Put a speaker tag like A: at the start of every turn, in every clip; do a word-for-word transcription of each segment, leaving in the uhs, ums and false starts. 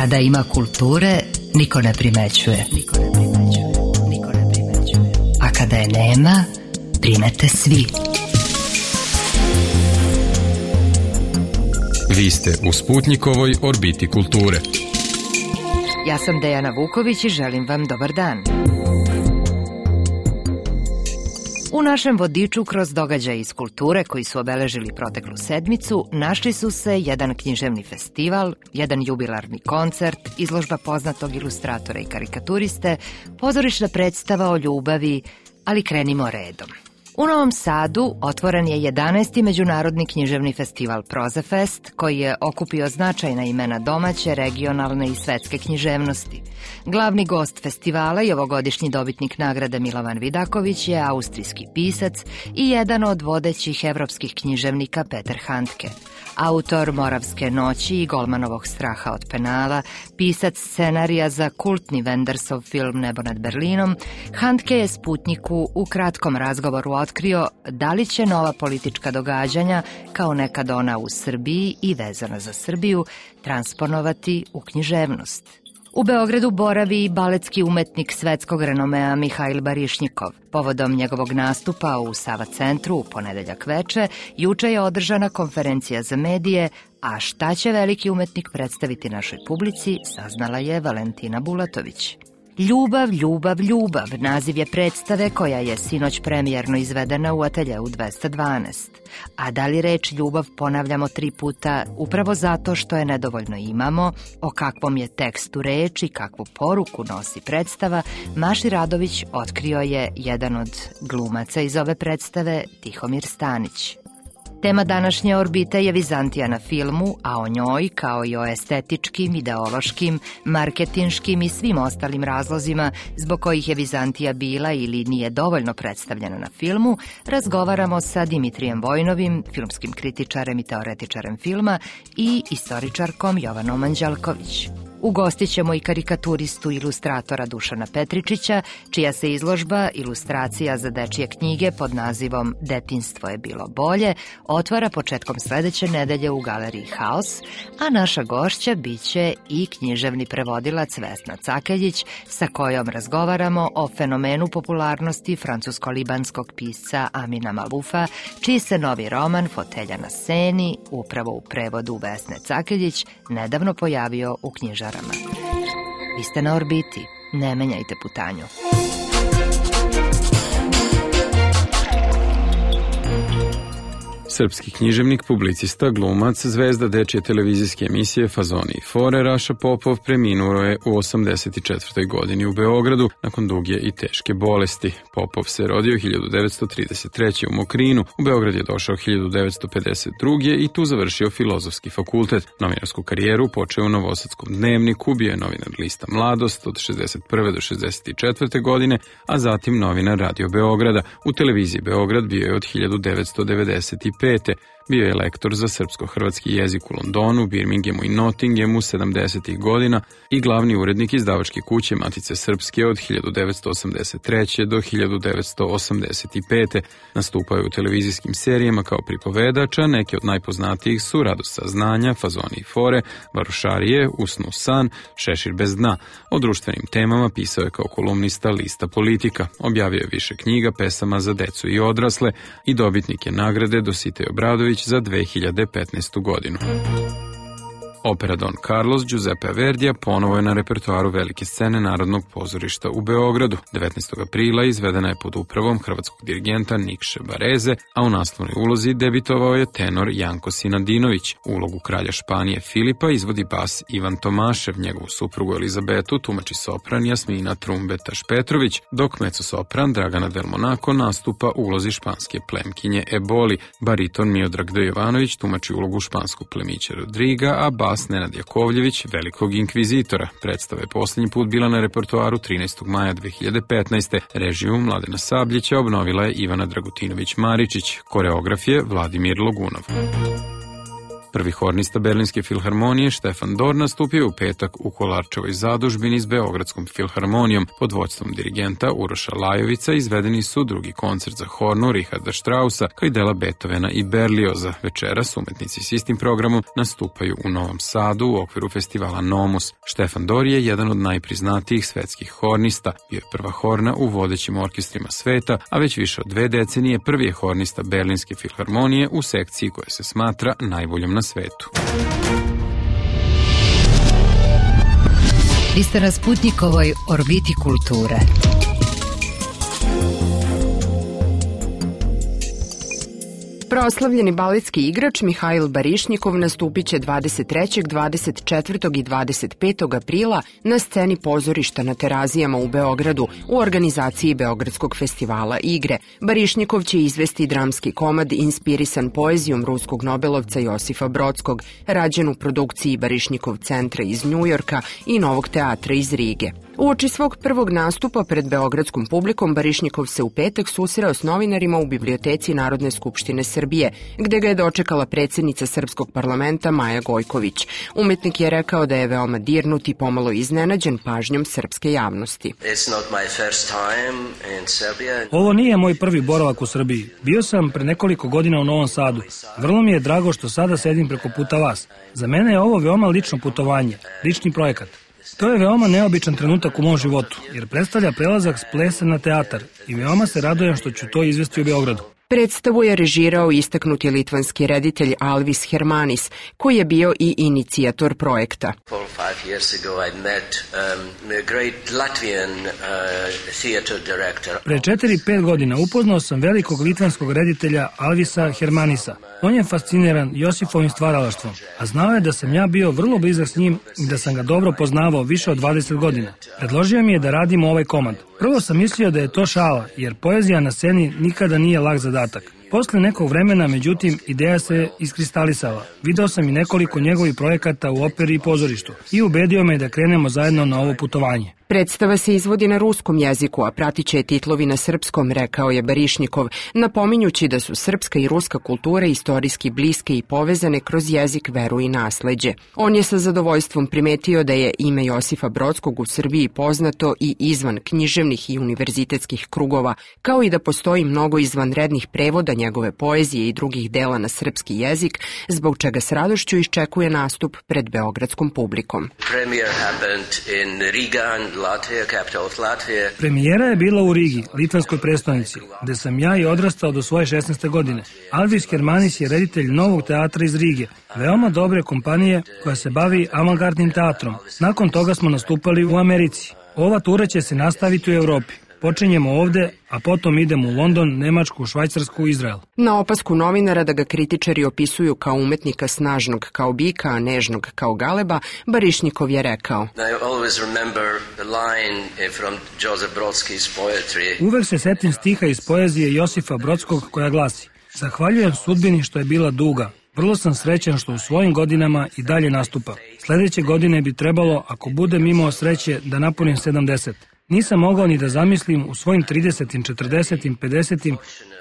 A: Kada ima kulture, niko ne primećuje. Niko ne primećuje. Niko ne primećuje. A kada je nema, primete svi.
B: Vi ste u Sputnjikovoj orbiti kulture.
A: Ja sam Dejana Vuković i želim vam dobar dan. U našem vodiču kroz događaje iz kulture koji su obeležili proteklu sedmicu našli su se jedan književni festival, jedan jubilarni koncert, izložba poznatog ilustratora i karikaturiste, pozorišna predstava o ljubavi, ali krenimo redom. U Novom Sadu otvoren je jedanaesti međunarodni književni festival Prozafest, koji je okupio značajna imena domaće, regionalne i svetske književnosti. Glavni gost festivala i ovogodišnji dobitnik nagrade Milovan Vidaković je austrijski pisac i jedan od vodećih evropskih književnika Peter Handke. Autor Moravske noći i Golmanovog straha od penala, pisac scenarija za kultni Wendersov film Nebo nad Berlinom, Handke je Sputnjiku u kratkom razgovoru otkrio da li će nova politička događanja, kao nekad ona u Srbiji i vezana za Srbiju, transponovati u književnost. U Beogradu boravi i baletski umetnik svetskog renomea Mihail Barišnikov. Povodom njegovog nastupa u Sava centru u ponedeljak veče, juče je održana konferencija za medije, a šta će veliki umetnik predstaviti našoj publici, saznala je Valentina Bulatović. Ljubav, ljubav, ljubav, naziv je predstave koja je sinoć premijerno izvedena u ateljeu dvesta dvanaest. A da li reč ljubav ponavljamo tri puta upravo zato što je nedovoljno imamo, o kakvom je tekstu reč i kakvu poruku nosi predstava, Maši Radović otkrio je jedan od glumaca iz ove predstave, Tihomir Stanić. Tema današnje orbite je Vizantija na filmu, a o njoj, kao i o estetičkim, ideološkim, marketinškim i svim ostalim razlozima zbog kojih je Vizantija bila ili nije dovoljno predstavljena na filmu, razgovaramo sa Dimitrijem Vojnovim, filmskim kritičarem i teoretičarem filma, i istoričarkom Jovanom Anđelković. Ugostit ćemo i karikaturistu ilustratora Dušana Petričića, čija se izložba ilustracija za dečije knjige pod nazivom Detinjstvo je bilo bolje otvara početkom sledeće nedelje u galeriji Haos, a naša gošća biće i književni prevodilac Vesna Cakeljić, sa kojom razgovaramo o fenomenu popularnosti francusko-libanskog pisca Amina Malufa, čiji se novi roman Fotelja na seni, upravo u prevodu Vesne Cakeljić, nedavno pojavio u knjižarama. Vi ste na orbiti, ne menjajte putanju.
B: Srpski književnik, publicista, glumac, zvezda dečije televizijske emisije Fazoni i fore Raša Popov preminuo je u osamdeset četvrtoj godini u Beogradu nakon duge i teške bolesti. Popov se rodio hiljadu devetsto trideset treće. u Mokrinu, u Beograd je došao hiljadu devetsto pedeset druge. i tu završio Filozofski fakultet. Novinarsku karijeru počeo u Novosadskom dnevniku, bio je novinar lista Mladost od šezdeset prve do šezdeset četvrte. godine, a zatim novinar Radio Beograda. U televiziji Beograd bio je od hiljadu devetsto devedeset pete. Bio je lektor za srpsko-hrvatski jezik u Londonu, Birminghamu i Nottinghamu sedamdesetih godina i glavni urednik izdavačke kuće Matice Srpske od hiljadu devetsto osamdeset treće. do hiljadu devetsto osamdeset pete. Nastupao je u televizijskim serijama kao pripovedača, neke od najpoznatijih su Radost saznanja, Fazoni i fore, Varošarije, Usnu san, Šešir bez dna. O društvenim temama pisao je kao kolumnista lista Politika. Objavio je više knjiga, pesama za decu i odrasle i dobitnik je nagrade Dositej Obradović za dve hiljade petnaestu. godinu. Opera Don Carlos Giuseppe Verdija ponovo je na repertoaru velike scene Narodnog pozorišta u Beogradu. devetnaestog aprila izvedena je pod upravom hrvatskog dirigenta Nikše Bareze, a u naslovnoj ulozi debitovao je tenor Janko Sinadinović. Ulogu kralja Španije Filipa izvodi bas Ivan Tomašev, njegovu suprugu Elizabetu tumači sopran Jasmina Trumbetaš Petrović, dok mezzo-sopran Dragana Del Monaco nastupa u ulozi španske plemkinje Eboli. Bariton Miodrag D. Jovanović tumači ulogu španskog plemića Rodriga, a bas Nenad Jakovljević, velikog inkvizitora. Predstava je posljednji put bila na repertoaru trinaestog maja dve hiljade petnaeste. Režiju Mladena Sabljića obnovila je Ivana Dragutinović Maričić, koreograf je Vladimir Logunov. Prvi hornista Berlinske filharmonije Štefan Dor nastupio je u petak u Kolarčevoj zadužbini s Beogradskom filharmonijom pod vodstvom dirigenta Uroša Lajovica. Izvedeni su drugi koncert za hornu Richarda Straussa kao i dela Beethovena i Berlioza. Večeras umetnici s istim programom nastupaju u Novom Sadu u okviru festivala Nomus. Štefan Dor je jedan od najpriznatijih svetskih hornista. Bio je prva horna u vodećim orkestrima sveta, a već više od dve decenije prvi je hornista Berlinske filharmonije u sekciji koja se smatra najboljom na svetu.
A: Vi ste na Sputnikovoj orbiti kulture.
C: Proslavljeni baletski igrač Mihail Barišnikov nastupit će dvadeset trećeg, dvadeset četvrtog i dvadeset petog aprila na sceni pozorišta na Terazijama u Beogradu u organizaciji Beogradskog festivala igre. Barišnikov će izvesti dramski komad inspirisan poezijom ruskog nobelovca Josifa Brodskog, rađen u produkciji Barišnikov centra iz Njujorka i Novog teatra iz Rige. Uoči svog prvog nastupa pred beogradskom publikom, Barišnikov se u petak susreo s novinarima u biblioteci Narodne skupštine Srbije, gde ga je dočekala predsjednica Srpskog parlamenta Maja Gojković. Umetnik je rekao da je veoma dirnut i pomalo iznenađen pažnjom srpske javnosti.
D: Ovo nije moj prvi boravak u Srbiji. Bio sam pre nekoliko godina u Novom Sadu. Vrlo mi je drago što sada sedim preko puta vas. Za mene je ovo veoma lično putovanje, lični projekat. To je veoma neobičan trenutak u mom životu, jer predstavlja prelazak s plesa na teatar i veoma se radujem što ću to izvesti u Beogradu.
C: Predstavu je režirao istaknuti litvanski reditelj Alvis Hermanis, koji je bio i inicijator projekta.
D: Pre četiri, pet godina upoznao sam velikog litvanskog reditelja Alvisa Hermanisa. On je fasciniran Josifovim stvaralaštvom, a znao je da sam ja bio vrlo blizak s njim i da sam ga dobro poznavao više od dvadeset godina. Predložio mi je da radimo ovaj komad. Prvo sam mislio da je to šala, jer poezija na sceni nikada nije lak zadatak. Posle nekog vremena, međutim, ideja se iskristalisala. Video sam i nekoliko njegovih projekata u operi i pozorištu i ubedio me da krenemo zajedno na ovo putovanje.
C: Predstava se izvodi na ruskom jeziku, a pratit će je titlovi na srpskom, rekao je Barišnikov, napominjući da su srpska i ruska kultura istorijski bliske i povezane kroz jezik, veru i nasleđe. On je sa zadovoljstvom primetio da je ime Josifa Brodskog u Srbiji poznato i izvan književnih i univerzitetskih krugova, kao i da postoji mnogo izvanrednih prevoda njegove poezije i drugih dela na srpski jezik, zbog čega s radošću iščekuje nastup pred beogradskom publikom.
D: Premijera je bila u Rigi, litvanskoj prestonici, gde sam ja i odrastao do svoje šesnaeste godine. Alvis Hermanis je reditelj Novog teatra iz Rige, veoma dobre kompanije koja se bavi avangardnim teatrom. Nakon toga smo nastupali u Americi. Ova tura će se nastaviti u Evropi. Počinjemo ovde, a potom idemo u London, Nemačku, Švajcarsku i Izrael.
C: Na opasku novinara da ga kritičari opisuju kao umetnika snažnog kao bika, a nežnog kao galeba, Barišnikov je rekao:
D: Uvek se setim stiha iz poezije Josifa Brodskog koja glasi: Zahvaljujem sudbini što je bila duga. Vrlo sam srećan što u svojim godinama i dalje nastupa. Sledeće godine bi trebalo, ako budem imao sreće, da napunim sedamdeset. Nisam mogao ni da zamislim u svojim tridesetim, četrdesetim, pedesetim,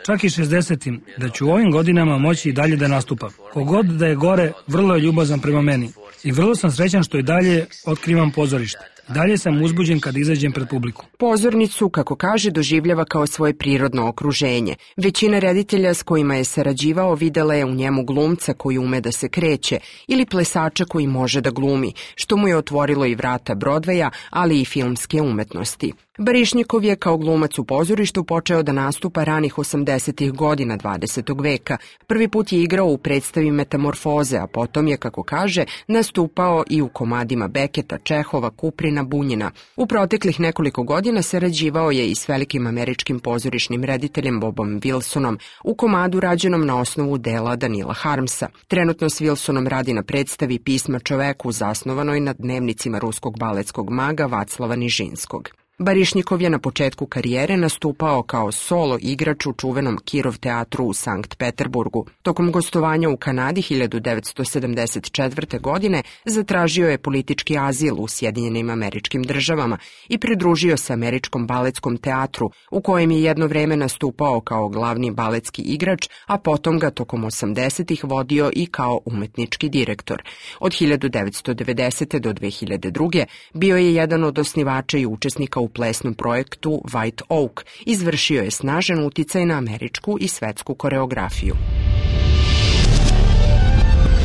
D: čak i šezdesetim, da ću u ovim godinama moći i dalje da nastupam. Kogod da je gore, vrlo je ljubazan prema meni. I vrlo sam srećan što i dalje otkrivam pozorište. Dalje sam uzbuđen kad izađem pred publiku.
C: Pozornicu, kako kaže, doživljava kao svoje prirodno okruženje. Većina reditelja s kojima je sarađivao videla je u njemu glumca koji ume da se kreće ili plesača koji može da glumi, što mu je otvorilo i vrata Brodveja, ali i filmske umetnosti. Barišnikov je kao glumac u pozorištu počeo da nastupa ranih osamdesetih godina dvadesetog veka. Prvi put je igrao u predstavi Metamorfoze, a potom je, kako kaže, nastupao i u komadima Beketa, Čehova, Kuprina, Bunjina. U proteklih nekoliko godina sarađivao je i s velikim američkim pozorišnim rediteljem Bobom Wilsonom u komadu rađenom na osnovu dela Danila Harmsa. Trenutno s Wilsonom radi na predstavi Pisma čoveku, zasnovanoj na dnevnicima ruskog baletskog maga Vaclava Nižinskog. Barišnikov je na početku karijere nastupao kao solo igrač u čuvenom Kirov teatru u Sankt Peterburgu. Tokom gostovanja u Kanadi hiljadu devetsto sedamdeset četvrte. godine zatražio je politički azil u Sjedinjenim Američkim Državama i pridružio se Američkom baletskom teatru, u kojem je jedno vreme nastupao kao glavni baletski igrač, a potom ga tokom osamdesetih vodio i kao umetnički direktor. Od hiljadu devetsto devedesete. do dve hiljade druge. bio je jedan od osnivača i učesnika u plesnom projektu White Oak. Izvršio je snažan uticaj na američku i svetsku koreografiju.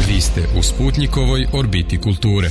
E: Vi ste u Sputnjikovoj orbiti kulture.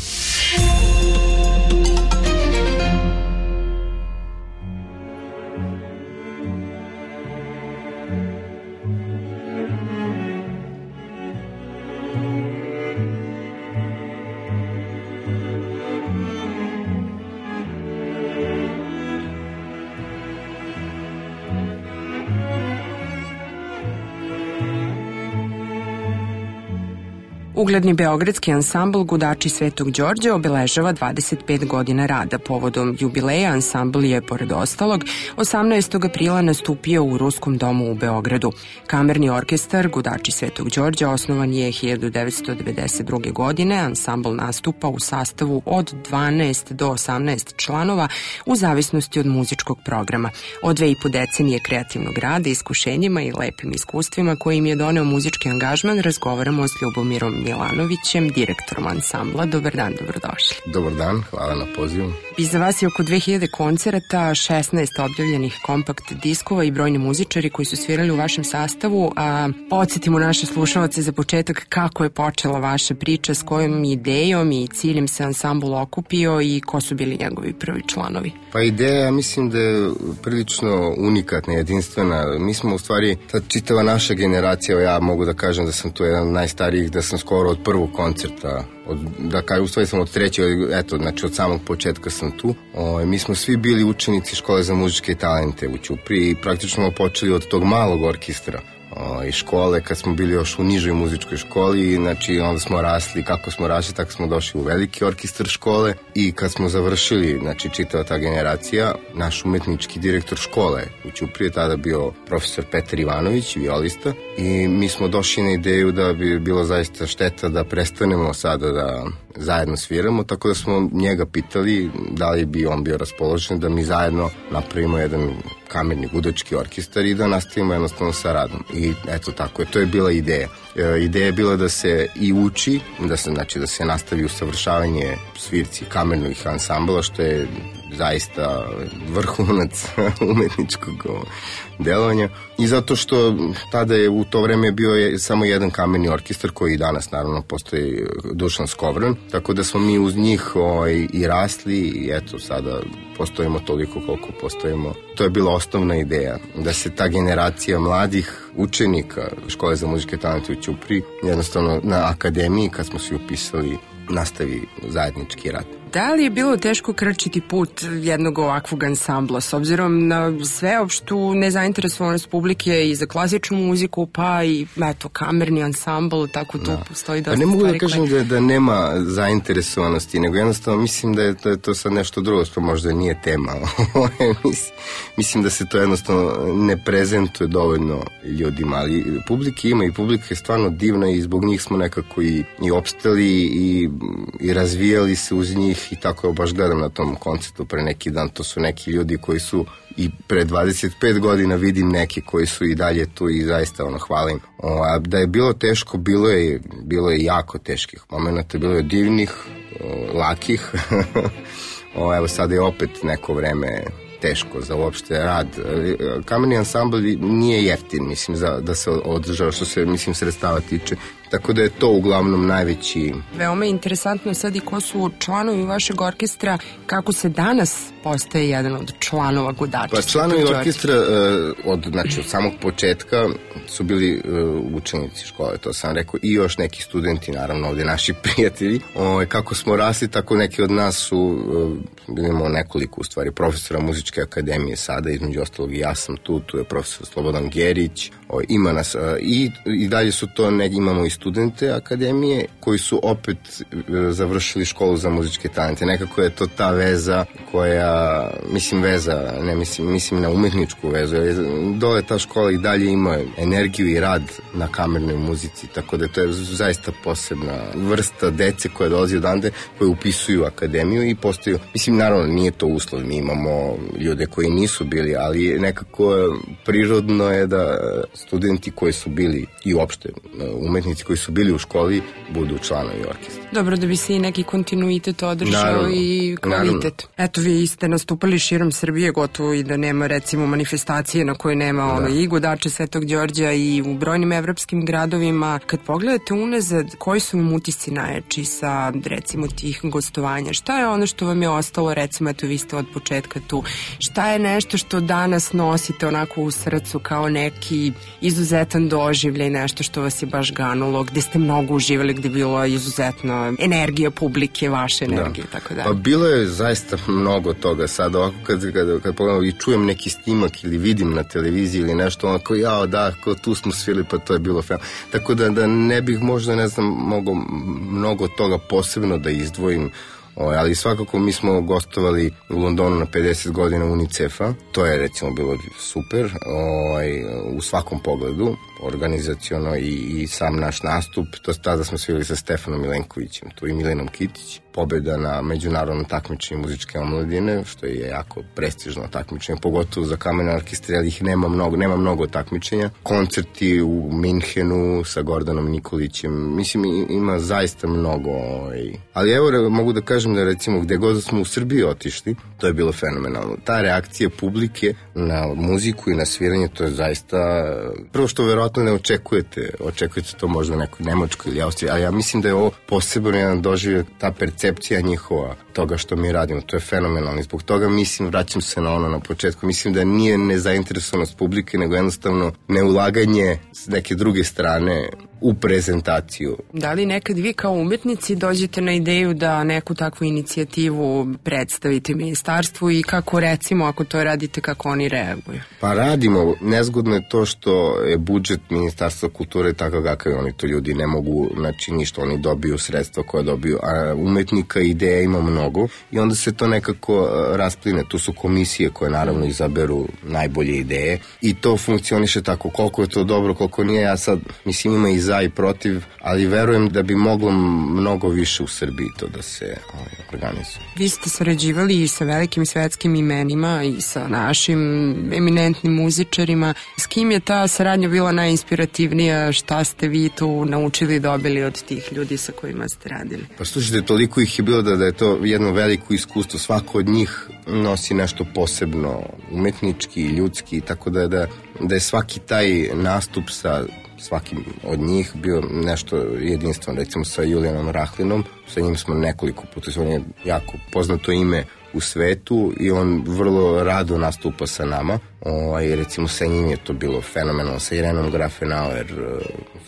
C: Ugledni beogradski ansambl Gudači Svetog Đorđa obeležava dvadeset pet godina rada. Povodom jubileja ansambl je, pored ostalog, osamnaestog aprila nastupio u Ruskom domu u Beogradu. Kamerni orkestar Gudači Svetog Đorđa osnovan je hiljadu devetsto devedeset druge. godine. Ansambl nastupa u sastavu od dvanaest do osamnaest članova u zavisnosti od muzičkog programa. Od dve i po decenije kreativnog rada, iskušenjima i lepim iskustvima koje im je doneo muzički angažman, razgovaramo s Ljubomirom Milanovićem, direktorom ansambla. Dobar dan, dobrodošli.
F: Dobar dan, hvala na pozivu.
C: Iza vas je oko dve hiljade koncerata, šesnaest objavljenih kompakt diskova i brojni muzičari koji su svirali u vašem sastavu. A podsjetimo naše slušalce za početak kako je počela vaša priča, s kojom idejom i ciljem se ansambl okupio i ko su bili njegovi prvi članovi.
F: Pa ideja, mislim da je prilično unikatna, jedinstvena. Mi smo u stvari, ta čitava naša generacija, ja mogu da kažem da sam tu jedan od najstarijih, da sam skoro od prvog koncerta, od, da kažem, u stvari sam od trećeg, eto, znači od samog početka sam tu. O, mi smo svi bili učenici škole za muzičke talente u Ćupriji i praktično smo počeli od tog malog orkestra i škole, kad smo bili još u nižoj muzičkoj školi, znači onda smo rasli, kako smo rasli, tako smo došli u veliki orkestar škole i kad smo završili, znači čitava ta generacija, naš umetnički direktor škole u Ćupriji je tada bio profesor Petar Ivanović, violista, i mi smo došli na ideju da bi bilo zaista šteta da prestanemo sada da zajedno sviramo, tako da smo njega pitali da li bi on bio raspoložen da mi zajedno napravimo jedan kamerni gudački orkestar i da nastavimo jednostavno sa radom. I eto tako je, to je bila ideja. E, ideja je bila da se i uči, da se, znači, da se nastavi usavršavanje svirci kamernih ansambla, što je zaista vrhunac umetničkog delovanja. I zato što tada je u to vreme bio je samo jedan kamerni orkestar koji danas naravno postoji, Dušan Skovran, tako da smo mi uz njih o, i, i rasli i eto sada postojimo toliko koliko postojimo. To je bila osnovna ideja, da se ta generacija mladih učenika škole za muzičke talente u Ćupriji jednostavno na akademiji, kad smo svi upisali, nastavi zajednički rad.
C: Da li je bilo teško krčiti put jednog ovakvog ansambla, s obzirom na sveopštu nezainteresovanost publike i za klasičnu muziku, pa i eto, kamerni ansambl, tako tu da postoji dosta.
F: Pa ne mogu
C: stvari
F: da kažem
C: koje...
F: da, da nema zainteresovanosti, nego jednostavno mislim da je to, to sad nešto drugo, što možda nije tema. Mislim da se to jednostavno ne prezentuje dovoljno ljudima, ali publike ima i publika je stvarno divna i zbog njih smo nekako i, i opstali i, i razvijali se uz njih. I tako je, baš gledam na tom koncertu pre neki dan, to su neki ljudi koji su i pre dvadeset pet godina, vidim neki koji su i dalje tu i zaista ono hvalim. O, a da je bilo teško, bilo je, bilo je jako teških momenta, bilo je divnih, o, lakih. o, evo sad je opet neko vreme teško za uopšte rad. Kamerni ansambl nije jeftin, mislim, za, da se održava, što se, mislim, sredstava tiče. Tako da je to uglavnom najveći...
C: Veoma je interesantno sad i ko su članovi vašeg orkestra, kako se danas postaje jedan od članova Gudači.
F: Pa članovi orkestra od, znači, od samog početka su bili uh, učenici škole, to sam rekao, i još neki studenti, naravno, ovde naši prijatelji. O, kako smo rasli, tako neki od nas su, uh, imamo nekoliko, u stvari, profesora muzičke akademije sada, između ostalog i ja sam tu, tu je profesor Slobodan Gerić, o, ima nas, uh, i, i dalje su to, ne, imamo i studente akademije koji su opet završili školu za muzičke talente. Nekako je to ta veza koja, mislim veza, ne mislim, mislim na umetničku vezu. Dole ta škola i dalje ima energiju i rad na kamernoj muzici, tako da to je zaista posebna vrsta dece koja dolazi odande, koje upisuju akademiju i postaju, mislim naravno nije to uslov, mi imamo ljude koji nisu bili, ali nekako prirodno je da studenti koji su bili i uopšte umetnici koji su bili u školi budu članovi orkestra.
C: Dobro, da bi se i neki kontinuitet održao
F: naravno,
C: i kvalitet.
F: Naravno.
C: Eto, vi ste nastupali širom Srbije, gotovo i da nema recimo manifestacije na kojoj nema da. ono, i Gudače Svetog Đorđa i u brojnim evropskim gradovima. Kad pogledate unazad, koji su vam utisci najjači sa recimo tih gostovanja? Šta je ono što vam je ostalo, recimo, eto vi ste od početka tu, šta je nešto što danas nosite onako u srcu kao neki izuzetan doživljaj, nešto što vas je baš ganulo, gde ste mnogo uživali, gde je bilo izuzetna energija publike, vaše energije, da. tako da.
F: Pa bilo je zaista mnogo toga sad, ovako kad, kad, kad pogledam i čujem neki snimak ili vidim na televiziji ili nešto, onako, jao da, kao tu smo svili, pa to je bilo fenomenalno. Tako da, da ne bih možda, ne znam, mogo mnogo toga posebno da izdvojim, O, ali svakako mi smo gostovali u Londonu na pedeset godina UNICEF-a, to je recimo bilo super, o, u svakom pogledu, organizaciono i, i sam naš nastup, to tada smo svili sa Stefanom Milenkovićem, tu i Milenom Kitić, pobjeda na međunarodnom takmičenju muzičke omladine, što je jako prestižno takmičenje, pogotovo za kamerne orkestre, ali ih nema mnogo, nema mnogo takmičenja. Koncerti u Minhenu sa Gordanom Nikolićem, mislim ima zaista mnogo, ovaj. Ali evo mogu da kažem da recimo gde god smo u Srbiji otišli, to je bilo fenomenalno. Ta reakcija publike na muziku i na sviranje, to je zaista, prvo što verovatno ne očekujete, očekujete to možda u nekoj Nemačkoj ili Austriji, ali ja mislim da je ovo posebno jedan doživljaj, ta percepcija njihova toga što mi radimo, to je fenomenalno. Zbog toga mislim, vraćam se na ono na početku, mislim da nije nezainteresovanost publike, nego jednostavno neulaganje s neke druge strane u prezentaciju.
C: Da li nekad vi kao umetnici dođete na ideju da neku takvu inicijativu predstavite ministarstvu i kako recimo ako to radite, kako oni reaguju?
F: Pa radimo. Nezgodno je to što je budžet Ministarstva kulture takav kakav oni to ljudi ne mogu, znači ništa, oni dobiju sredstva koje dobiju, a umetnika i ideja ima mnogo i onda se to nekako raspline. Tu su komisije koje naravno izaberu najbolje ideje i to funkcioniše tako. Koliko je to dobro, koliko nije, ja sad mislim ima i za i protiv, ali verujem da bi moglo mnogo više u Srbiji to da se ovaj, organizuje.
C: Vi ste sarađivali i sa velikim svetskim imenima i sa našim eminentnim muzičarima. S kim je ta saradnja bila najinspirativnija? Šta ste vi tu naučili i dobili od tih ljudi sa kojima ste radili?
F: Pa slušajte, toliko ih je bilo da, da je to jedno veliko iskustvo. Svako od njih nosi nešto posebno, umetnički, ljudski, tako da, da, da je svaki taj nastup sa svakim od njih bio nešto jedinstveno. Recimo sa Julijanom Rahlinom, sa njim smo nekoliko puta, on je jako poznato ime u svetu i on vrlo rado nastupa sa nama. O, i recimo sa njim je to bilo fenomenalno, sa Irenom Grafenauer,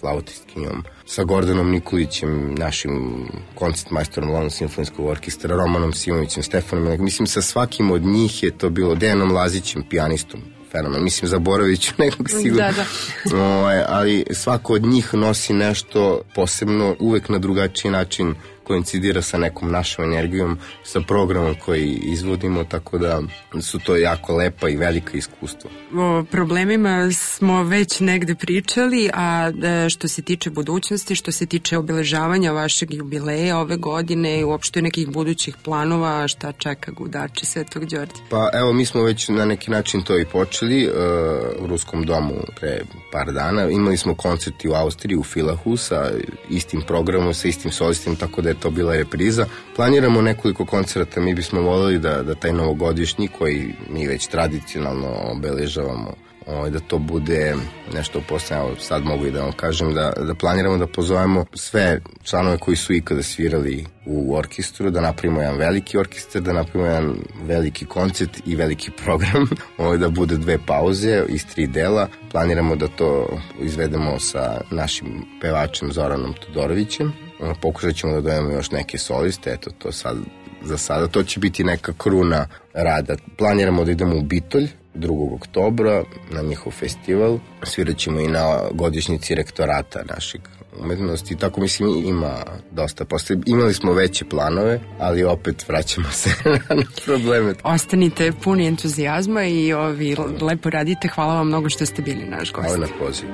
F: flautistkinjom, sa Gordanom Nikolićem, našim koncertmajstorom London simfonijskog orkestra, Romanom Simovićem, Stefanom, mislim sa svakim od njih je to bilo, Dejanom Lazićem, pijanistom, fenomen. Mislim, zaboravit ću nekog sigurno.
C: Da, da.
F: O, ali svako od njih nosi nešto posebno, uvek na drugačiji način koincidira sa nekom našom energijom, sa programom koji izvodimo, tako da su to jako lepa i velika iskustva.
C: O problemima smo već negde pričali, a što se tiče budućnosti, što se tiče obeležavanja vašeg jubileja ove godine i uopšte nekih budućih planova, šta čeka Gudače Svetog Đorđa?
F: Pa evo, mi smo već na neki način to i počeli uh, u Ruskom domu pre par dana. Imali smo koncerti u Austriji, u Filahu sa istim programom, sa istim solistima, tako da je to bila repriza. Planiramo nekoliko koncerta, mi bismo voljeli da, da taj novogodišnji koji mi već tradicionalno obeležavamo, da to bude nešto posebno. Sad mogu i da vam kažem da, da planiramo da pozovemo sve članove koji su ikada svirali u orkestru, da napravimo jedan veliki orkestar, da napravimo jedan veliki koncert i veliki program, da bude dve pauze iz tri dela. Planiramo da to izvedemo sa našim pevačem Zoranom Todorovićem. Pokušat ćemo da dojemo još neke soliste, eto to sad, za sada. To će biti neka kruna rada. Planiramo da idemo u Bitolj drugog oktobra na njihov festival. Svirat ćemo i na godišnjici rektorata našeg umetnosti, tako mislim ima dosta. Posle, imali smo veće planove, ali opet vraćamo se na probleme.
C: Ostanite puni entuzijazma i ovi, lepo radite. Hvala vam mnogo što ste bili naš gost.
F: Hvala na poziv.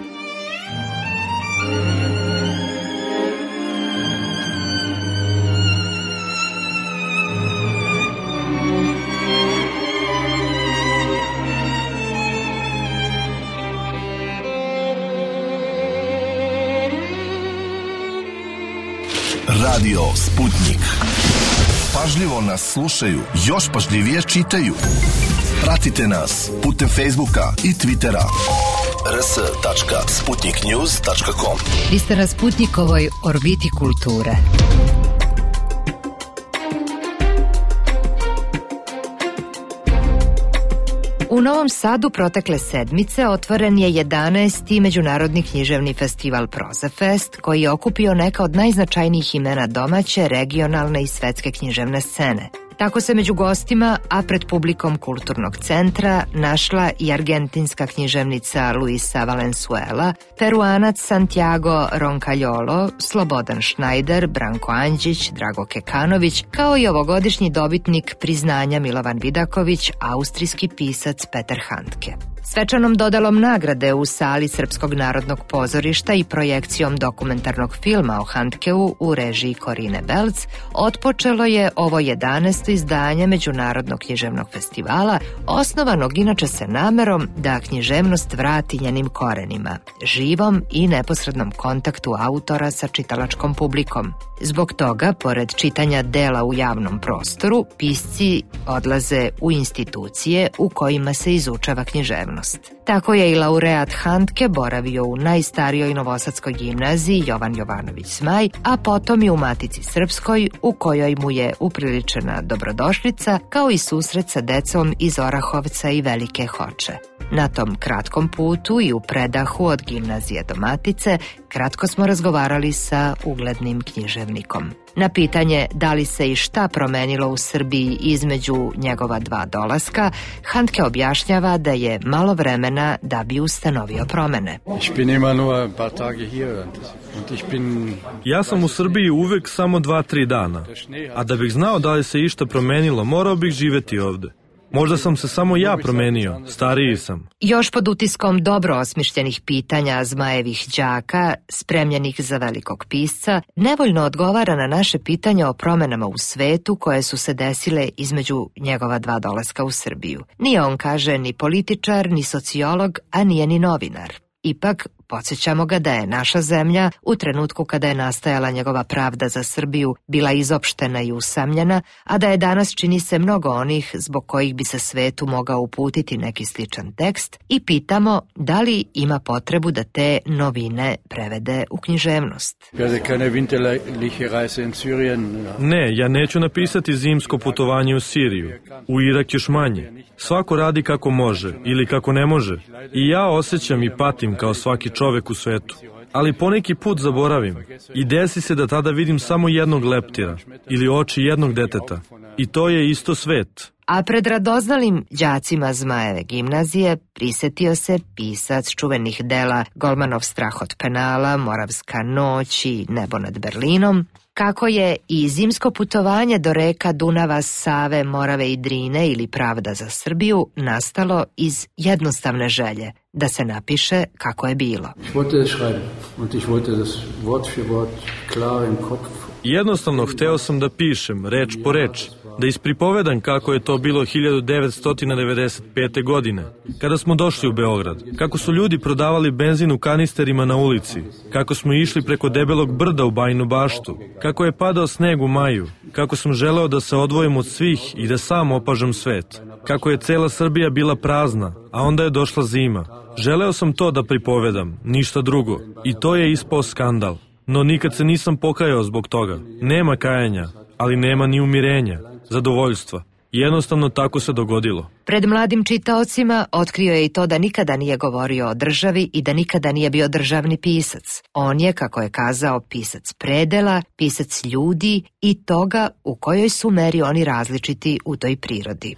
G: Radio Sputnik. Pažljivo nas slušaju, još pažljivije čitaju. Pratite nas putem Facebooka i Twittera. r s tačka sputnik news tačka com.
A: Vi ste na Sputnikovoj orbiti kulture. U Novom Sadu protekle sedmice otvoren je jedanaesti Međunarodni književni festival Prozafest, koji je okupio neka od najznačajnijih imena domaće, regionalne i svetske književne scene. Tako se među gostima, a pred publikom kulturnog centra, našla i argentinska književnica Luisa Valenzuela, peruanac Santiago Roncaliolo, Slobodan Schneider, Branko Anđić, Drago Kekanović, kao i ovogodišnji dobitnik priznanja Milovan Vidaković, austrijski pisac Peter Handke. Svečanom dodelom nagrade u sali Srpskog narodnog pozorišta i projekcijom dokumentarnog filma o Handkeu u režiji Korine Belc otpočelo je ovo jedanaesto izdanje Međunarodnog književnog festivala, osnovanog inače sa namerom da književnost vrati njenim korenima, živom i neposrednom kontaktu autora sa čitalačkom publikom. Zbog toga, pored čitanja dela u javnom prostoru, pisci odlaze u institucije u kojima se izučava književnost. Tako je i laureat Handke boravio u najstarijoj novosadskoj gimnaziji Jovan Jovanović Zmaj, a potom i u Matici Srpskoj, u kojoj mu je upriličena dobrodošlica, kao i susret sa decom iz Orahovca i Velike Hoče. Na tom kratkom putu i u predahu od gimnazije do Matice kratko smo razgovarali sa uglednim književnikom. Na pitanje da li se i šta promenilo u Srbiji između njegova dva dolaska, Handke objašnjava da je malo vremena da bi ustanovio promene.
H: Ja sam u Srbiji uvek samo dva, tri dana, a da bih znao da li se išta promenilo, morao bih živeti ovde. Možda sam se samo ja promenio, stariji sam.
A: Još pod utiskom dobro osmišljenih pitanja Zmajevih đaka, spremljenih za velikog pisca, nevoljno odgovara na naše pitanje o promenama u svetu koje su se desile između njegova dva dolaska u Srbiju. Nije on, kaže, ni političar, ni sociolog, a nije ni novinar. Ipak, podsjećamo ga da je naša zemlja, u trenutku kada je nastajala njegova pravda za Srbiju, bila izopštena i usamljena, a da je danas, čini se, mnogo onih zbog kojih bi se svetu mogao uputiti neki sličan tekst, i pitamo da li ima potrebu da te novine prevede u književnost.
H: Ne, ja neću napisati zimsko putovanje u Siriju, u Irak još manje. Svako radi kako može ili kako ne može. I ja osjećam i patim kao svaki čovek u svetu. Ali poneki put zaboravim i desi se da tada vidim samo jednog leptira ili oči jednog deteta. I to je isto svet.
A: A pred radoznalim đacima Zmajeve gimnazije prisetio se pisac čuvenih dela Golmanov strah od penala, Moravska noć i Nebo nad Berlinom, kako je i zimsko putovanje do reka Dunava, Save, Morave i Drine ili Pravda za Srbiju nastalo iz jednostavne želje da se napiše kako je bilo.
H: Jednostavno hteo sam da pišem, reč po reč, da ispripovedam kako je to bilo hiljadu devetsto devedeset pete. godine, kada smo došli u Beograd, kako su ljudi prodavali benzin u kanisterima na ulici, kako smo išli preko debelog brda u Bajinu Baštu, kako je padao sneg u maju, kako sam želeo da se odvojim od svih i da sam opažam svet, kako je cela Srbija bila prazna, a onda je došla zima. Želeo sam to da pripovedam, ništa drugo, i to je ispao skandal. No nikad se nisam pokajao zbog toga. Nema kajanja, ali nema ni umirenja, zadovoljstva. Jednostavno tako se dogodilo.
A: Pred mladim čitaocima otkrio je i to da nikada nije govorio o državi i da nikada nije bio državni pisac. On je, kako je kazao, pisac predela, pisac ljudi i toga u kojoj su meri oni različiti u toj prirodi.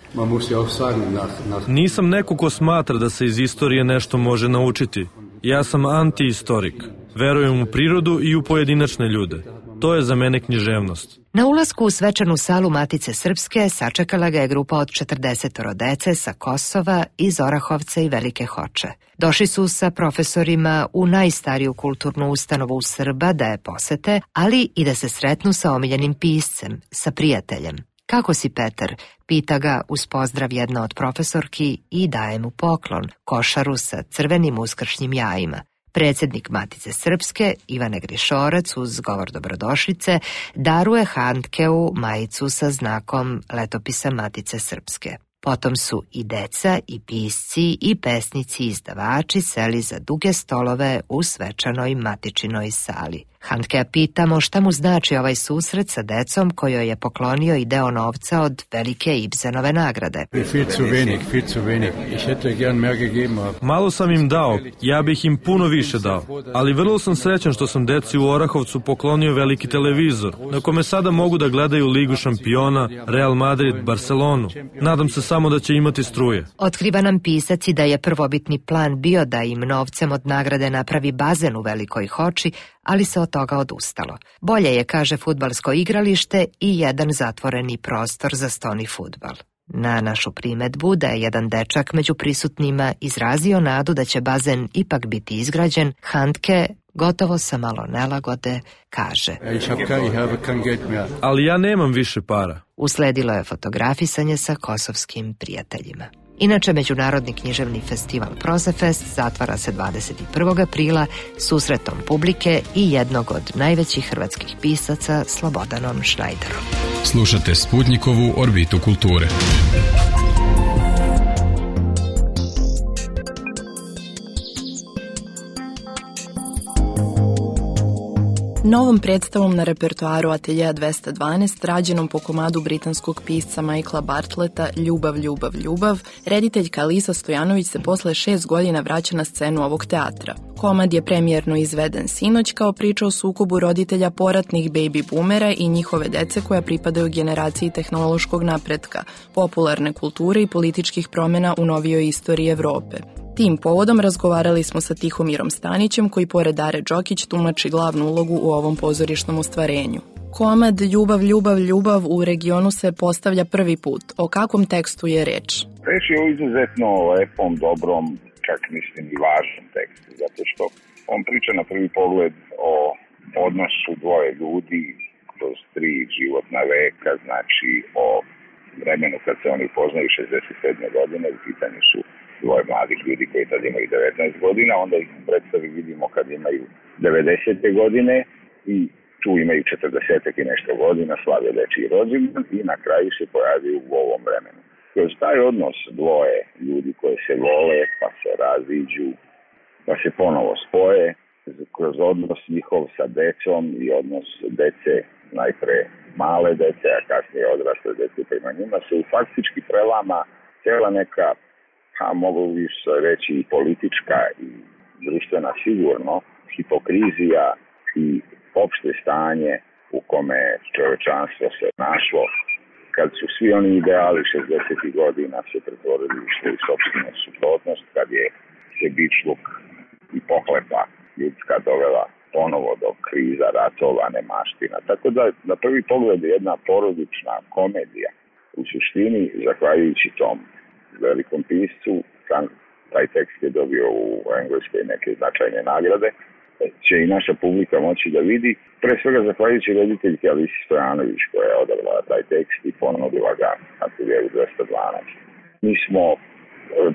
H: Nisam neko ko smatra da se iz istorije nešto može naučiti. Ja sam antihistorik. Verujem u prirodu i u pojedinačne ljude. To je za mene književnost.
A: Na ulasku u svečanu salu Matice Srpske sačekala ga je grupa od četrdesetoro dece sa Kosova, iz Orahovca i Velike Hoče. Došli su sa profesorima u najstariju kulturnu ustanovu Srba da je posete, ali i da se sretnu sa omiljenim piscem, sa prijateljem. Kako si, Petar? Pita ga uz pozdrav jedna od profesorki i daje mu poklon, košaru sa crvenim uskršnjim jajima. Predsjednik Matice Srpske, Ivane Grišorac, uz govor dobrodošlice, daruje Handkeu majicu sa znakom letopisa Matice Srpske. Potom su i deca, i pisci, i pesnici, i izdavači seli za duge stolove u svečanoj matičinoj sali. Handkea pitamo šta mu znači ovaj susret sa decom kojoj je poklonio i deo novca od velike Ibsenove nagrade.
H: Malo sam im dao, ja bih im puno više dao, ali vrlo sam srećan što sam deci u Orahovcu poklonio veliki televizor, na kome sada mogu da gledaju Ligu šampiona, Real Madrid, Barcelonu. Nadam se samo da će imati struje.
A: Otkriva nam pisac i da je prvobitni plan bio da im novcem od nagrade napravi bazen u Velikoj Hoči, ali se od toga odustalo. Bolje je, kaže, fudbalsko igralište i jedan zatvoreni prostor za stoni fudbal. Na našu primetbu da je jedan dečak među prisutnima izrazio nadu da će bazen ipak biti izgrađen, Handke, gotovo sa malo nelagode, kaže:
H: Ali ja nemam više para.
A: Usledilo je fotografisanje sa kosovskim prijateljima. Inače, Međunarodni književni festival Prozafest zatvara se dvadeset prvog aprila susretom publike i jednog od najvećih hrvatskih pisaca, Slobodanom Šnajderom.
E: Slušate Sputnikovu orbitu kulture.
I: Novom predstavom na repertoaru Ateljea dvesta dvanaest, rađenom po komadu britanskog pisca Michaela Bartleta Ljubav, ljubav, ljubav, rediteljka Alisa Stojanović se posle šest godina vraća na scenu ovog teatra. Komad je premijerno izveden sinoć kao priča o sukobu roditelja poratnih baby boomera i njihove dece koja pripadaju generaciji tehnološkog napretka, popularne kulture i političkih promjena u novijoj istoriji Evrope. Tim povodom razgovarali smo sa Tihomirom Stanićem, koji pored Dare Đokić tumači glavnu ulogu u ovom pozorišnom ostvarenju. Komad Ljubav, ljubav, ljubav u regionu se postavlja prvi put. O kakvom tekstu je reč?
J: Reč je o izuzetno lepom, dobrom, čak mislim i važnom tekstu, zato što on priča na prvi pogled o odnosu dvoje ljudi kroz tri životna veka, znači o vremenu kad se oni poznaju šezdeset sedme godine, u pitanju su dvoje mladih ljudi koji tad imaju devetnaest godina, onda ih u predstavi vidimo kad imaju devedesete godine i tu imaju četrdeset i nešto godina, slave dečiji rođendan i na kraju se pojavaju u ovom vremenu. Kroz taj odnos dvoje ljudi koje se vole, pa se raziđu, pa se ponovo spoje, kroz odnos njihov sa decom i odnos dece, najpre male dece, a kasnije odrasle dece prema njima, se faktički prelama cijela neka, a mogu bi se reći i politička i društvena sigurno, hipokrizija i opšte stanje u kome čovečanstvo se našlo kad su svi oni ideali šezdesetih godina se pretvorili u svoju sopstvenu suprotnost, kad je se bičluk i pohlepa ljudska dovela ponovo do kriza, ratova, nemaština. Tako da na prvi pogled je jedna porodična komedija. U suštini, zahvaljujući tom velikom piscu, sam taj tekst je dobio u Engleskoj neke značajne nagrade, će i naša publika moći da vidi, pre svega zahvaljujući rediteljki Alisi Stojanović koja je odabrala taj tekst i ponudila ga na Ateljeu dvesta dvanaest. Mi smo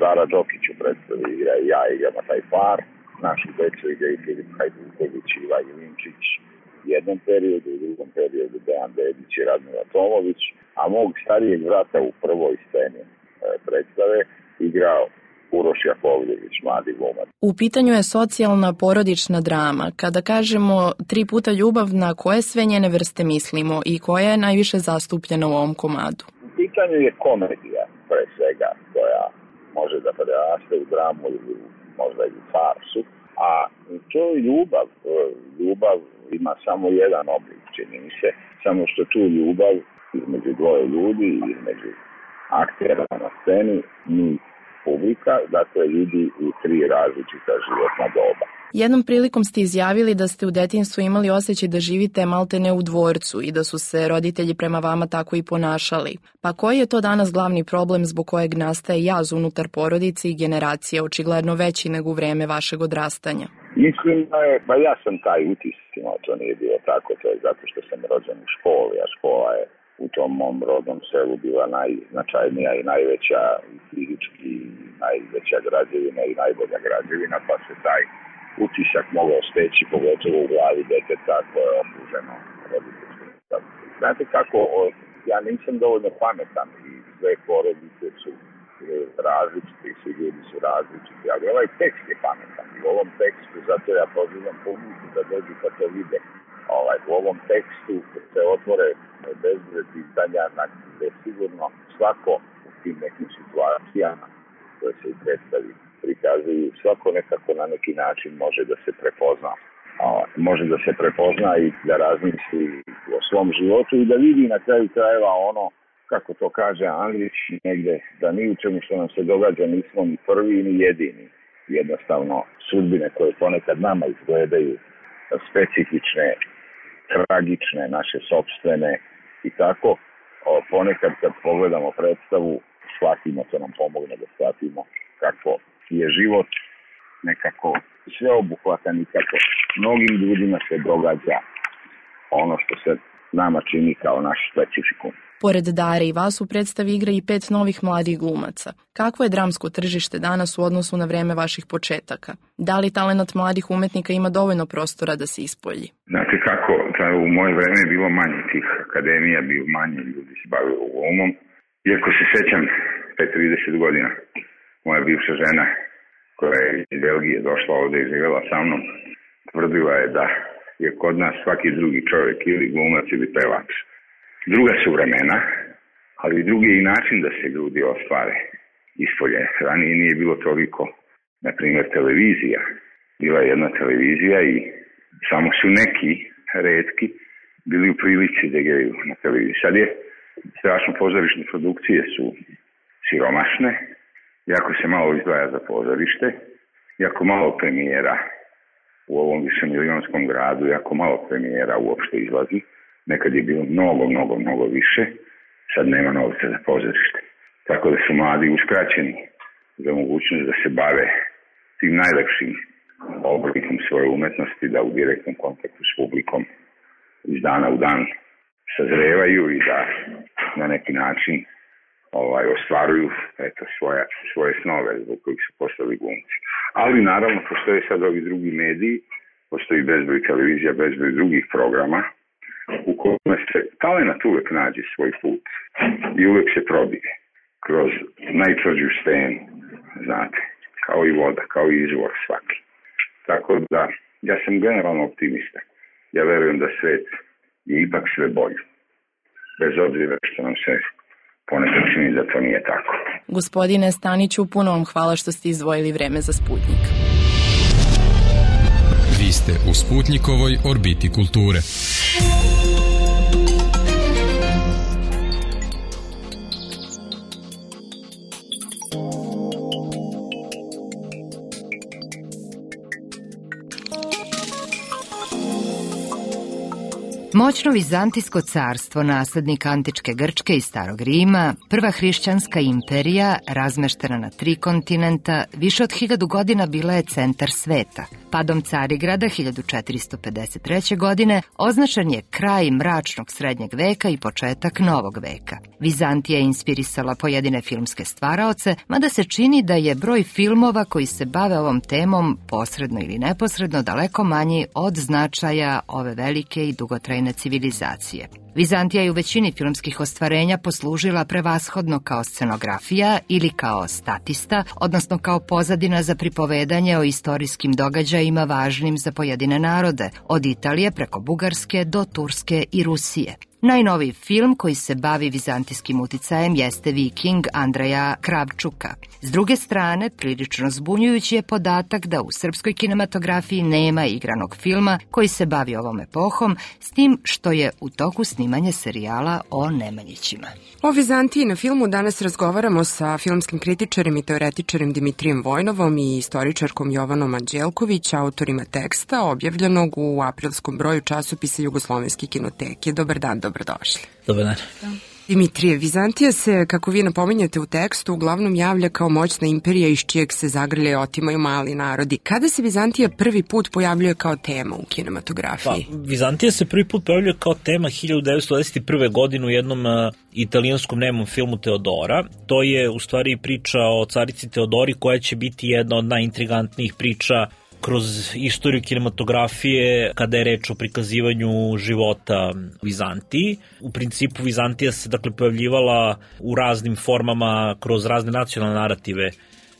J: Dara Đokić u predstavi igra i ja igramo taj par, našu decu igraju Filip Hajduković i Iva Ilinčić u jednom periodu, u drugom periodu Dejan Dedić i Radmila Tomović, a mog starijeg vrata u prvoj sceni predstave igrao Uroš Jakovljević, mladi glumac.
I: U pitanju je socijalna porodična drama. Kada kažemo tri puta ljubav, na koje sve njene vrste mislimo i koja je najviše zastupljena u ovom komadu?
J: U pitanju je komedija, pre svega, koja može da preraste u dramu ili možda i u farsu, a to je ljubav. Ljubav ima samo jedan oblik, čini mi se, samo što tu ljubav između dvoje ljudi, između aktera na sceni, mi publika, dakle vidi u tri različita životna doba.
I: Jednom prilikom ste izjavili da ste u detinjstvu imali osjećaj da živite maltene u dvorcu i da su se roditelji prema vama tako i ponašali. Pa koji je to danas glavni problem zbog kojeg nastaje jaz unutar porodice i generacije, očigledno veći nego u vreme vašeg odrastanja?
J: Mislim da je, pa ja sam taj utiscima, to nije bilo tako, to je zato što sam rođen u školi, a škola je u tom mom rodnom selu bila najznačajnija i najveća fizički, najveća građevina i najbolja građevina, pa se taj utisak mogao steći, pogotovo u glavi deteta koje je okruženo roditeljskim. Znate kako, ja nisam dovoljno pametan i sve porodice su različiti, svi ljudi su različiti, ali ovaj tekst je pametan i u ovom tekstu, zato ja pozivam publiku da dođu pa to vide. Ovaj, u ovom tekstu se otvore bezbroj pitanja na gde sigurno svako u tim nekim situacijama koje se i predstavi prikazuju, svako nekako na neki način može da se prepozna. A, može da se prepozna i da razmisli o svom životu i da vidi na kraju krajeva ono, kako to kaže Andrić negde, da ni u čemu što nam se događa nismo ni prvi ni jedini. Jednostavno, sudbine koje ponekad nama izgledaju specifične, tragične, naše sopstvene i tako, o, ponekad kad pogledamo predstavu, shvatimo, to nam pomogne da shvatimo kako je život nekako sveobuhvatan i kako mnogim ljudima se događa ono što se nama čini kao naš specifikum.
I: Pored Dare i vas u predstavi igra i pet novih mladih glumaca. Kakvo je dramsko tržište danas u odnosu na vreme vaših početaka? Da li talenat mladih umetnika ima dovoljno prostora da se ispolji?
J: Znate kako, u moje vreme je bilo manje tih akademija, bio manje ljudi se bavilo glumom. Iako se sećam, pre trideset godina, moja bivša žena koja je iz Belgije došla ovde i živjela sa mnom, tvrdila je da je kod nas svaki drugi čovjek ili glumac ili pevač. Druga su vremena, ali drugi je i način da se ljudi ostvare ispolje. Ranije nije bilo toliko, na primjer, televizija. Bila je jedna televizija i samo su neki retki bili u prilici da igraju na televiziji. Sad je strašno, pozorišne produkcije su siromašne, jako se malo izdvaja za pozorište, jako malo premijera u ovom višemilijonskom gradu, jako malo premijera uopšte izlazi. Nekad je bilo mnogo, mnogo, mnogo više, sad nema novca za pozorište. Tako da su mladi uskraćeni za mogućnost da se bave tim najlepšim oblikom svoje umetnosti, da u direktnom kontaktu s publikom iz dana u dan sazrevaju i da na neki način ovaj, ostvaruju eto, svoje, svoje snove zbog kojih su postali glumci. Ali naravno postoje sad ovi drugi mediji, postoji bezbroj televizija, bezbroj drugih programa u kojima se talenat uvek nađe svoj put i uvek se probije kroz najtvrđu stenu, znate, kao i voda, kao i izvor svaki. Tako da, ja sam generalno optimista. Ja verujem da svet je ipak sve bolje, bez obzira što nam se ponekad čini da to nije tako.
I: Gospodine Staniću, puno vam hvala što ste izdvojili vreme za Sputnik.
E: Vi ste u Sputnikovoj orbiti kulture.
A: Moćno Vizantijsko carstvo, naslednik antičke Grčke i Starog Rima, prva hrišćanska imperija, razmeštena na tri kontinenta, više od hiljadu godina bila je centar sveta. Padom Carigrada hiljadu četiristo pedeset treće. godine označen je kraj mračnog srednjeg veka i početak novog veka. Vizantija je inspirisala pojedine filmske stvaraoce, mada se čini da je broj filmova koji se bave ovom temom, posredno ili neposredno, daleko manji od značaja ove velike i dugotrajne civilizacije. Vizantija je u većini filmskih ostvarenja poslužila prevashodno kao scenografija ili kao statista, odnosno kao pozadina za pripovedanje o istorijskim događajima važnim za pojedine narode, od Italije preko Bugarske do Turske i Rusije. Najnoviji film koji se bavi vizantijskim uticajem jeste Viking Andreja Kravčuka. S druge strane, prilično zbunjujući je podatak da u srpskoj kinematografiji nema igranog filma koji se bavi ovom epohom, s tim što je u toku snimanja snimanje serijala o Nemanjićima.
C: O Vizantiji na filmu danas razgovaramo sa filmskim kritičarem i teoretičarem Dimitrijem Vojnovom i istoričarkom Jovanom Anđelković, autorima teksta objavljenog u aprilskom broju časopisa Jugoslovenske kinoteke. Dobar dan, dobrodošli.
K: Dobar dan.
C: Dimitrije, Vizantija se, kako vi napominjate u tekstu, uglavnom javlja kao moćna imperija iz čijeg se zagrlje i otimaju mali narodi. Kada se Vizantija prvi put pojavljuje kao tema u kinematografiji?
K: Pa, Vizantija se prvi put pojavljuje kao tema hiljadu devetsto dvadeset prve. godine u jednom uh, italijanskom nemom filmu Teodora. To je u stvari priča o carici Teodori koja će biti jedna od najintrigantnijih priča kroz istoriju kinematografije kada je reč o prikazivanju života Vizantiji. U principu Vizantija se dakle pojavljivala u raznim formama kroz razne nacionalne narative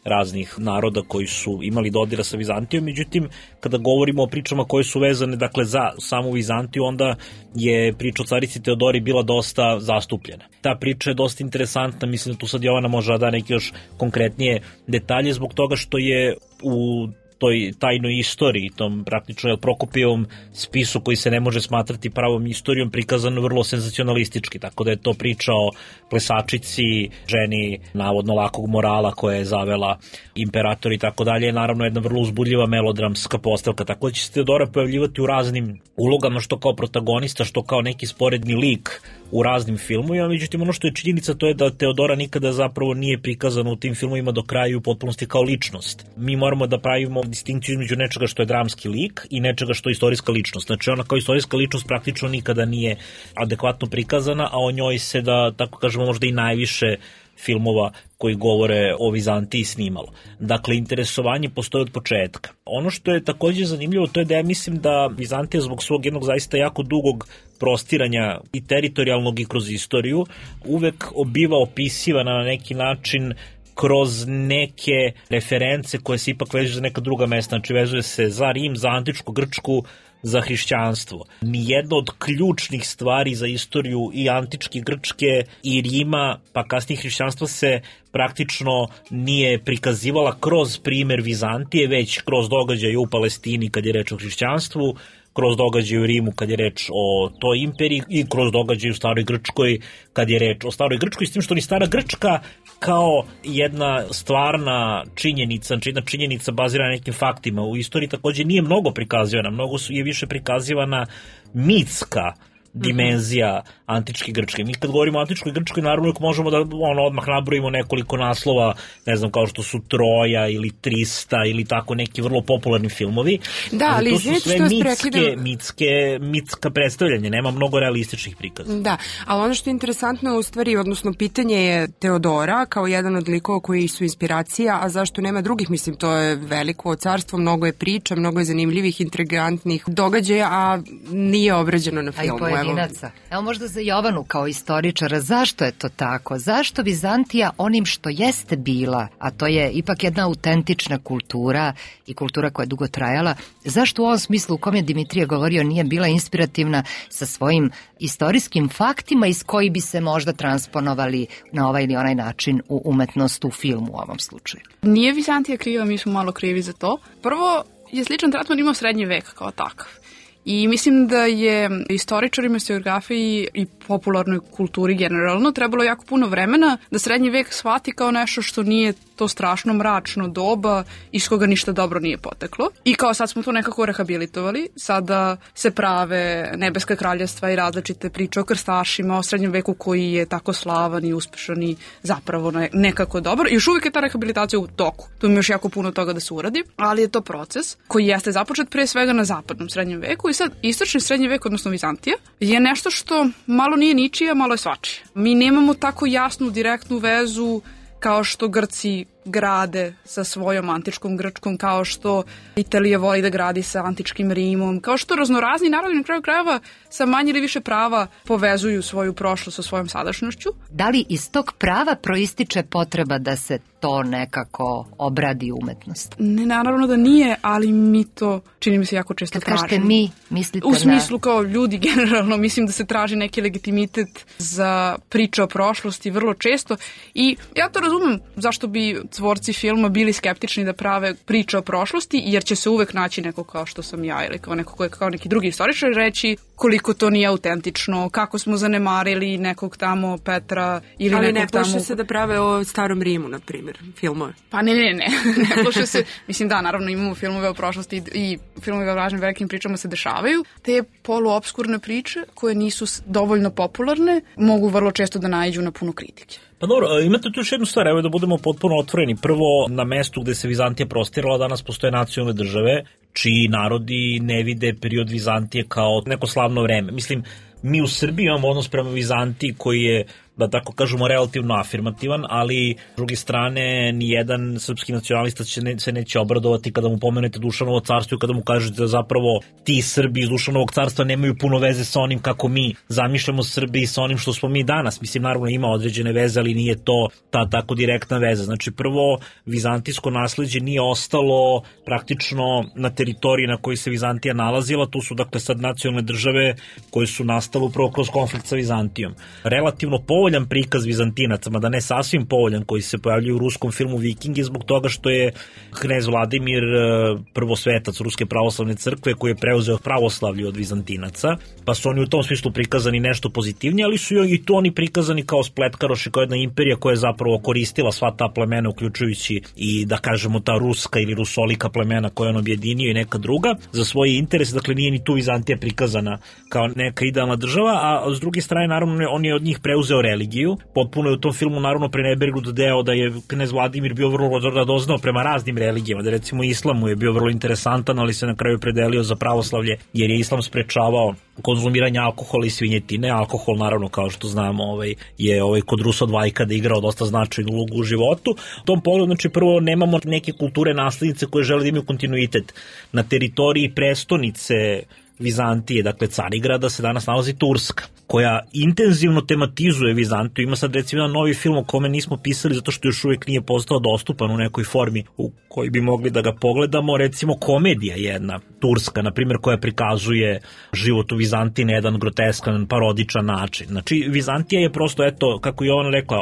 K: raznih naroda koji su imali dodira sa Vizantijom, međutim kada govorimo o pričama koje su vezane dakle za samu Vizantiju, onda je priča o carici Teodori bila dosta zastupljena. Ta priča je dosta interesantna, mislim da tu sad Jovana može da neki još konkretnije detalje zbog toga što je u toj tajnoj istoriji, tom praktično Prokopijevom spisu koji se ne može smatrati pravom istorijom, prikazano vrlo senzacionalistički, tako da je to priča o plesačici, ženi navodno lakog morala koja je zavela imperator i tako dalje, je naravno jedna vrlo uzbudljiva melodramska postavka, tako da će se Teodora pojavljivati u raznim ulogama, što kao protagonista, što kao neki sporedni lik u raznim filmovima, međutim ono što je činjenica to je da Teodora nikada zapravo nije prikazana u tim filmovima do kraja u potpunosti kao ličnost. Mi moramo da pravimo distinkciju između nečega što je dramski lik i nečega što je istorijska ličnost. Znači ona kao istorijska ličnost praktično nikada nije adekvatno prikazana, a o njoj se da, tako kažemo, možda i najviše filmova koji govore o Vizantiji snimalo. Dakle, interesovanje postoji od početka. Ono što je takođe zanimljivo, to je da ja mislim da Vizantija zbog svog jednog zaista jako dugog prostiranja i teritorijalnog i kroz istoriju uvek biva opisivana na neki način kroz neke reference koje se ipak vežu za neka druga mesta, znači vezuje se za Rim, za antičku Grčku, za hrišćanstvo. Nijedno od ključnih stvari za istoriju i antičke Grčke i Rima, pa kasnije hrišćanstva se praktično nije prikazivala kroz primer Vizantije, već kroz događaje u Palestini kad je reč o hrišćanstvu, kroz događaje u Rimu kad je reč o toj imperiji i kroz događaje u Staroj Grčkoj kad je reč o Staroj Grčkoj, s tim što ni Stara Grčka kao jedna stvarna činjenica, jedna činjenica bazirana na nekim faktima u istoriji takođe nije mnogo prikazivana, mnogo su, je više prikazivana mitska dimenzija antičke Grčke. Mi kad govorimo o antičkoj Grčkoj, naravno možemo da ono, odmah nabrojimo nekoliko naslova, ne znam, kao što su Troja ili trista ili tako neki vrlo popularni filmovi.
C: Da, ali
K: to su sve mitske,
C: prekidam...
K: mitske, mitska predstavljanja, nema mnogo realističnih prikaza.
C: Da, ali ono što je interesantno je u stvari, odnosno pitanje je Teodora kao jedan od likova koji su inspiracija, a zašto nema drugih, mislim, to je veliko carstvo, mnogo je priča, mnogo je zanimljivih, intrigantnih događaja, a nije obrađeno na filmu.
A: Pojedinaca. Evo možda za Jovanu kao istoričara, zašto je to tako? Zašto Vizantija onim što jeste bila, a to je ipak jedna autentična kultura i kultura koja je dugo trajala, zašto u ovom smislu u kom je Dimitrije govorio nije bila inspirativna sa svojim istorijskim faktima iz koji bi se možda transponovali na ovaj ili onaj način u umetnost, u filmu u ovom slučaju?
L: Nije Vizantija kriva, mi smo malo krivi za to. Prvo je sličan tretman imao srednji vek kao takav. I mislim da je istoričarima, historiografiji i popularnoj kulturi generalno trebalo jako puno vremena da srednji vek shvati kao nešto što nije to strašno mračno doba iz koga ništa dobro nije poteklo. I kao sad smo to nekako rehabilitovali, sada se prave nebeska kraljevstva i različite priče o krstašima, o srednjem veku koji je tako slavan i uspešan i zapravo nekako dobar. I još uvijek je ta rehabilitacija u toku. Tu ima još jako puno toga da se uradi, ali je to proces koji jeste započet pre svega na zapadnom srednjem veku i sad istočni srednji vek, odnosno Vizantija, je nešto što malo nije ničije, malo je svačije. Mi nemamo tako jasnu, direktnu vezu kao što Grci grade sa svojom antičkom Grčkom, kao što Italija voli da gradi sa antičkim Rimom, kao što raznorazni narodi na kraju krajeva sa manje ili više prava povezuju svoju prošlost sa svojom sadašnjošću.
A: Da li iz tog prava proističe potreba da se to nekako obradi umetnost?
L: Ne, naravno da nije, ali mi to čini mi se jako često tražimo.
A: Kad kažete mi, mislite na...
L: U smislu kao ljudi generalno, mislim da se traži neki legitimitet za priče o prošlosti vrlo često i ja to razumem zašto bi tvorci filma bili skeptični da prave priče o prošlosti, jer će se uvek naći neko kao što sam ja ili kao neko ko je kao neki drugi istoričar reći koliko to nije autentično, kako smo zanemarili nekog tamo Petra ili
C: ali
L: nekog tamo...
C: Ali ne plaše se da prave o Starom Rimu, na primjer, filmove?
L: Pa ne, ne, ne, ne plaše se. Mislim da, naravno imamo filmove o prošlosti i, i filmove o važnim velikim pričama se dešavaju. Te poluobskurne priče koje nisu dovoljno popularne mogu vrlo često da naiđu na puno kritike.
K: Pa dobro, imate tu još jednu stvar, evo da budemo potpuno otvoreni. Prvo, na mestu gde se Vizantija prostirala danas postoje nacionalne države, čiji narodi ne vide period Vizantije kao neko slavno vreme. Mislim, mi u Srbiji imamo odnos prema Vizantiji koji je, da tako kažemo, relativno afirmativan, ali s druge strane nijedan srpski nacionalista će ne, se neće obradovati kada mu pomenete Dušanovo carstvo i kada mu kažete da zapravo ti Srbi iz Dušanovog carstva nemaju puno veze sa onim kako mi zamišljamo Srbiji, sa onim što smo mi danas. Mislim, naravno ima određene veze, ali nije to ta tako direktna veza. Znači, prvo, vizantijsko nasleđe nije ostalo praktično na teritoriji na kojoj se Vizantija nalazila, tu su dakle sad nacionalne države koje su nastale upravo kroz konflikt sa Vizantijom. Relativno povoljan prikaz Vizantinaca, mada ne sasvim povoljan, koji se pojavljaju u ruskom filmu Vikingi zbog toga što je knez Vladimir prvosvetac Ruske pravoslavne crkve koji je preuzeo pravoslavlje od Vizantinaca, pa su oni u tom smislu prikazani nešto pozitivnije, ali su i to oni prikazani kao spletkaroši, kao jedna imperija koja je zapravo koristila sva ta plemena, uključujući i da kažemo ta ruska ili rusolika plemena koja on objedinio i neka druga za svoje interese. Dakle, nije ni tu Vizantija prikazana kao neka idealna država, a s druge strane naravno on je od njih preuzeo religiju. Potpuno je u tom filmu naravno prenebergnut deo da je knez Vladimir bio vrlo radoznao prema raznim religijama, da recimo islamu je bio vrlo interesantan, ali se na kraju predelio za pravoslavlje jer je islam sprečavao konzumiranje alkohola i svinjetine. Alkohol naravno, kao što znamo, ovaj, je ovaj, kod Rusa od Vajkada igrao dosta značajnu ulogu u životu. U tom pogledu, znači, prvo nemamo neke kulture naslednice koje žele da imaju kontinuitet. Na teritoriji prestonice Vizantije, dakle Carigrada, se danas nalazi Turska, koja intenzivno tematizuje Vizantiju. Ima sad recimo jedan novi film o kome nismo pisali zato što još uvijek nije postao dostupan u nekoj formi u kojoj bi mogli da ga pogledamo. Recimo komedija jedna, turska, na primjer, koja prikazuje život u Vizantiji na jedan groteskan, parodičan način. Znači, Vizantija je prosto, eto, kako je Jovana rekla,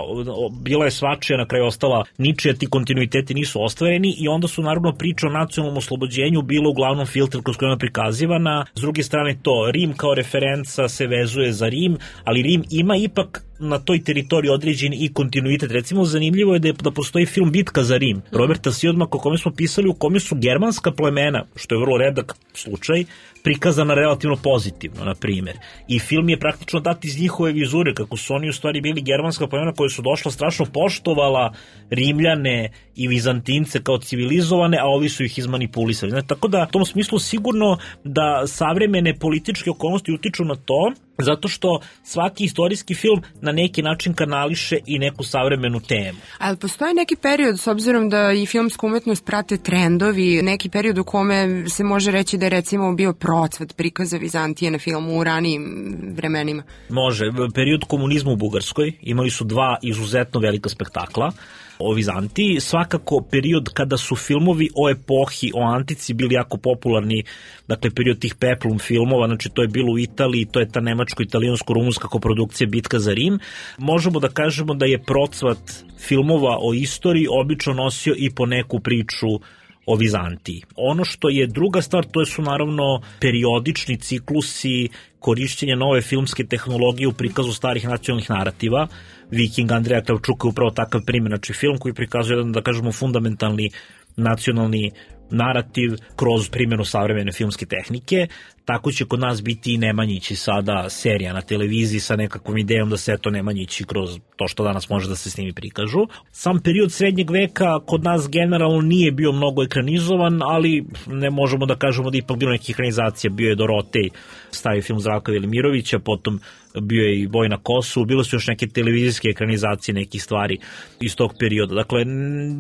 K: bila je svačija, na kraju ostala ničija, ti kontinuiteti nisu ostvareni i onda su naravno priče o nacionalnom oslobođenju bilo uglavnom filtr kroz koja je prikazivana. S druge strane to, Rim kao referenca se vezuje za Rim, ali Rim ima ipak na toj teritoriji određen i kontinuitet. Recimo, zanimljivo je da, je, da postoji film Bitka za Rim, Roberta Siodmaka, o kome smo pisali, u kome su germanska plemena, što je vrlo redak slučaj, prikazana relativno pozitivno, na primjer. I film je praktično dat iz njihove vizure, kako su oni u stvari bili germanska plemena koja su došla strašno poštovala Rimljane i Vizantince kao civilizovane, a ovi su ih izmanipulisali. Znači, tako da, u tom smislu sigurno da savremene političke okolnosti utiču na to, zato što svaki istorijski film na neki način kanališe i neku savremenu temu.
C: Ali postoji neki period, s obzirom da i filmsku umetnost prate trendovi, neki period u kome se može reći da je recimo bio procvat prikaza Vizantije na filmu u ranijim vremenima?
K: Može. Period komunizma u Bugarskoj, imali su dva izuzetno velika spektakla o Vizantiji, svakako period kada su filmovi o epohi, o antici bili jako popularni, dakle period tih peplum filmova, znači to je bilo u Italiji, to je ta nemačko-italijansko-rumunska koprodukcija Bitka za Rim. Možemo da kažemo da je procvat filmova o istoriji obično nosio i po neku priču o Vizantiji. Ono što je druga stvar, to su naravno periodični ciklusi korišćenja nove filmske tehnologije u prikazu starih nacionalnih narativa. Viking Andreja Kravčuka je upravo takav primjer, znači film koji prikazuje jedan, da kažemo, fundamentalni nacionalni narativ kroz primjenu savremene filmske tehnike. Tako će kod nas biti i Nemanjići sada serija na televiziji sa nekakvom idejom da se to Nemanjići kroz to što danas može da se s njimi prikažu. Sam period srednjeg veka kod nas generalno nije bio mnogo ekranizovan, ali ne možemo da kažemo da ipak bilo nekih ekranizacija. Bio je Dorotej, stari film Zdravka Velimirovića, potom bio je i Boj na Kosovu, bilo su još neke televizijske ekranizacije nekih stvari iz tog perioda. Dakle,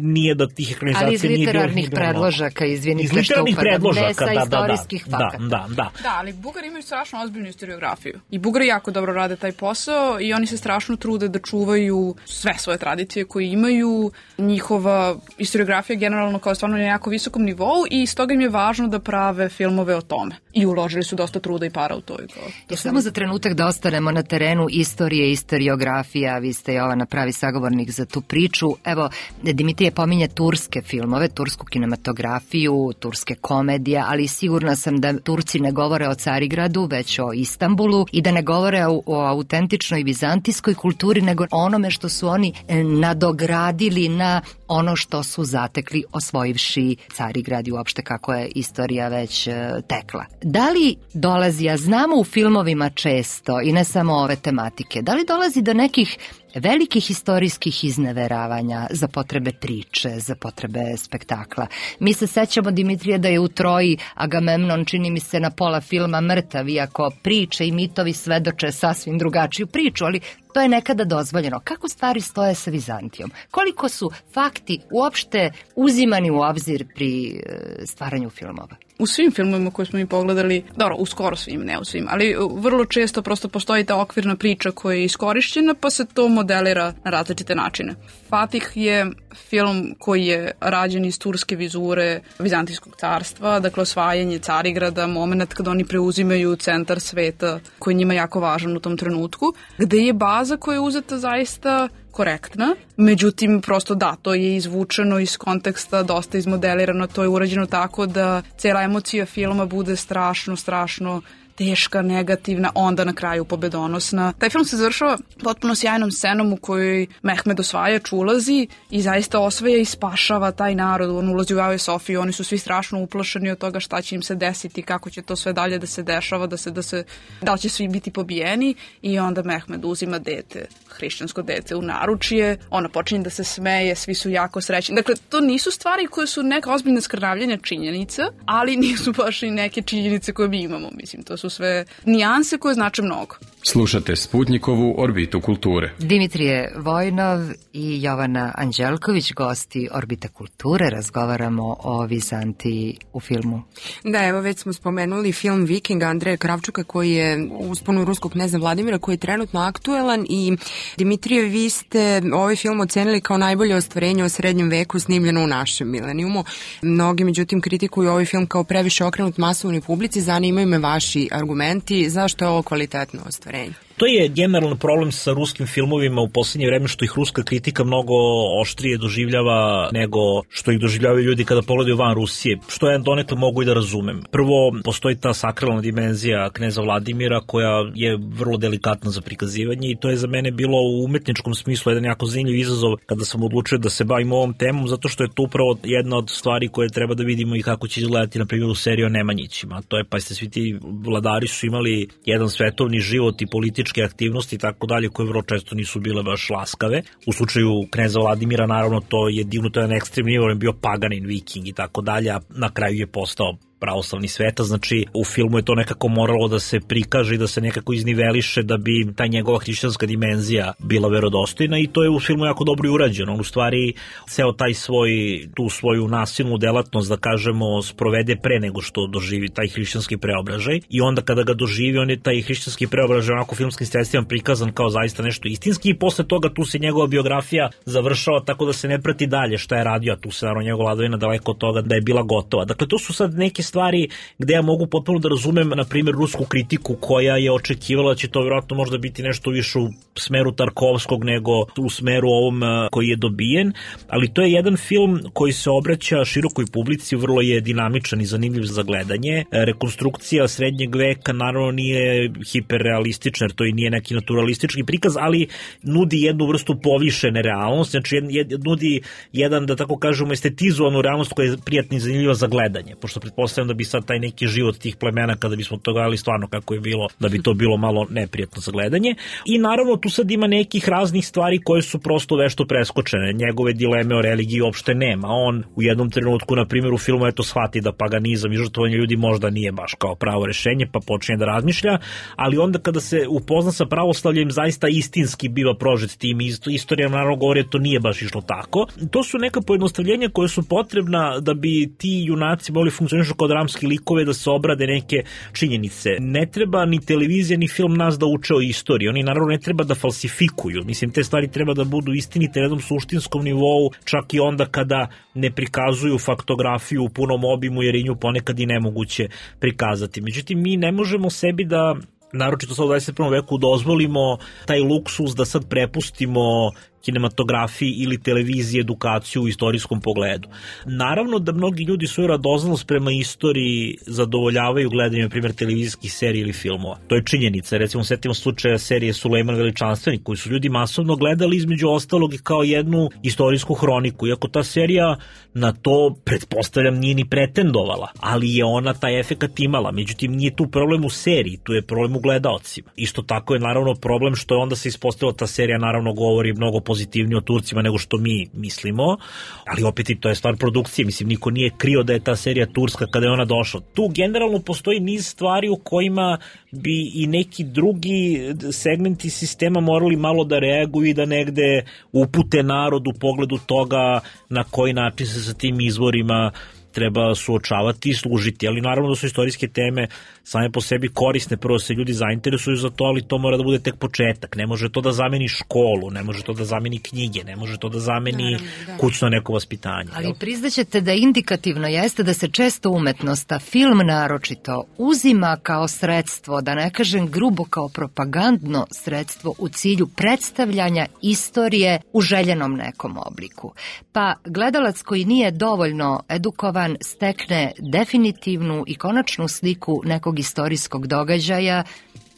K: nije da tih ekranizacija nije bilo...
A: Ali iz literarnih predložaka, izvinite što upadam, ne sa istorijskih fakata.
K: Da, da, da.
L: Da, ali Bugari imaju strašno ozbiljnu historiografiju. I Bugari jako dobro rade taj posao i oni se strašno trude da čuvaju sve svoje tradicije koje imaju. Njihova historiografija generalno kao stvarno na jako visokom nivou i stoga im je važno da prave filmove o tome. i uložili su dosta truda i para u to. I kao, to
A: I samo za trenutak da ostanemo na terenu istorije, istoriografija, vi ste Jovana pravi sagovornik za tu priču. Evo, Dimitrije pominje turske filmove, tursku kinematografiju, turske komedije, ali sigurna sam da Turci ne govore o Carigradu, već o Istanbulu i da ne govore o, o autentičnoj vizantijskoj kulturi, nego onome što su oni nadogradili na ono što su zatekli osvojivši Carigrad i uopšte kako je istorija već tekla. Da li dolazi, ja znamo u filmovima često i ne samo ove tematike, da li dolazi do nekih velikih istorijskih izneveravanja za potrebe priče, za potrebe spektakla? Mi se sećamo, Dimitrije, da je u Troji Agamemnon, čini mi se, na pola filma mrtav, iako priče i mitovi svedoče sasvim drugačiju priču, ali to je nekada dozvoljeno. Kako stvari stoje sa Vizantijom? Koliko su fakti uopšte uzimani u obzir pri stvaranju filmova?
L: U svim filmovima koje smo mi pogledali, dobro, u skoro svim, ne u svim, ali vrlo često prosto postoji ta okvirna priča koja je iskorišćena, pa se to modelira na različite načine. Fatih je film koji je rađen iz turske vizure Vizantijskog carstva, dakle osvajanje Carigrada, moment kada oni preuzimaju centar sveta koji je njima jako važan u tom trenutku, gde je baza koja je uzeta zaista korektna, međutim prosto da, to je izvučeno iz konteksta, dosta izmodelirano, to je urađeno tako da cela emocija filma bude strašno, strašno teška, negativna, onda na kraju pobedonosna. Taj film se završava potpuno sjajnom scenom u kojoj Mehmed osvajač ulazi i zaista osvaja i spašava taj narod. On ulazi u Ave Sofiju, oni su svi strašno uplašeni od toga šta će im se desiti, kako će to sve dalje da se dešava, da se, da se, da li će svi biti pobijeni, i onda Mehmed uzima dete, hrišćansko dete u naručje, ona počinje da se smeje, svi su jako srećni. Dakle, to nisu stvari koje su neka ozbiljna skrnavljenja činjenica, ali nisu baš i neke činjenice koje mi imamo, mislim, to su sve nijanse koje znače mnogo.
B: Slušate Sputnikovu Orbitu kulture.
A: Dimitrije Vojnov i Jovana Anđelković, gosti Orbite kulture, razgovaramo o Vizantiji u filmu.
C: Da, evo već smo spomenuli film Viking Andreja Kravčuka koji je u usponu ruskog kneza Vladimira, koji je trenutno aktuelan, i Dimitrije, vi ste ovaj film ocenili kao najbolje ostvarenje o srednjem veku snimljeno u našem milenijumu. Mnogi, međutim, kritikuju ovaj film kao previše okrenut masovnoj publici. Zanimaju me vaši argumenti, zašto je ovo kvalitetno ostvarenje?
K: To je generalno problem sa ruskim filmovima u poslednje vreme, što ih ruska kritika mnogo oštrije doživljava nego što ih doživljavaju ljudi kada pogledaju van Rusije, što ja donekle mogu i da razumem. Prvo, postoji ta sakralna dimenzija kneza Vladimira koja je vrlo delikatna za prikazivanje i to je za mene bilo u umetničkom smislu jedan jako zanimljiv izazov kada sam odlučio da se bavim ovom temom, zato što je to upravo jedna od stvari koje treba da vidimo i kako će izgledati, na primjer, u seriji o Nemanjićima. To je, pa ste svi ti vladari su imali jedan svetovni život i politički aktivnosti i tako dalje, koje vrlo često nisu bile baš laskave. U slučaju kneza Vladimira, naravno, to je dignuto jedan ekstremni nivo, on je bio paganin, viking i tako dalje, a na kraju je postao pravoslavni sveta, znači u filmu je to nekako moralo da se prikaže i da se nekako izniveliše da bi ta njegova hrišćanska dimenzija bila verodostojna, i to je u filmu jako dobro i urađeno. On u stvari ceo taj svoj, tu svoju nasilnu delatnost, da kažemo, sprovede pre nego što doživi taj hrišćanski preobražaj, i onda kada ga doživi, on je taj hrišćanski preobražaj onako filmskim sredstvima prikazan kao zaista nešto istinski, i posle toga tu se njegova biografija završava tako da se ne prati dalje šta je radio, a tu se naravno njegova vladavina daleko od toga da je bila gotova. Dakle, to su sad neke stvari gde ja mogu potpuno da razumem, na primjer, rusku kritiku koja je očekivala da će to vjerojatno možda biti nešto više u smeru Tarkovskog nego u smeru ovom koji je dobijen, ali to je jedan film koji se obraća širokoj publici, vrlo je dinamičan i zanimljiv za gledanje. Rekonstrukcija srednjeg veka naravno nije hiperrealistična, jer to i nije neki naturalistički prikaz, ali nudi jednu vrstu povišene realnosti, znači jed, jed, nudi jedan, da tako kažemo, estetizovanu realnost koja je prijatna i zanimljiva za gledanje, pošto pretpostavljam da bi sad taj neki život tih plemena, kada bismo to gledali stvarno kako je bilo, da bi to bilo malo neprijatno za gledanje. I naravno tu sad ima nekih raznih stvari koje su prosto vešto preskočene. Njegove dileme o religiji uopšte nema. On u jednom trenutku, na primjer, u filmu eto shvati da paganizam i žrtvovanje ljudi možda nije baš kao pravo rešenje, pa počinje da razmišlja, ali onda kada se upozna sa pravoslavljem, zaista istinski biva prožet tim. Istorija naravno govori da to nije baš išlo tako. To su neka pojednostavljenja koje su potrebna da bi ti junaci mogli funkcionišu kao dramski likove, da se obrade neke činjenice. Ne treba ni televizija ni film nas da uče o istoriji. Oni naravno ne treba da falsifikuju. Mislim, te stvari treba da budu istinite na jednom suštinskom nivou, čak i onda kada ne prikazuju faktografiju u punom obimu, jer je nju ponekad i nemoguće prikazati. Međutim, mi ne možemo sebi da, naročito sad u dvadeset prvom veku, dozvolimo taj luksuz da sad prepustimo kinematografiji ili televiziji edukaciju u istorijskom pogledu. Naravno da mnogi ljudi svoju radoznalost prema istoriji zadovoljavaju gledanjem, na primjer, televizijskih serija ili filmova. To je činjenica. Recimo, setimo slučaja serije Sulejman Veličanstvenik, koju su ljudi masovno gledali, između ostalog i kao jednu istorijsku hroniku. Iako ta serija na to, pretpostavljam, nije ni pretendovala, ali je ona taj efekat imala. Međutim, nije tu problem u seriji, tu je problem u gledaocima. Isto tako je naravno problem što je onda se ispostavilo ta serija naravno govori mnogo pozitivnije o Turcima nego što mi mislimo, ali opet i to je stvar produkcije. Mislim, niko nije krio da je ta serija turska kada je ona došla. Tu generalno postoji niz stvari u kojima bi i neki drugi segmenti sistema morali malo da reaguju i da negde upute narod u pogledu toga na koji način se sa tim izvorima treba suočavati i služiti, ali naravno da su istorijske teme same po sebi korisne, prvo se ljudi zainteresuju za to, ali to mora da bude tek početak. Ne može to da zameni školu, ne može to da zameni knjige, ne može to da zameni naravno, da. kućno neko vaspitanje.
A: Ali jel? Priznaćete da indikativno jeste da se često umetnost, a film naročito, uzima kao sredstvo, da ne kažem grubo kao propagandno sredstvo u cilju predstavljanja istorije u željenom nekom obliku. Pa gledalac koji nije dovoljno edukovan stekne definitivnu i konačnu sliku nekog istorijskog događaja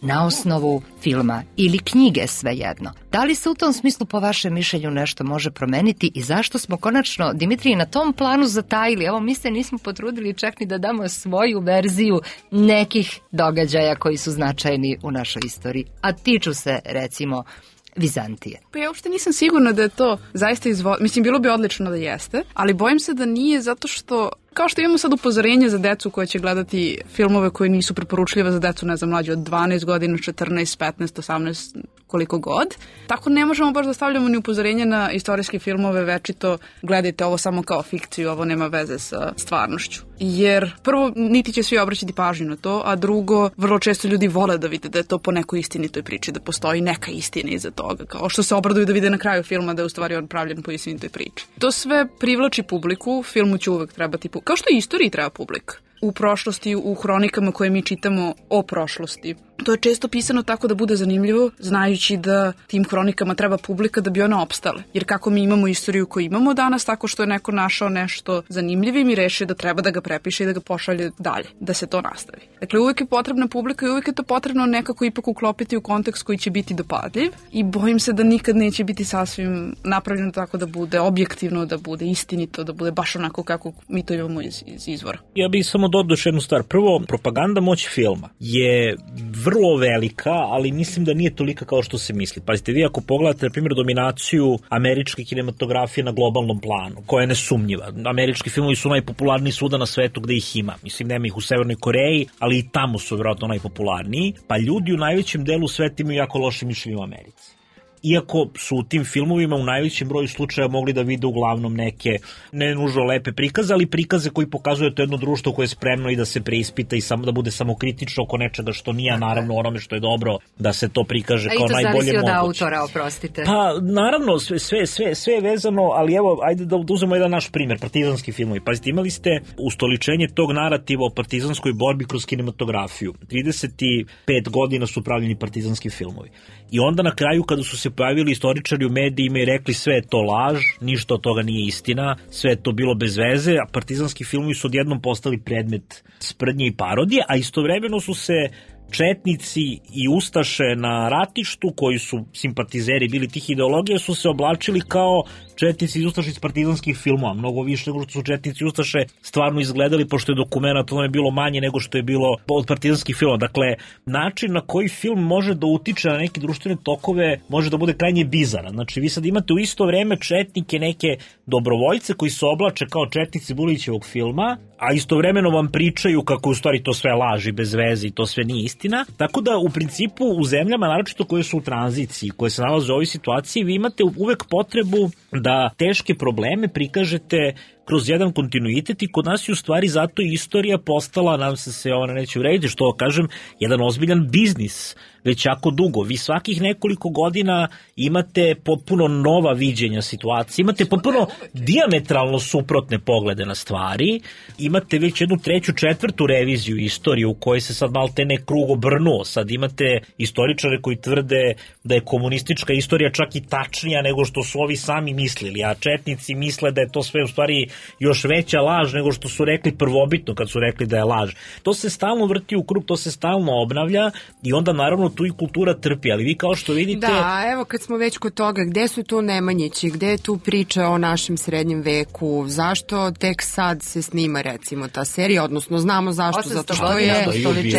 A: na osnovu filma ili knjige, svejedno. Da li se u tom smislu po vašem mišljenju nešto može promeniti i zašto smo konačno, Dimitrij, na tom planu zatajili? Evo, mi se nismo potrudili čak ni da damo svoju verziju nekih događaja koji su značajni u našoj istoriji, a tiču se, recimo, Vizantije.
L: Pa ja uopšte nisam sigurna da je to zaista izvo... Mislim, bilo bi odlično da jeste, ali bojim se da nije zato što, kao što imamo sad upozorenje za decu koja će gledati filmove koje nisu preporučljive za decu, ne znam, mlađe od dvanaest godina, četrnaest, petnaest, osamnaest, koliko god. Tako ne možemo baš da stavljamo ni upozorenje na istorijske filmove, večito gledajte ovo samo kao fikciju, ovo nema veze sa stvarnošću. Jer prvo, niti će svi obraćati pažnju na to, a drugo, vrlo često ljudi vole da vide da je to po nekoj istinitoj priči, da postoji neka istina iza toga, kao što se obraduju da vide na kraju filma da je u stvari on pravljen po istinitoj priči. To sve privlači publiku, filmu će uvek trebati publika, kao što i istoriji treba publika. U prošlosti, u hronikama koje mi čitamo o prošlosti. To je često pisano tako da bude zanimljivo, znajući da tim hronikama treba publika da bi ona opstale. Jer kako mi imamo istoriju koju imamo danas, tako što je neko našao nešto zanimljivim i rešio da treba da ga prepiše i da ga pošalje dalje, da se to nastavi. Dakle, uvijek je potrebna publika i uvijek je to potrebno nekako ipak uklopiti u kontekst koji će biti dopadljiv i bojim se da nikad neće biti sasvim napravljeno tako da bude objektivno, da bude istinito, da bude baš onako kako mi to imamo iz, iz izvora.
K: Ja bih samo dodao još jednu stvar. Prvo, propaganda moći filma je vrlo velika, ali mislim da nije tolika kao što se misli. Pazite, vi ako pogledate, na primjer, dominaciju američke kinematografije na globalnom planu, koja je nesumnjiva. Američki filmovi su najpopularniji svuda na svetu gde ih ima. Mislim, nema ih u Severnoj Koreji, ali i tamo su vjerojatno najpopularniji. Pa ljudi u najvećem delu sveta imaju jako loše mišljenje u Americi. Iako su u tim filmovima u najvećem broju slučaja mogli da vide uglavnom neke, ne nužno lepe prikaze, ali prikaze koji pokazuju to jedno društvo koje je spremno i da se preispita i samo da bude samokritično oko nečega što nije, naravno onome što je dobro da se to prikaže kao najbolje moguće. A i to zavisi od
A: autora, oprostite.
K: Pa naravno, sve, sve, sve, sve je vezano, ali evo, ajde da uzmemo jedan naš primjer, partizanski filmovi. Pazite, imali ste ustoličenje tog narativa o partizanskoj borbi kroz kinematografiju. trideset pet godina su pravljeni partizanski filmovi. I onda na kraju kada su se pojavili istoričari u medijima i rekli sve je to laž, ništa od toga nije istina, sve je to bilo bez veze, a partizanski filmovi su odjednom postali predmet sprdnje i parodije, a istovremeno su se četnici i ustaše na ratištu, koji su simpatizeri bili tih ideologija, su se oblačili kao četnici i ustaše iz partizanskih filmova. Mnogo više nego što su četnici i ustaše stvarno izgledali, pošto je dokumenat ono je bilo manje nego što je bilo od partizanskih filmova. Dakle, način na koji film može da utiče na neke društvene tokove može da bude krajnje bizaran. Znači, vi sad imate u isto vreme četnike, neke dobrovoljce koji se oblače kao četnici Bulićevog filma, a istovremeno vam pričaju kako u stvari to sve laži bez veze i to sve nije istina. Tako da u principu u zemljama, naročito koje su u tranziciji, koje se nalaze u ovoj situaciji, vi imate uvek potrebu da teške probleme prikažete kroz jedan kontinuitet i kod nas je u stvari zato i istorija postala, nam se se ona neće urediti, što kažem, jedan ozbiljan biznis već jako dugo. Vi svakih nekoliko godina imate potpuno nova viđenja situacije, imate potpuno dijametralno suprotne poglede na stvari, imate već jednu treću, četvrtu reviziju istorije u kojoj se sad malte ne krug obrnuo. Sad imate istoričare koji tvrde da je komunistička istorija čak i tačnija nego što su ovi sami mislili, a četnici misle da je to sve u stvari još veća laž nego što su rekli prvobitno kad su rekli da je laž. To se stalno vrti u krug, to se stalno obnavlja i onda naravno tu i kultura trpi, ali vi kao što vidite...
C: Da, evo kad smo već kod toga, gde su tu Nemanjići, gde je tu priča o našem srednjem veku, zašto tek sad se snima recimo ta serija, odnosno znamo zašto, zato što je,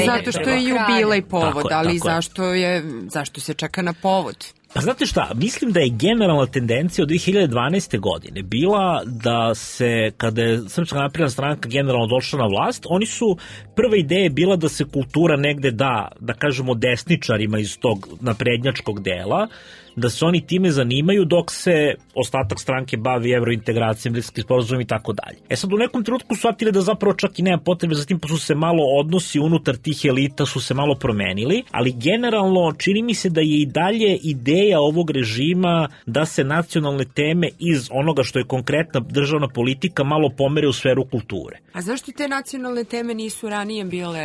C: zato što je jubilej povod, ali zašto je, zašto se čeka na povod?
K: Pa znate šta, mislim da je generalna tendencija od dve hiljade dvanaeste. godine bila da se, kada je Srpska napredna stranka generalno došla na vlast, oni su, prva ideja bila da se kultura negde da, da kažemo desničarima iz tog naprednjačkog dela, da se oni time zanimaju dok se ostatak stranke bavi evrointegracijom, Briselski sporazum i tako dalje. E sad u nekom trenutku su shvatili da zapravo čak i nema potrebe za tim, pa su se malo odnosi unutar tih elita su se malo promenili, ali generalno čini mi se da je i dalje ideja ovog režima da se nacionalne teme iz onoga što je konkretna državna politika malo pomere u sferu kulture.
C: A zašto te nacionalne teme nisu ranije bile?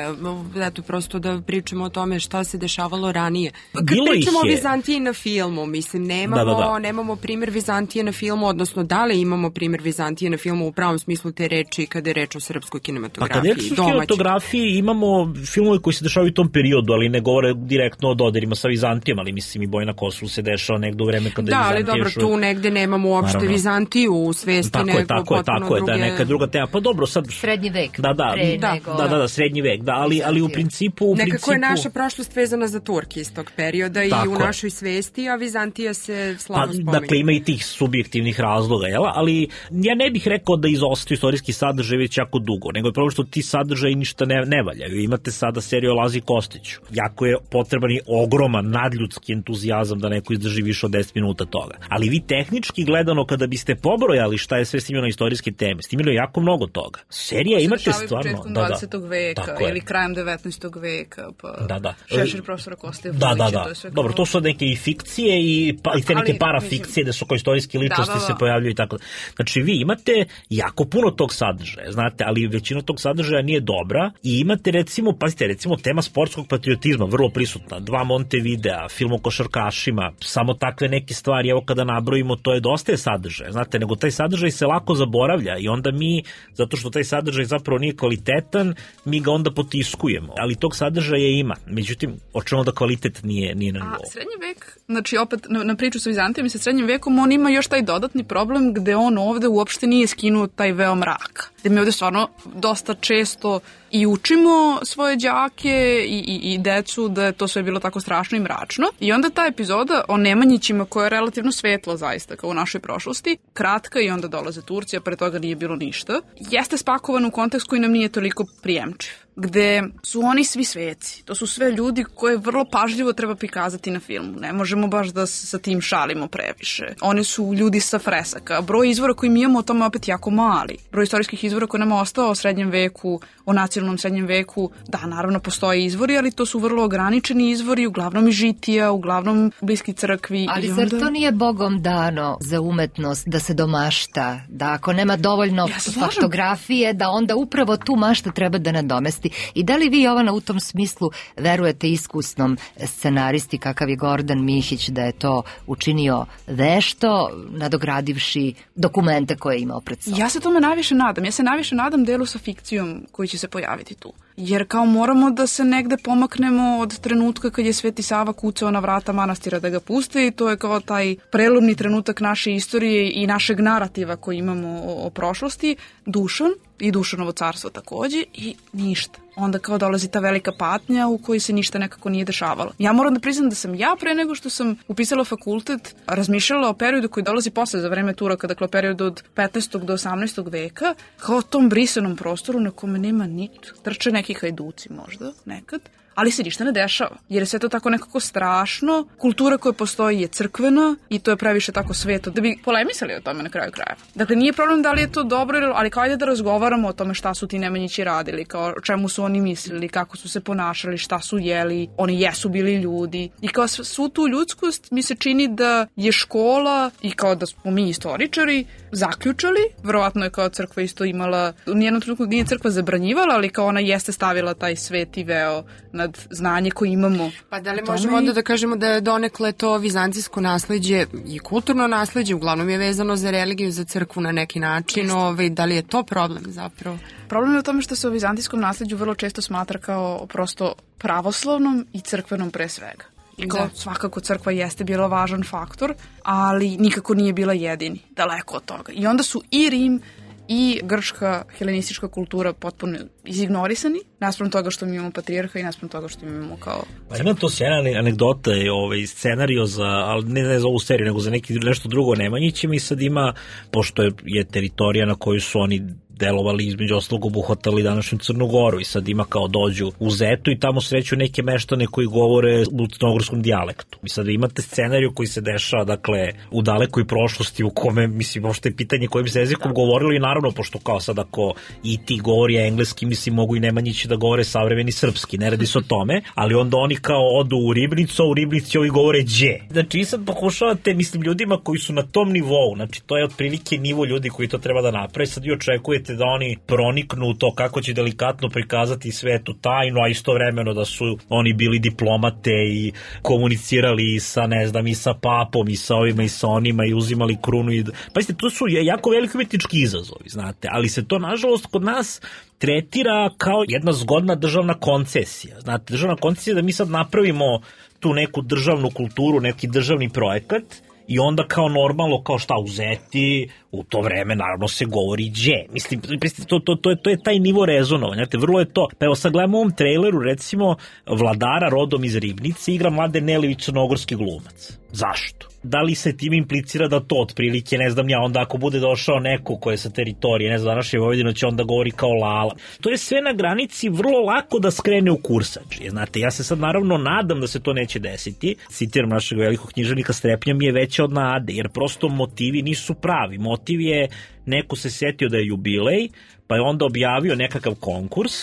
C: Eto, prosto da pričamo o tome šta se dešavalo ranije. Kad
K: Bilo
C: pričamo o
K: je...
C: Vizantiji na filmu, mislim, nemamo,
K: da, da, da.
C: nemamo primjer Vizantije na filmu, odnosno da li imamo primjer Vizantije na filmu u pravom smislu te reči kada je reč o srpskoj kinematografiji?
K: Pa kada je reč o kinematografiji imamo filmove koji se dešavaju u tom periodu, ali ne govore direktno o dodirima sa Vizantijom, ali mislim i Boj na Kosovu se dešava negde u vreme kada
C: da,
K: je Vizantija.
C: Da, ali dobro, tu negde nemamo uopšte Naravno. Vizantiju u svesti,
K: tako
C: nego
K: je, tako je, tako
C: druge...
K: je, da je neka druga tema. Pa dobro, sad...
A: Srednji vek.
K: Da, da,
A: da,
K: da, da, da, srednji vek, da, ali, ali u principu... U
C: Nekako
K: principu...
C: je naša prošlost vezana za Turki iz tog perioda tako i u našoj svesti, a Vizantija se slabo
K: pa,
C: spominje.
K: Dakle, ima i tih subjektivnih razloga, jel? Ali ja ne bih rekao da izostaju istorijski sadržaj već jako dugo, nego je problem što ti sadržaji ništa ne, ne valjaju. Imate sada seriju o Lazi Kostiću. Jako je potreban i ogroman nadljudski entuzijazam da neko izdrži više od deset minuta toga. Ali vi tehnički gledano, kada biste pobrojali šta je sve snimljeno istorijske teme, snimljeno je jako mnogo toga. Serija imate stvarno...
L: Da, dvadesetog veka ili krajem devetnaestog veka, pa
K: da, da.
L: Šešir profesora Koste
K: da, da, da.
L: to je sve
K: Dobro, to su neke i fikcije i, pa, i te neke ali, parafikcije da su kao istorijske ličnosti da, da, da. se pojavljaju i tako da. Znači, vi imate jako puno tog sadržaja, znate, ali većina tog sadržaja nije dobra i imate recimo, pazite, recimo tema sportskog patriotizma, vrlo prisutna, dva Montevidea, film o košarkašima, samo takve neke stvari, evo kada nabrojimo, to je dosta je sadržaja, znate, nego taj sadržaj se lako zaboravlja i onda mi, zato što taj sadržaj zapravo nije kvalitetan, mi ga onda potiskujemo, ali tog sadržaja ima, međutim, očemo da kvalitet nije, nije na nivou.
L: A srednji vek, znači opet na, na priču sa Vizantijom i sa srednjim vekom, on ima još taj dodatni problem gde on ovde uopšte nije skinuo taj veo mraka. Gde mi ovde stvarno dosta često i učimo svoje đake i, i, i decu da je to sve bilo tako strašno i mračno. I onda ta epizoda o Nemanjićima koja je relativno svetla zaista kao u našoj prošlosti, kratka i onda dolaze Turci, a pre toga nije bilo ništa, jeste spakovan u kontekst koji nam nije toliko prijemčiv. Gde su oni svi sveci. To su sve ljudi koje vrlo pažljivo treba prikazati na filmu. Ne možemo baš da sa tim šalimo previše. Oni su ljudi sa fresaka. Broj izvora koji mi imamo o tome opet jako mali. Broj istorijskih izvora koji nam je ostao o srednjem veku, o nacionalnom srednjem veku, da, naravno postoje izvori, ali to su vrlo ograničeni izvori, uglavnom i žitija, uglavnom bliski crkvi.
A: Ali
L: i
A: zar
L: onda...
A: to nije Bogom dano za umetnost da se domašta, da ako nema dovoljno ja faktografije, da onda upravo tu mašta treba da nadomesti. I da li vi, Jovana, u tom smislu verujete iskusnom scenaristi kakav je Gordan Mihić da je to učinio vešto, nadogradivši dokumente koje je imao pred sobom?
L: Ja se tome najviše nadam. Ja se najviše nadam delu sa fikcijom koji će se pojaviti tu. Jer kao moramo da se negde pomaknemo od trenutka kad je Sveti Sava kucao na vrata manastira da ga puste i to je kao taj prelomni trenutak naše istorije i našeg narativa koji imamo o, o prošlosti, Dušan i Dušanovo carstvo takođe i ništa. Onda kao dolazi ta velika patnja u kojoj se ništa nekako nije dešavalo. Ja moram da priznam da sam ja pre nego što sam upisala fakultet razmišljala o periodu koji dolazi posle za vreme Turaka, dakle o periodu od petnaestog do osamnaestog veka, kao o tom brisanom prostoru na kome nema nit. Trče neki hajduci možda, nekad, ali se ništa ne dešava, jer je sve to tako nekako strašno. Kultura koja postoji je crkvena i to je previše tako sveto, da bi polemisali o tome na kraju krajeva. Dakle, nije problem da li je to dobro, ali kao ajde da razgovaramo o tome šta su ti Nemanjići radili, kao o čemu su oni mislili, kako su se ponašali, šta su jeli, oni jesu bili ljudi. I kao svu tu ljudskost mi se čini da je škola i kao da smo mi istoričari zaključali, verovatno je kao crkva isto imala, u nijednom trenutku nije crkva zabranjivala, ali kao ona jeste stavila taj sveti veo nad znanje koje imamo.
C: Pa da li možemo onda da kažemo da je donekle to vizantijsko nasleđe i kulturno nasleđe, uglavnom je vezano za religiju, za crkvu na neki način, ovaj, da li je to problem zapravo?
L: Problem je u tome što se o vizantijskom nasleđu vrlo često smatra kao prosto pravoslavnom i crkvenom pre svega. Kao, svakako crkva jeste bila važan faktor, ali nikako nije bila jedini, daleko od toga. I onda su i Rim i grčka helenistička kultura potpuno izignorisani, naspram toga što mi imamo patrijarha i naspram toga što mi imamo kao...
K: Pa ima to sjajna anegdota, ovaj, scenario za, ali ne, ne za ovu seriju, nego za neki nešto drugo Nemanjićima i sad ima, pošto je, je teritorija na koju su oni delovali, između ostalog obuhvatali današnju Crnu Goru i sad ima kao dođu u Zetu i tamo sreću neke meštane koji govore u crnogorskom dijalektu. I sad imate scenariju koji se dešava, dakle, u dalekoj prošlosti u kome, mislim, možete je pitanje kojim se jezikom govorilo i naravno, pošto kao sad ako i ti govori engleski, mislim, mogu i Nemanjići da govore savremeni srpski, ne radi se o tome, ali onda oni kao odu u Ribnicu, a u Ribnici ovi govore đe. Znači, i sad pokušavate, mislim, ljudima koji su na tom nivou, znači, to je otprilike nivo ljudi koji to treba da napravi, sad vi očekujete da oni proniknu u to kako će delikatno prikazati svetu tajnu, a istovremeno da su oni bili diplomate i komunicirali sa, ne znam, i sa papom i sa ovima i sa onima i uzimali krunu i... Pa jeste, to su jako veliki umetnički izazovi, znate, ali se to, nažalost, kod nas tretira kao jedna zgodna državna koncesija. Znate, državna koncesija da mi sad napravimo tu neku državnu kulturu, neki državni projekat i onda kao normalno, kao šta uzeti, u to vreme naravno se govori đe. Mislim, to, to, to, je, to je taj nivo rezonovanja. Znate, vrlo je to. Pa evo sad gledamo u ovom traileru, recimo, vladara rodom iz Ribnice igra Mladen Nelivić, crnogorski glumac. Zašto? Da li se tim implicira da to otprilike, ne znam ja, onda ako bude došao neko ko je sa teritorije, ne znam, današnje Vojvodine će onda govori kao Lala. To je sve na granici vrlo lako da skrene u kursadži. Znate, ja se sad naravno nadam da se to neće desiti. Citiram našeg velikog književnika, strepnja mi je veća od nade, jer prosto motivi nisu pravi. Motiv je, neko se setio da je jubilej, pa je onda objavio nekakav konkurs,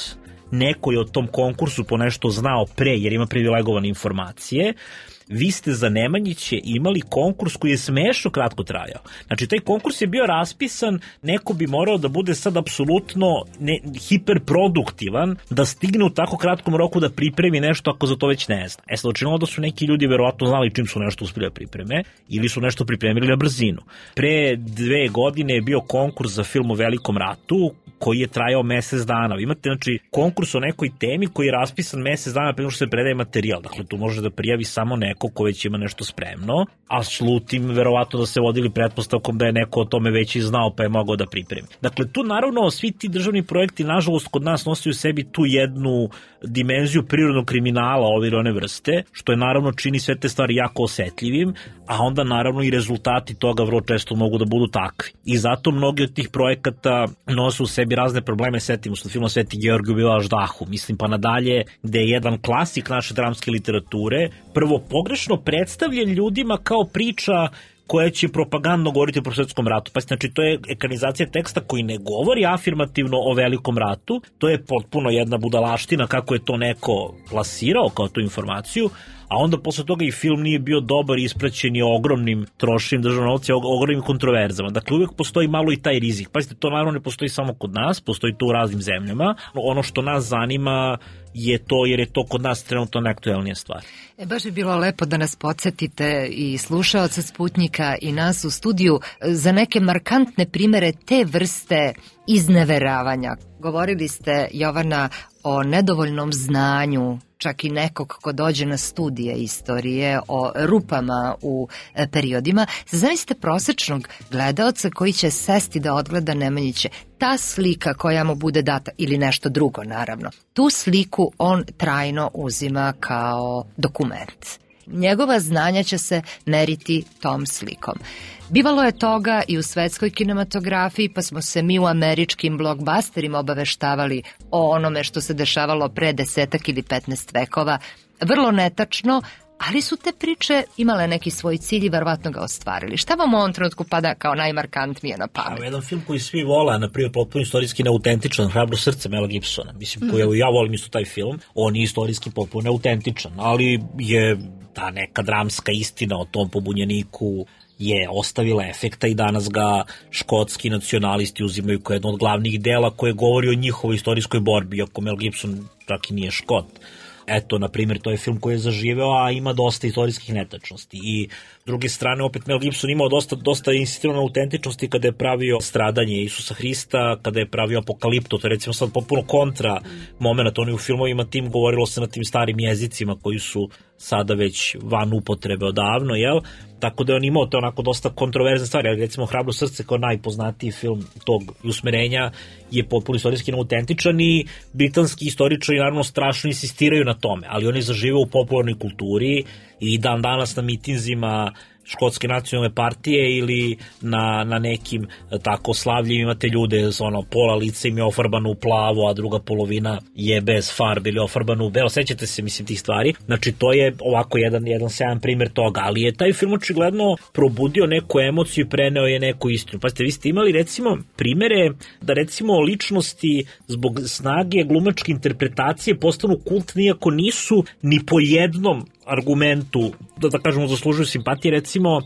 K: neko je o tom konkursu po nešto znao pre, jer ima privilegovane informacije. Vi ste za Nemanjiće imali konkurs koji je smešno kratko trajao. Znači, taj konkurs je bio raspisan, neko bi morao da bude sad apsolutno ne, hiperproduktivan, da stigne u tako kratkom roku da pripremi nešto ako za to već ne zna. E sad, učinilo da su neki ljudi verovatno znali čim su nešto uspjeli da pripreme ili su nešto pripremili na brzinu. Pre dve godine je bio konkurs za film o Velikom ratu koji je trajao mesec dana. Vi imate, znači, konkurs o nekoj temi koji je raspisan mesec dana pre nego što se predaje materijal. Dakle, tu može da prijavi samo neko ko već ima nešto spremno, a slutim verovatno da se vodili pretpostavkom da je neko o tome već i znao pa je mogao da pripremi. Dakle, tu naravno svi ti državni projekti nažalost kod nas nose u sebi tu jednu dimenziju prirodnog kriminala ove ili one vrste, što je naravno čini sve te stvari jako osetljivim, a onda naravno i rezultati toga vrlo često mogu da budu takvi. I zato mnogi od tih projekata nose u sebi razne probleme, setimo se filma Sveti Georgij ubila Aždahu, mislim pa nadalje, gde je jedan klasik naše dramske literature prvo pogrešno predstavljen ljudima kao priča koja će propagandno govoriti o Prvosvetskom ratu. Pa znači, to je ekranizacija teksta koji ne govori afirmativno o Velikom ratu, to je potpuno jedna budalaština kako je to neko plasirao kao tu informaciju, a onda posle toga i film nije bio dobar i ispraćen je ogromnim trošenjem državnog novca, ogromnim kontroverzama. Dakle, uvijek postoji malo i taj rizik. Pazite, to naravno ne postoji samo kod nas, postoji to u raznim zemljama. Ono što nas zanima je to, jer je to kod nas trenutno najaktuelnija stvar.
A: E, baš bi bilo lepo da nas podsjetite i slušaoca Sputnjika i nas u studiju za neke markantne primere te vrste izneveravanja. Govorili ste, Jovana, o nedovoljnom znanju, čak i nekog ko dođe na studije istorije, o rupama u e, periodima. Zamislite prosečnog gledaoca koji će sesti da odgleda Nemanjiće. Ta slika koja mu bude data, ili nešto drugo naravno, tu sliku on trajno uzima kao dokument. njegova znanja će se meriti tom slikom. Bivalo je toga i u svetskoj kinematografiji, pa smo se mi u američkim blockbusterima obaveštavali o onome što se dešavalo pre desetak ili petnaest vekova. Vrlo netačno, ali su te priče imale neki svoj cilj i verovatno ga ostvarili. Šta vam u ovom trenutku pada kao najmarkantnije na pamet?
K: Jedan film koji svi vole, na primjer, potpuno istorijski neautentičan, Hrabro srce Mela Gibsona. Mislim, mm. koji ja volim isto taj film, on je istorijski potpuno neautentičan, ali je ta neka dramska istina o tom pobunjeniku je ostavila efekta i danas ga škotski nacionalisti uzimaju kao jedno od glavnih dela koje govori o njihovoj istorijskoj borbi, iako Mel Gibson čak i nije Škot. Eto, na primjer, to je film koji je zaživeo, a ima dosta istorijskih netačnosti. I s druge strane, opet Mel Gibson imao dosta, dosta insistirano autentičnosti kada je pravio Stradanje Isusa Hrista, kada je pravio Apokalipto, to je recimo sad popuno kontra moment, oni u filmovima tim govorilo se na tim starim jezicima koji su sada već van upotrebe odavno, jel? Tako da je on imao te onako dosta kontroverzne stvari, ali recimo Hrabro srce kao najpoznatiji film tog usmerenja je potpuno istorijski autentičan i britanski istoričari naravno strašno insistiraju na tome, ali on je zaživeo u popularnoj kulturi i dan danas na mitinzima Škotske nacionalne partije ili na, na nekim tako slavljima imate ljude, ono, pola lica im je ofarbano u plavo, a druga polovina je bez farbe ili ofarbano u belo. Sećate se, mislim, tih stvari. Znači, to je ovako jedan, jedan sjajan primjer toga, ali je taj film očigledno probudio neku emociju i preneo je neku istinu. Pazite, vi ste imali, recimo, primere da, recimo, ličnosti zbog snage glumačke interpretacije postanu kultni, iako nisu ni po jednom argumentu, da, da kažemo, zaslužuju simpatije. Recimo,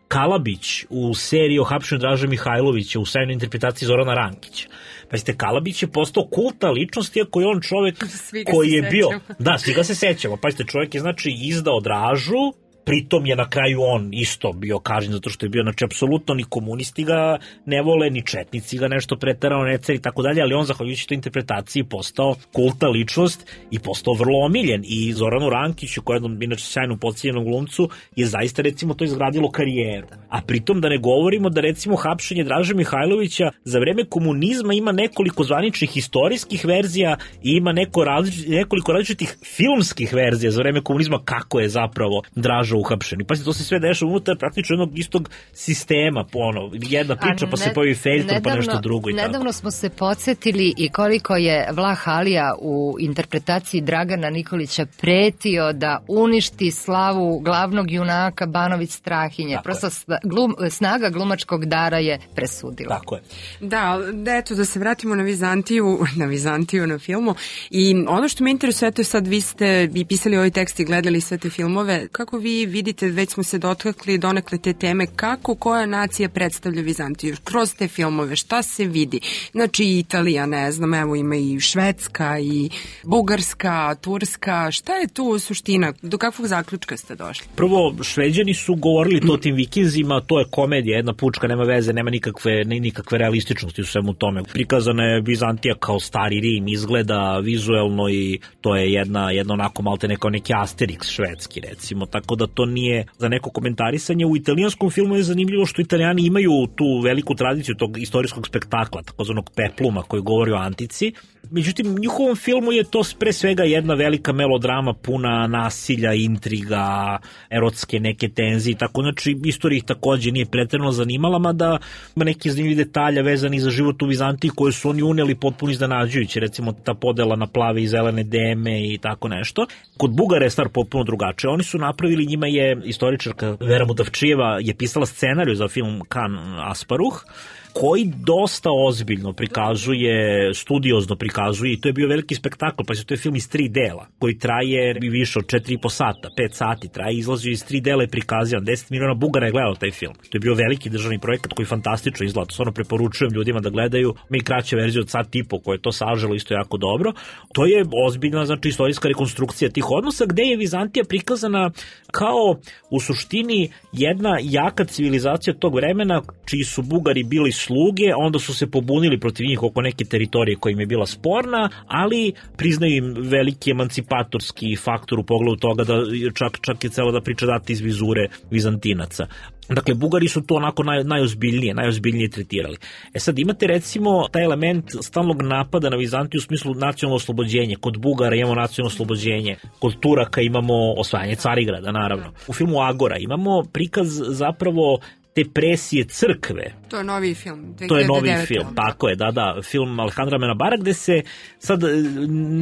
K: Kalabić u seriji o hapšenju Draže Mihajlovića u sjajnoj interpretaciji Zorana Rankića. Pazite, Kalabić je postao kultna ličnost, iako je on čovek koji je bio... Da, svi ga se sećamo. Pazite, čovek je, znači, izdao Dražu, pritom je na kraju on isto bio kažnjen zato što je bio, znači, apsolutno ni komunisti ga ne vole, ni četnici ga nešto preterano ne ceri i tako dalje, ali on, zahvaljujući toj interpretaciji, postao kultna ličnost i postao vrlo omiljen. I Zoranu Rankiću, koji je jednom, inače, sjajno podcijenjenom glumcu, je zaista, recimo, to izgradilo karijeru. A pritom da ne govorimo da, recimo, hapšenje Draže Mihajlovića za vreme komunizma ima nekoliko zvaničnih istorijskih verzija i ima neko različ, nekoliko različitih filmskih verzija za vreme komunizma kako je zapravo Draža uhapšeni. Pa to se sve dešava unutar praktično jednog istog sistema, ono, jedna priča ne, pa se pojavi Felton pa nešto drugo i
A: nedavno
K: tako.
A: Smo se podsjetili i koliko je Vlah Alija u interpretaciji Dragana Nikolića pretio da uništi slavu glavnog junaka Banović Strahinje. Tako Prosto glum, snaga glumačkog dara je presudila.
K: Tako je.
C: Da, da, eto, da se vratimo na Vizantiju, na Vizantiju na filmu. I ono što me interesuje, eto sad vi ste i pisali ovaj tekst i gledali sve te filmove, kako vi vidite, već smo se dotakli donekle te teme, kako koja nacija predstavlja Vizantiju kroz te filmove, šta se vidi? Znači Italija, ne znam, evo ima i Švedska i Bugarska, Turska, šta je tu suština? Do kakvog zaključka ste došli?
K: Prvo, Šveđani su govorili to tim vikinzima, to je komedija, jedna pučka, nema veze, nema nikakve, nikakve realističnosti u svemu tome. Prikazana je Vizantija kao stari Rim, izgleda vizuelno i to je jedna, jedna onako malte neko neki Asterix švedski, recimo, tako da to nije za neko komentarisanje. U italijanskom filmu je zanimljivo što Italijani imaju tu veliku tradiciju tog istorijskog spektakla, takozvanog pepluma koji govori o antici. Međutim, u njihovom filmu je to pre svega jedna velika melodrama puna nasilja, intriga, erotske neke tenzije, tako, znači istorija ih takođe nije pretjerano zanimala, mada ima neki zanimljivi detalja vezani za život u Vizantiji koje su oni uneli potpuno iznenađujući, recimo ta podela na plave i zelene deme i tako nešto. Kod Bugara je stvar potpuno drugačija. Oni su napravili, njima je istoričarka Vera Mutavčijeva je pisala scenariju za film Kan Asparuh, koji dosta ozbiljno prikazuje, studiozno prikazuje, i to je bio veliki spektakl, pa to je film iz tri dela, koji traje više od četiri i po sata, pet sati traje, izlazio iz tri dela i prikazivan, deset miliona Bugara je gledao taj film. To je bio veliki državni projekat koji fantastično izgleda, stvarno preporučujem ljudima da gledaju, mi kraća verzija od sat i po koje je to saželo isto jako dobro. To je ozbiljna, znači, istorijska rekonstrukcija tih odnosa, gde je Vizantija prikazana kao u suštini jedna jaka civilizacija tog vremena, čiji su Bugari bili sluge, onda su se pobunili protiv njih oko neke teritorije koja im je bila sporna sporna, ali priznaju im veliki emancipatorski faktor u pogledu toga da čak, čak je celo da priča dati iz vizure Vizantinaca. Dakle, Bugari su to onako naj, najozbiljnije, najozbiljnije tretirali. E sad, imate recimo taj element stalnog napada na Vizantiju u smislu nacionalno oslobođenje. Kod Bugara imamo nacionalno oslobođenje, kod Turaka imamo osvajanje Carigrada, naravno. U filmu Agora imamo prikaz zapravo te presije crkve.
C: To je novi film.
K: To je novi film, tako je, da, da, film Alejandra Amenabara, gde se sad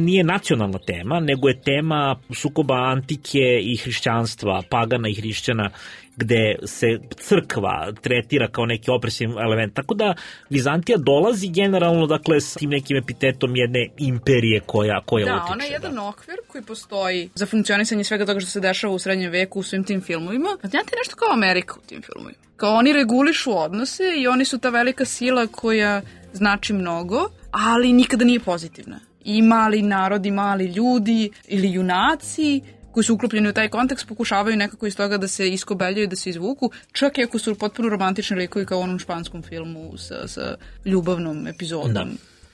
K: nije nacionalna tema, nego je tema sukoba antike i hrišćanstva, pagana i hrišćana, gde se crkva tretira kao neki opresivni element. Tako da Vizantija dolazi generalno, dakle, s tim nekim epitetom jedne imperije koja, koja
L: da,
K: utiče.
L: Da, ona je jedan okvir koji postoji za funkcionisanje svega toga što se dešava u srednjem veku u svim tim filmovima. A znate nešto kao Amerika u tim filmovima. Kao oni regulišu odnose i oni su ta velika sila koja znači mnogo, ali nikada nije pozitivna. I mali narodi, mali ljudi ili junaci koji su uklopljeni u taj kontekst pokušavaju nekako iz toga da se iskobeljaju, da se izvuku, čak i ako su potpuno romantični likovi kao u onom španskom filmu sa, sa ljubavnom epizodom. Da.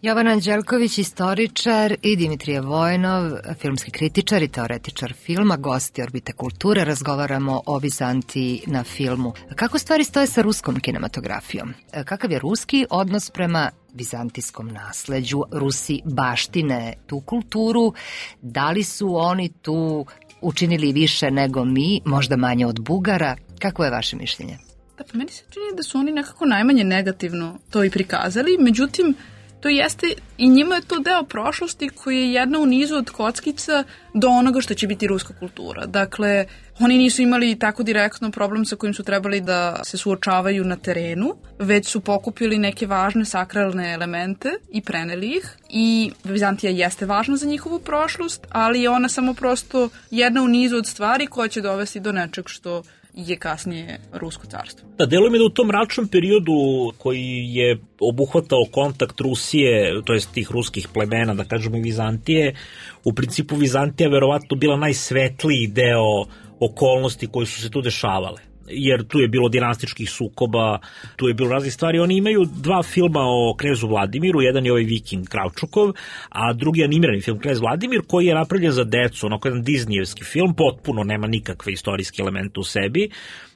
A: Jovan Anđelković, istoričar, i Dimitrije Vojnov, filmski kritičar i teoretičar filma, gosti Orbite kulture, razgovaramo o Vizantiji na filmu. Kako stvari stoje sa ruskom kinematografijom? Kakav je ruski odnos prema vizantijskom nasleđu? Rusi baštine tu kulturu, da li su oni tu učinili više nego mi, možda manje od Bugara? Kako je vaše mišljenje?
L: Da, pa meni se čini da su oni nekako najmanje negativno to i prikazali, međutim, to jeste, i njima je to deo prošlosti koji je jedna u nizu od kockica do onoga što će biti ruska kultura. Dakle, oni nisu imali tako direktno problem sa kojim su trebali da se suočavaju na terenu, već su pokupili neke važne sakralne elemente i preneli ih. I Vizantija jeste važna za njihovu prošlost, ali je ona samo prosto jedna u nizu od stvari koja će dovesti do nečeg što je kasnije Rusko carstvo.
K: Da, deluje mi da u tom mračnom periodu koji je obuhvatao kontakt Rusije, to jest tih ruskih plemena, da kažemo i Vizantije, u principu Vizantija verovatno bila najsvetliji deo okolnosti koje su se tu dešavale. Jer tu je bilo dinastičkih sukoba, tu je bilo raznih stvari. Oni imaju dva filma o knezu Vladimiru, jedan je ovaj Viking Kravčukov, a drugi je animirani film Knez Vladimir, koji je napravljen za decu, onako jedan Disneyevski film, potpuno nema nikakve istorijske elemente u sebi,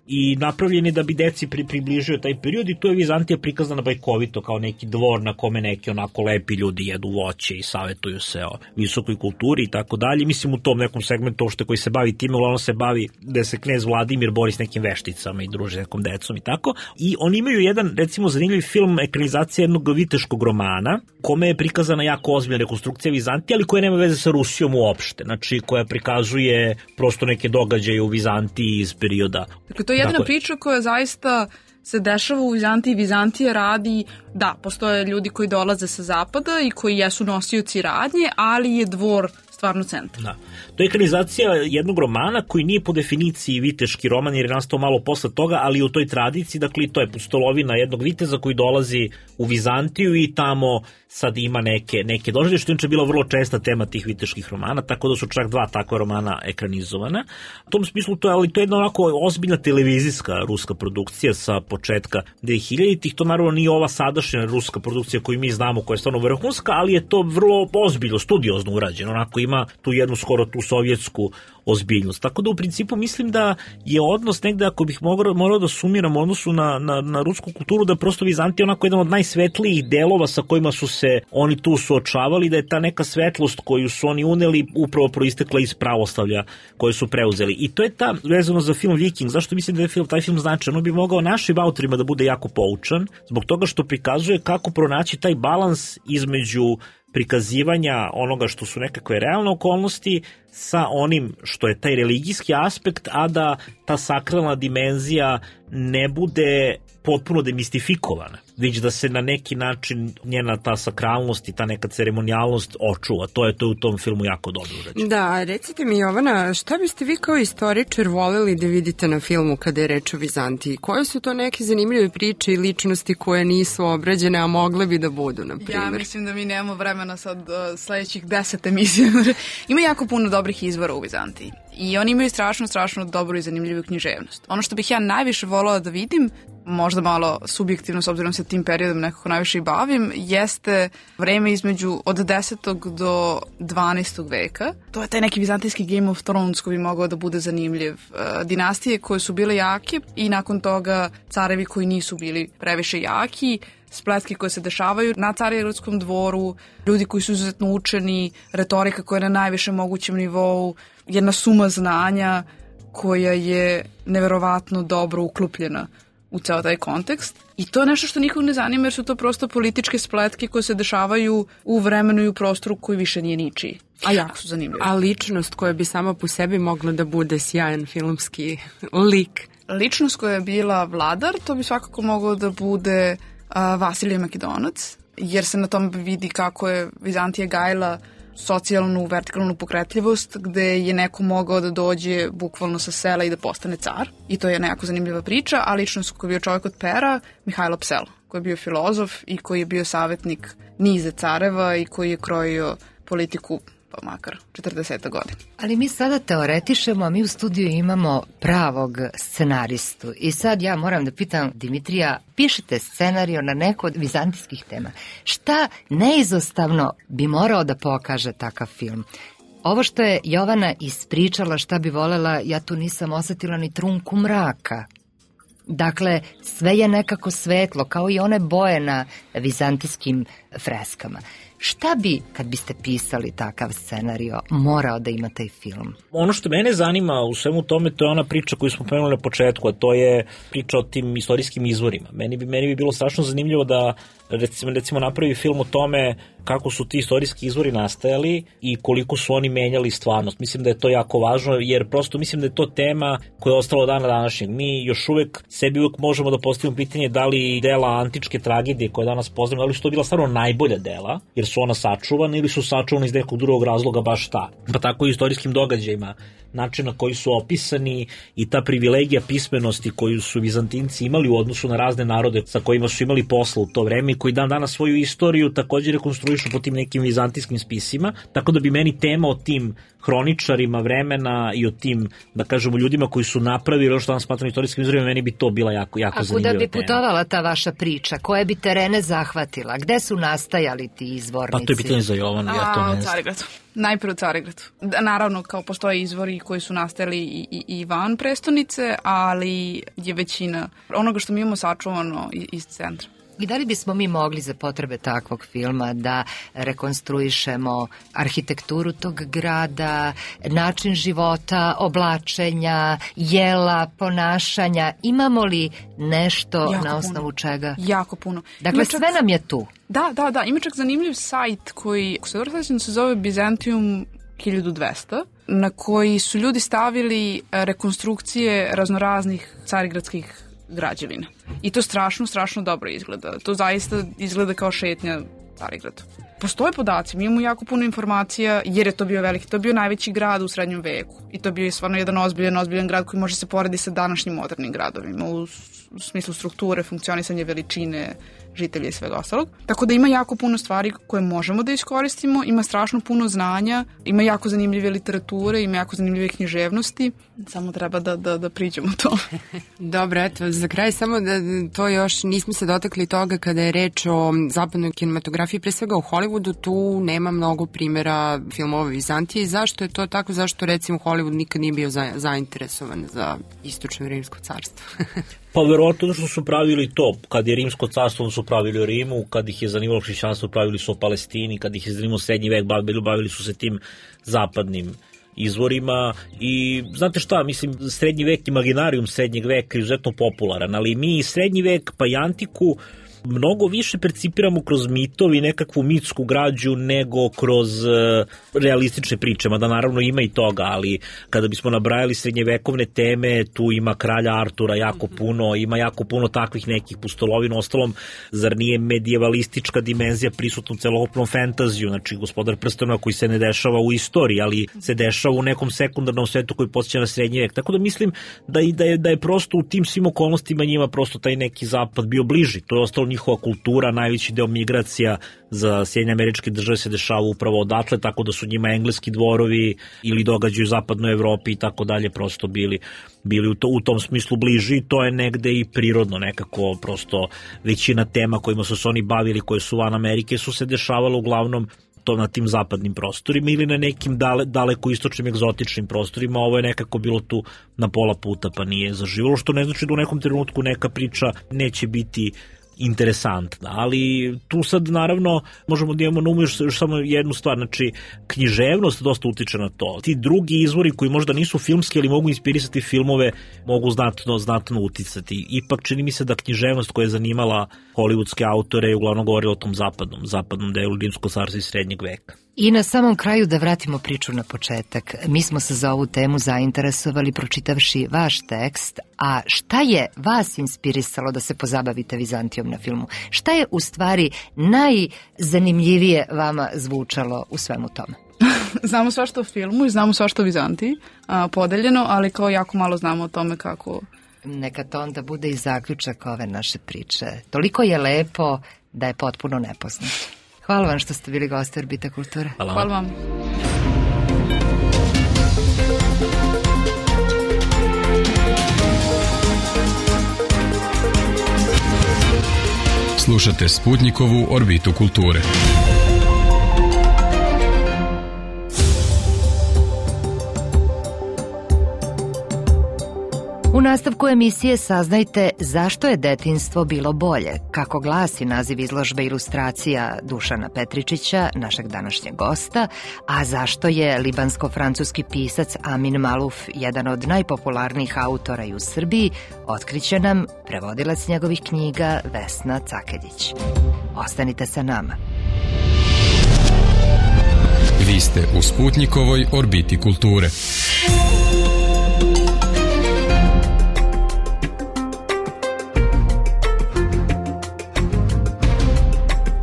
K: i napravljen je da bi deci pri, približio taj period, i tu je Vizantija prikazana bajkovito kao neki dvor na kome neki onako lepi ljudi jedu voće i savetuju se o visokoj kulturi i tako dalje. Mislim, u tom nekom segmentu uopšte koji se bavi time, uglavnom se bavi da se knez Vladimir bori s nekim vešticama i druži s nekom decom i tako. I oni imaju jedan, recimo, zanimljiv film, ekranizacija jednog viteškog romana, kome je prikazana jako ozbiljna rekonstrukcija Vizantije, ali koja nema veze sa Rusijom uopšte. Znači, koja prikazuje prosto neke događaje u Vizantiji iz perioda.
L: Dakle, to je jedna dakle, priča koja zaista se dešava u Vizantiji. Vizantija radi, da, postoje ljudi koji dolaze sa zapada i koji jesu nosioci radnje, ali je dvor stvarno centar.
K: Da. To je ekranizacija jednog romana koji nije po definiciji viteški roman, jer je nastao malo posle toga, ali u toj tradiciji, dakle, to je pustolovina jednog viteza koji dolazi u Vizantiju i tamo sad ima neke, neke doživlje, što je inače bila vrlo česta tema tih viteških romana, tako da su čak dva takva romana ekranizovana. U tom smislu to je, ali to je jedna onako ozbiljna televizijska ruska produkcija sa početka dvehiljaditih. To naravno nije ova sadašnja ruska produkcija koju mi znamo, koja je stvarno vrhunska, ali je to vrlo ozbiljno, studiozno urađeno, onako ima tu jednu skoro tu sovjetsku ozbiljnost. Tako da u principu mislim da je odnos negde, ako bih morao, morao da sumiram odnosu na, na, na rusku kulturu, da je prosto Vizantija onako jedan od najsvetlijih delova sa kojima su se oni tu suočavali, da je ta neka svetlost koju su oni uneli upravo proistekla iz pravoslavlja koje su preuzeli. I to je ta, vezano za film Viking, zašto mislim da je film, taj film značajan, on bi mogao našim autorima da bude jako poučan, zbog toga što prikazuje kako pronaći taj balans između prikazivanja onoga što su nekakve realne okolnosti sa onim što je taj religijski aspekt, a da ta sakralna dimenzija ne bude potpuno demistifikovana, već da se na neki način njena ta sakralnost i ta neka ceremonijalnost očuva. To je to u tom filmu jako dobro urađeno.
C: Da, recite mi, Jovana, šta biste vi kao istoričar voleli da vidite na filmu kada je reč o Vizantiji? Koje su to neke zanimljive priče i ličnosti koje nisu obrađene, a mogle bi da budu, na primjer?
L: Ja mislim da mi nemamo vremena sad uh, sledećih deset emisija. Ima jako puno dobrih izvora u Vizantiji. I oni imaju strašno, strašno dobru i zanimljivu književnost. Ono što bih ja najviše volala da vidim, možda malo subjektivno s obzirom se tim periodom nekako najviše i bavim, jeste vreme između od desetog do dvanaestog veka. To je taj neki vizantijski Game of Thrones koji bi mogao da bude zanimljiv. Dinastije koje su bile jake i nakon toga carevi koji nisu bili previše jaki, spletke koje se dešavaju na carigradskom dvoru, ljudi koji su izuzetno učeni, retorika koja je na najvišem mogućem nivou, jedna suma znanja koja je neverovatno dobro uklopljena u ceo taj kontekst. I to je nešto što nikog ne zanima jer su to prosto političke spletke koje se dešavaju u vremenu i u prostoru koji više nije ničiji. A jako su zanimljivi.
C: A ličnost koja bi sama po sebi mogla da bude sjajan filmski lik?
L: Ličnost koja je bila vladar, to bi svakako moglo da bude a, Vasilije Makedonac, jer se na tom vidi kako je Vizantija gajila socijalnu, vertikalnu pokretljivost, gde je neko mogao da dođe bukvalno sa sela i da postane car. I to je nekako zanimljiva priča, a ličnost koji je bio čovjek od pera, Mihajlo Psel, koji je bio filozof i koji je bio savjetnik niza careva i koji je krojio politiku pa makar četrdeset godina.
A: Ali mi sada teoretišemo, a mi u studiju imamo pravog scenaristu. I sad ja moram da pitam Dimitrija, pišete scenario na neko od vizantijskih tema. Šta neizostavno bi morao da pokaže takav film? Ovo što je Jovana ispričala šta bi volela, ja tu nisam osetila ni trunku mraka. Dakle, sve je nekako svetlo, kao i one boje na vizantijskim freskama. Šta bi, kad biste pisali takav scenario, morao da ima taj film?
K: Ono što mene zanima u svemu tome, to je ona priča koju smo pomenuli na početku, a to je priča o tim istorijskim izvorima. Meni bi, meni bi bilo strašno zanimljivo da recimo, recimo napravi film o tome kako su ti istorijski izvori nastajali i koliko su oni menjali stvarnost. Mislim da je to jako važno, jer prosto mislim da je to tema koja je ostala od dana današnjeg. Mi još uvek sebi uvek možemo da postavimo pitanje da li dela antičke tragedije koje danas poznamo, da li su to bila stvarno najbolja dela, jer su ona sačuvana ili su sačuvana iz nekog drugog razloga baš ta. Pa tako i istorijskim događajima, način na koji su opisani i ta privilegija pismenosti koju su Vizantinci imali u odnosu na razne narode sa kojima su imali posla u to vreme i koji dan danas svoju istoriju također rekonstruišu po tim nekim vizantijskim spisima, tako da bi meni tema o tim hroničarima vremena i o tim, da kažemo, ljudima koji su napravili ono što danas smatram istorijskim izvorima, meni bi to bila jako, jako zanimljiva tema.
A: A kuda bi putovala ta vaša priča? Koje bi terene zahvatila? Gde su nastajali ti izvornici?
K: Pa to je pitanje za Jovanu, ja to ne znam.
L: U Carigradu. Najprije u Carigradu. Naravno, kao postoje izvori koji su nastajali i, i, i van prestonice, ali je većina onoga što mi imamo sačuvano iz centra.
A: I da li bismo mi mogli za potrebe takvog filma da rekonstruišemo arhitekturu tog grada, način života, oblačenja, jela, ponašanja? Imamo li nešto jako na osnovu
L: puno.
A: čega?
L: Jako puno.
A: Dakle, čak... sve nam je tu.
L: Da, da, da. Ima čak zanimljiv sajt koji, ako se dobro sećam, se zove Byzantium hiljadu dvesta, na koji su ljudi stavili rekonstrukcije raznoraznih carigradskih građevina. I to strašno, strašno dobro izgleda. To zaista izgleda kao šetnja Carigradu. Postoje podaci, mi imamo jako puno informacija, jer je to bio veliki, to je bio najveći grad u srednjem veku. I to je bio stvarno jedan ozbiljan, ozbiljan grad koji može se porediti sa današnjim modernim gradovima u, u smislu strukture, funkcionisanje veličine, žitelja i svega ostalog. Tako da ima jako puno stvari koje možemo da iskoristimo, ima strašno puno znanja, ima jako zanimljive literature, ima jako zanimljive književnosti, samo treba da, da, da priđemo to.
C: Dobro, eto, za kraj samo da to još nismo se dotakli toga kada je reč o zapadnoj kinematografiji, pre svega u Hollywoodu, tu nema mnogo primjera filmova Vizantije. Zašto je to tako? Zašto recimo Hollywood nikad nije bio za, zainteresovan za istočno rimsko carstvo?
K: Pa verovatno što su pravili to, kad je rimsko carstvo su pravili o Rimu, kad ih je zanimalo hrišćanstvo pravili su o Palestini, kad ih je zanimalo srednji vek bavili, bavili su se tim zapadnim izvorima i znate šta, mislim, srednji vek, imaginarijum srednjeg veka je izuzetno popularan, ali mi srednji vek pa i antiku mnogo više percipiramo kroz mitovi, nekakvu mitsku građu nego kroz uh, realistične priče, mada naravno ima i toga, ali kada bismo nabrajali srednjevekovne teme, tu ima kralja Artura jako puno, ima jako puno takvih nekih pustolovina, ostalom, zar nije medijevalistička dimenzija prisutna u celokupnom fantaziju, znači Gospodar prstenova koji se ne dešava u istoriji, ali se dešava u nekom sekundarnom svetu koji podsjeća na srednji vek, tako da mislim da, i, da, je, da je prosto u tim svim okolnostima njima prosto taj neki zapad bio bliži, to je ostalo njihova kultura, najveći deo migracija za Sjedinjene Američke Države se dešava upravo odatle, tako da su njima engleski dvorovi ili događaju u zapadnoj Evropi i tako dalje prosto bili, bili u, to, u tom smislu bliži, i to je negde i prirodno nekako, prosto većina tema kojima su se oni bavili, koje su van Amerike, su se dešavalo uglavnom to na tim zapadnim prostorima ili na nekim dale, daleko istočnim egzotičnim prostorima. Ovo je nekako bilo tu na pola puta pa nije zaživalo, što ne znači da u nekom trenutku neka priča neće biti interesantna, ali tu sad naravno možemo da imamo na umu još, još samo jednu stvar, znači književnost dosta utiče na to. Ti drugi izvori koji možda nisu filmski, ali mogu inspirisati filmove, mogu znatno, znatno uticati. Ipak čini mi se da književnost koja je zanimala hollywoodske autore je uglavnom govorila o tom zapadnom, zapadnom delu Rimskog carstva iz srednjeg veka.
A: I na samom kraju da vratimo priču na početak. Mi smo se za ovu temu zainteresovali pročitavši vaš tekst, a šta je vas inspirisalo da se pozabavite Vizantijom na filmu? Šta je u stvari najzanimljivije vama zvučalo u svemu tome?
L: Znamo svašta o filmu i znamo svašta o Vizantiji, a, podeljeno, ali kao jako malo znamo o tome kako...
A: Neka to onda bude i zaključak ove naše priče. Toliko je lepo da je potpuno nepoznato. Hvala vam što ste bili gosti Orbita kulture.
K: Hvala,
L: Hvala vam.
E: Slušate Sputnikovu Orbitu kulture.
A: U nastavku emisije saznajte zašto je detinjstvo bilo bolje, kako glasi naziv izložbe ilustracija Dušana Petričića, našeg današnjeg gosta, a zašto je libansko-francuski pisac Amin Maluf jedan od najpopularnijih autora i u Srbiji, otkriće nam prevodilac njegovih knjiga Vesna Cakeljić. Ostanite sa nama.
E: Vi ste u Sputnikovoj Orbiti kulture.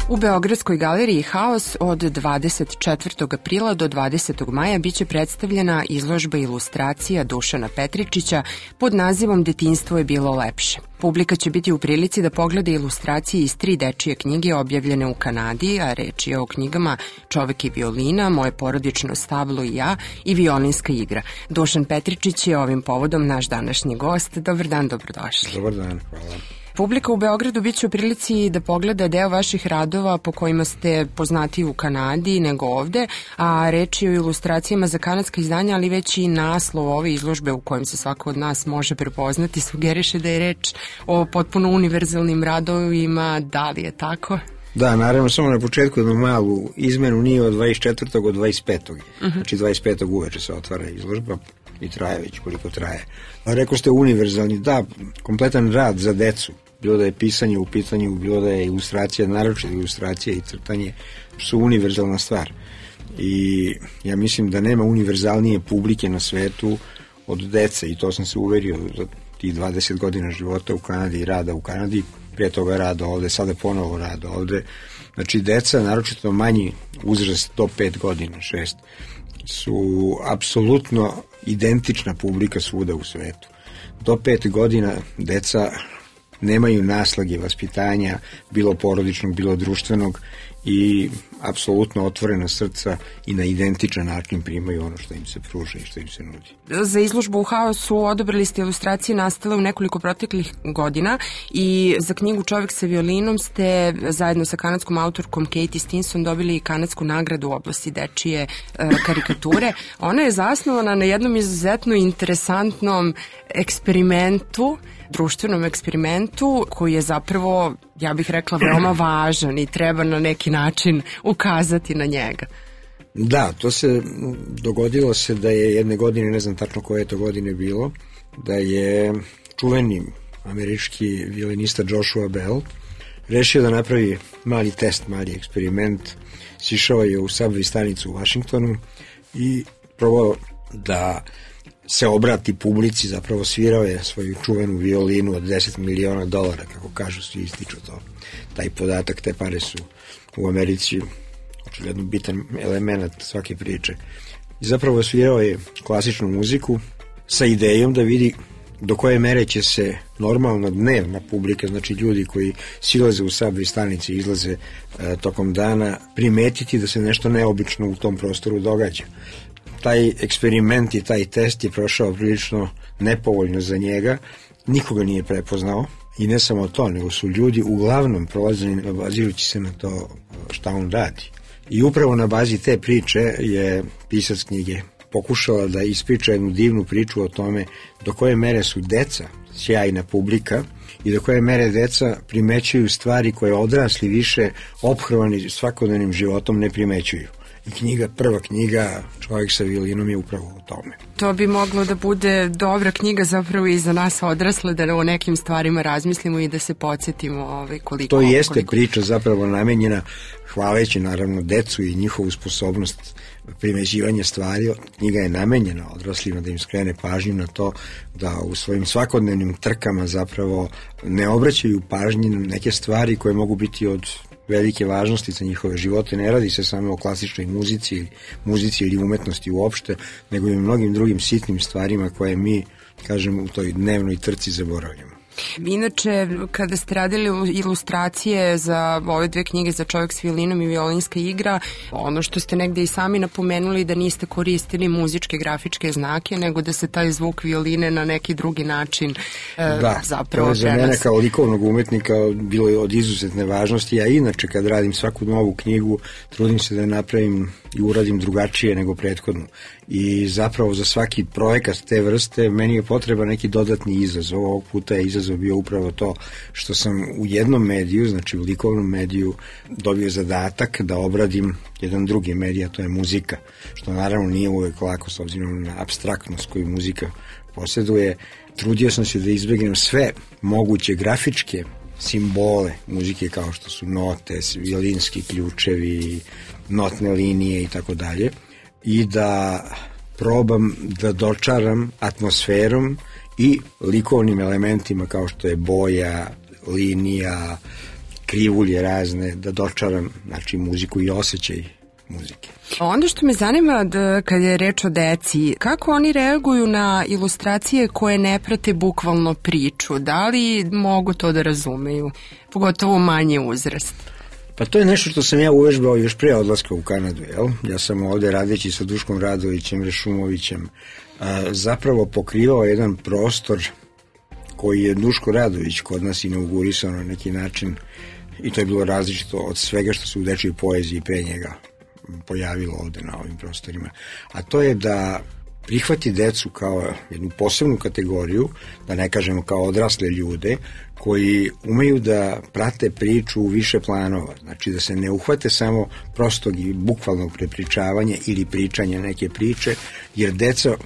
C: U Beogradskoj galeriji Haos od dvadeset četvrtog aprila do dvadesetog maja biće predstavljena izložba ilustracija Dušana Petričića pod nazivom Detinjstvo je bilo lepše. Publika će biti u prilici da pogleda ilustracije iz tri dečije knjige objavljene u Kanadi, a reč je o knjigama Čovek i violina, Moje porodično stablo i ja i Violinska igra. Dušan Petričić je ovim povodom naš današnji gost. Dobar dan, dobrodošli.
M: Dobar dan, hvala.
C: Publika u Beogradu bit će u prilici da pogleda deo vaših radova po kojima ste poznati u Kanadi nego ovde, a reč je o ilustracijama za kanadska izdanja, ali već i naslov ove izložbe u kojem se svako od nas može prepoznati sugeriše da je reč o potpuno univerzalnim radovima. Da li je tako?
M: Da, naravno, samo na početku jednu malu izmenu, nije od dvadeset četvrtog od dvadeset petog Uh-huh. Znači dvadeset petog uveče se otvara izložba i traje već koliko traje. A rekao ste univerzalni, da, kompletan rad za decu, bilo da je pisanje u pitanju, bilo da je ilustracija, naročito ilustracija i crtanje, su univerzalna stvar. I ja mislim da nema univerzalnije publike na svetu od dece, i to sam se uverio za tih dvadeset godina života u Kanadi i rada u Kanadi, prije toga rada ovde, sada ponovo rada ovde. Znači, deca, naročito manji uzrast do pet godina, šest, su apsolutno identična publika svuda u svetu. Do pet godina deca nemaju naslage vaspitanja, bilo porodičnog, bilo društvenog, i apsolutno otvorena srca i na identičan način primaju ono što im se pruža i što im se nudi.
C: Za izložbu u Haosu odabrali ste ilustracije nastale u nekoliko proteklih godina i za knjigu Čovek sa violinom ste zajedno sa kanadskom autorkom Katie Stinson dobili kanadsku nagradu u oblasti dečije e, karikature. Ona je zasnovana na jednom izuzetno interesantnom eksperimentu, društvenom eksperimentu koji je zapravo, ja bih rekla, veoma važan i treba na neki način ukazati na njega.
M: Da, to se dogodilo se da je jedne godine, ne znam tačno koje je to godine bilo, da je čuveni američki violinista Joshua Bell rešio da napravi mali test, mali eksperiment. Sišao je u Subway stanicu u Washingtonu i probao da se obrati publici, zapravo svirao je svoju čuvenu violinu od deset miliona dolara, kako kažu, svi ističu to. Taj podatak, te pare su u Americi očigledno bitan element svake priče. I zapravo svirao je klasičnu muziku sa idejom da vidi do koje mere će se normalno dnevna publika, znači ljudi koji silaze u subway stanice i izlaze e, tokom dana, primetiti da se nešto neobično u tom prostoru događa. Taj eksperiment i taj test je prošao prilično nepovoljno za njega, nikoga nije prepoznao i ne samo to, nego su ljudi uglavnom prolazili bazirujući se na to šta on radi. I upravo na bazi te priče je pisac knjige pokušala da ispriča jednu divnu priču o tome do koje mere su deca sjajna publika i do koje mere deca primećuju stvari koje odrasli više ophrvani svakodnevnim životom ne primećuju. I knjiga, prva knjiga Čovjek sa violinom je upravo o tome.
C: To bi moglo da bude dobra knjiga zapravo i za nas odrasle, da o nekim stvarima razmislimo i da se podsjetimo ovaj, koliko...
M: To jeste
C: koliko...
M: priča zapravo namenjena hvaleći naravno decu i njihovu sposobnost primećivanja stvari. Knjiga je namenjena odraslima da im skrene pažnju na to da u svojim svakodnevnim trkama zapravo ne obraćaju pažnju na neke stvari koje mogu biti od velike važnosti za njihove živote. Ne radi se samo o klasičnoj muzici, muzici ili umetnosti uopšte, nego i o mnogim drugim sitnim stvarima koje mi, kažem, u toj dnevnoj trci zaboravljamo.
C: Inače, kada ste radili ilustracije za ove dve knjige, za Čovjek s violinom i Violinska igra, ono što ste negde i sami napomenuli da niste koristili muzičke grafičke znake, nego da se taj zvuk violine na neki drugi način
M: da,
C: e, zapravo
M: prenosi. Da, za mene kao likovnog umetnika bilo je od izuzetne važnosti. Ja inače kad radim svaku novu knjigu trudim se da napravim i uradim drugačije nego prethodnu. I zapravo za svaki projekat te vrste meni je potreba neki dodatni izazov. Ovog puta je izazov bio upravo to što sam u jednom mediju, znači u likovnom mediju, dobio zadatak da obradim jedan drugi medij, a to je muzika, što naravno nije uvek lako s obzirom na apstraktnost koju muzika posjeduje. Trudio sam se da izbegnem sve moguće grafičke simbole muzike kao što su note, violinski ključevi, notne linije i tako dalje, i da probam da dočaram atmosferom i likovnim elementima kao što je boja, linija, krivulje razne, da dočaram, znači, muziku i osjećaj muzike.
C: Onda što me zanima da kad je reč o deci, kako oni reaguju na ilustracije koje ne prate bukvalno priču? Da li mogu to da razumeju? Pogotovo manji uzrast.
M: Pa to je nešto što sam ja uvežbao još pre odlaska u Kanadu, jel? Ja sam ovde radeći sa Duškom Radovićem, Rešumovićem, a, zapravo pokrivao jedan prostor koji je Duško Radović kod nas inaugurisao na neki način, i to je bilo različito od svega što se u dečjoj poeziji pre njega pojavilo ovde na ovim prostorima. A to je da prihvati decu kao jednu posebnu kategoriju, da ne kažemo kao odrasle ljude, koji umeju da prate priču u više planova. Znači da se ne uhvate samo prostog i bukvalnog prepričavanja ili pričanja neke priče, jer deca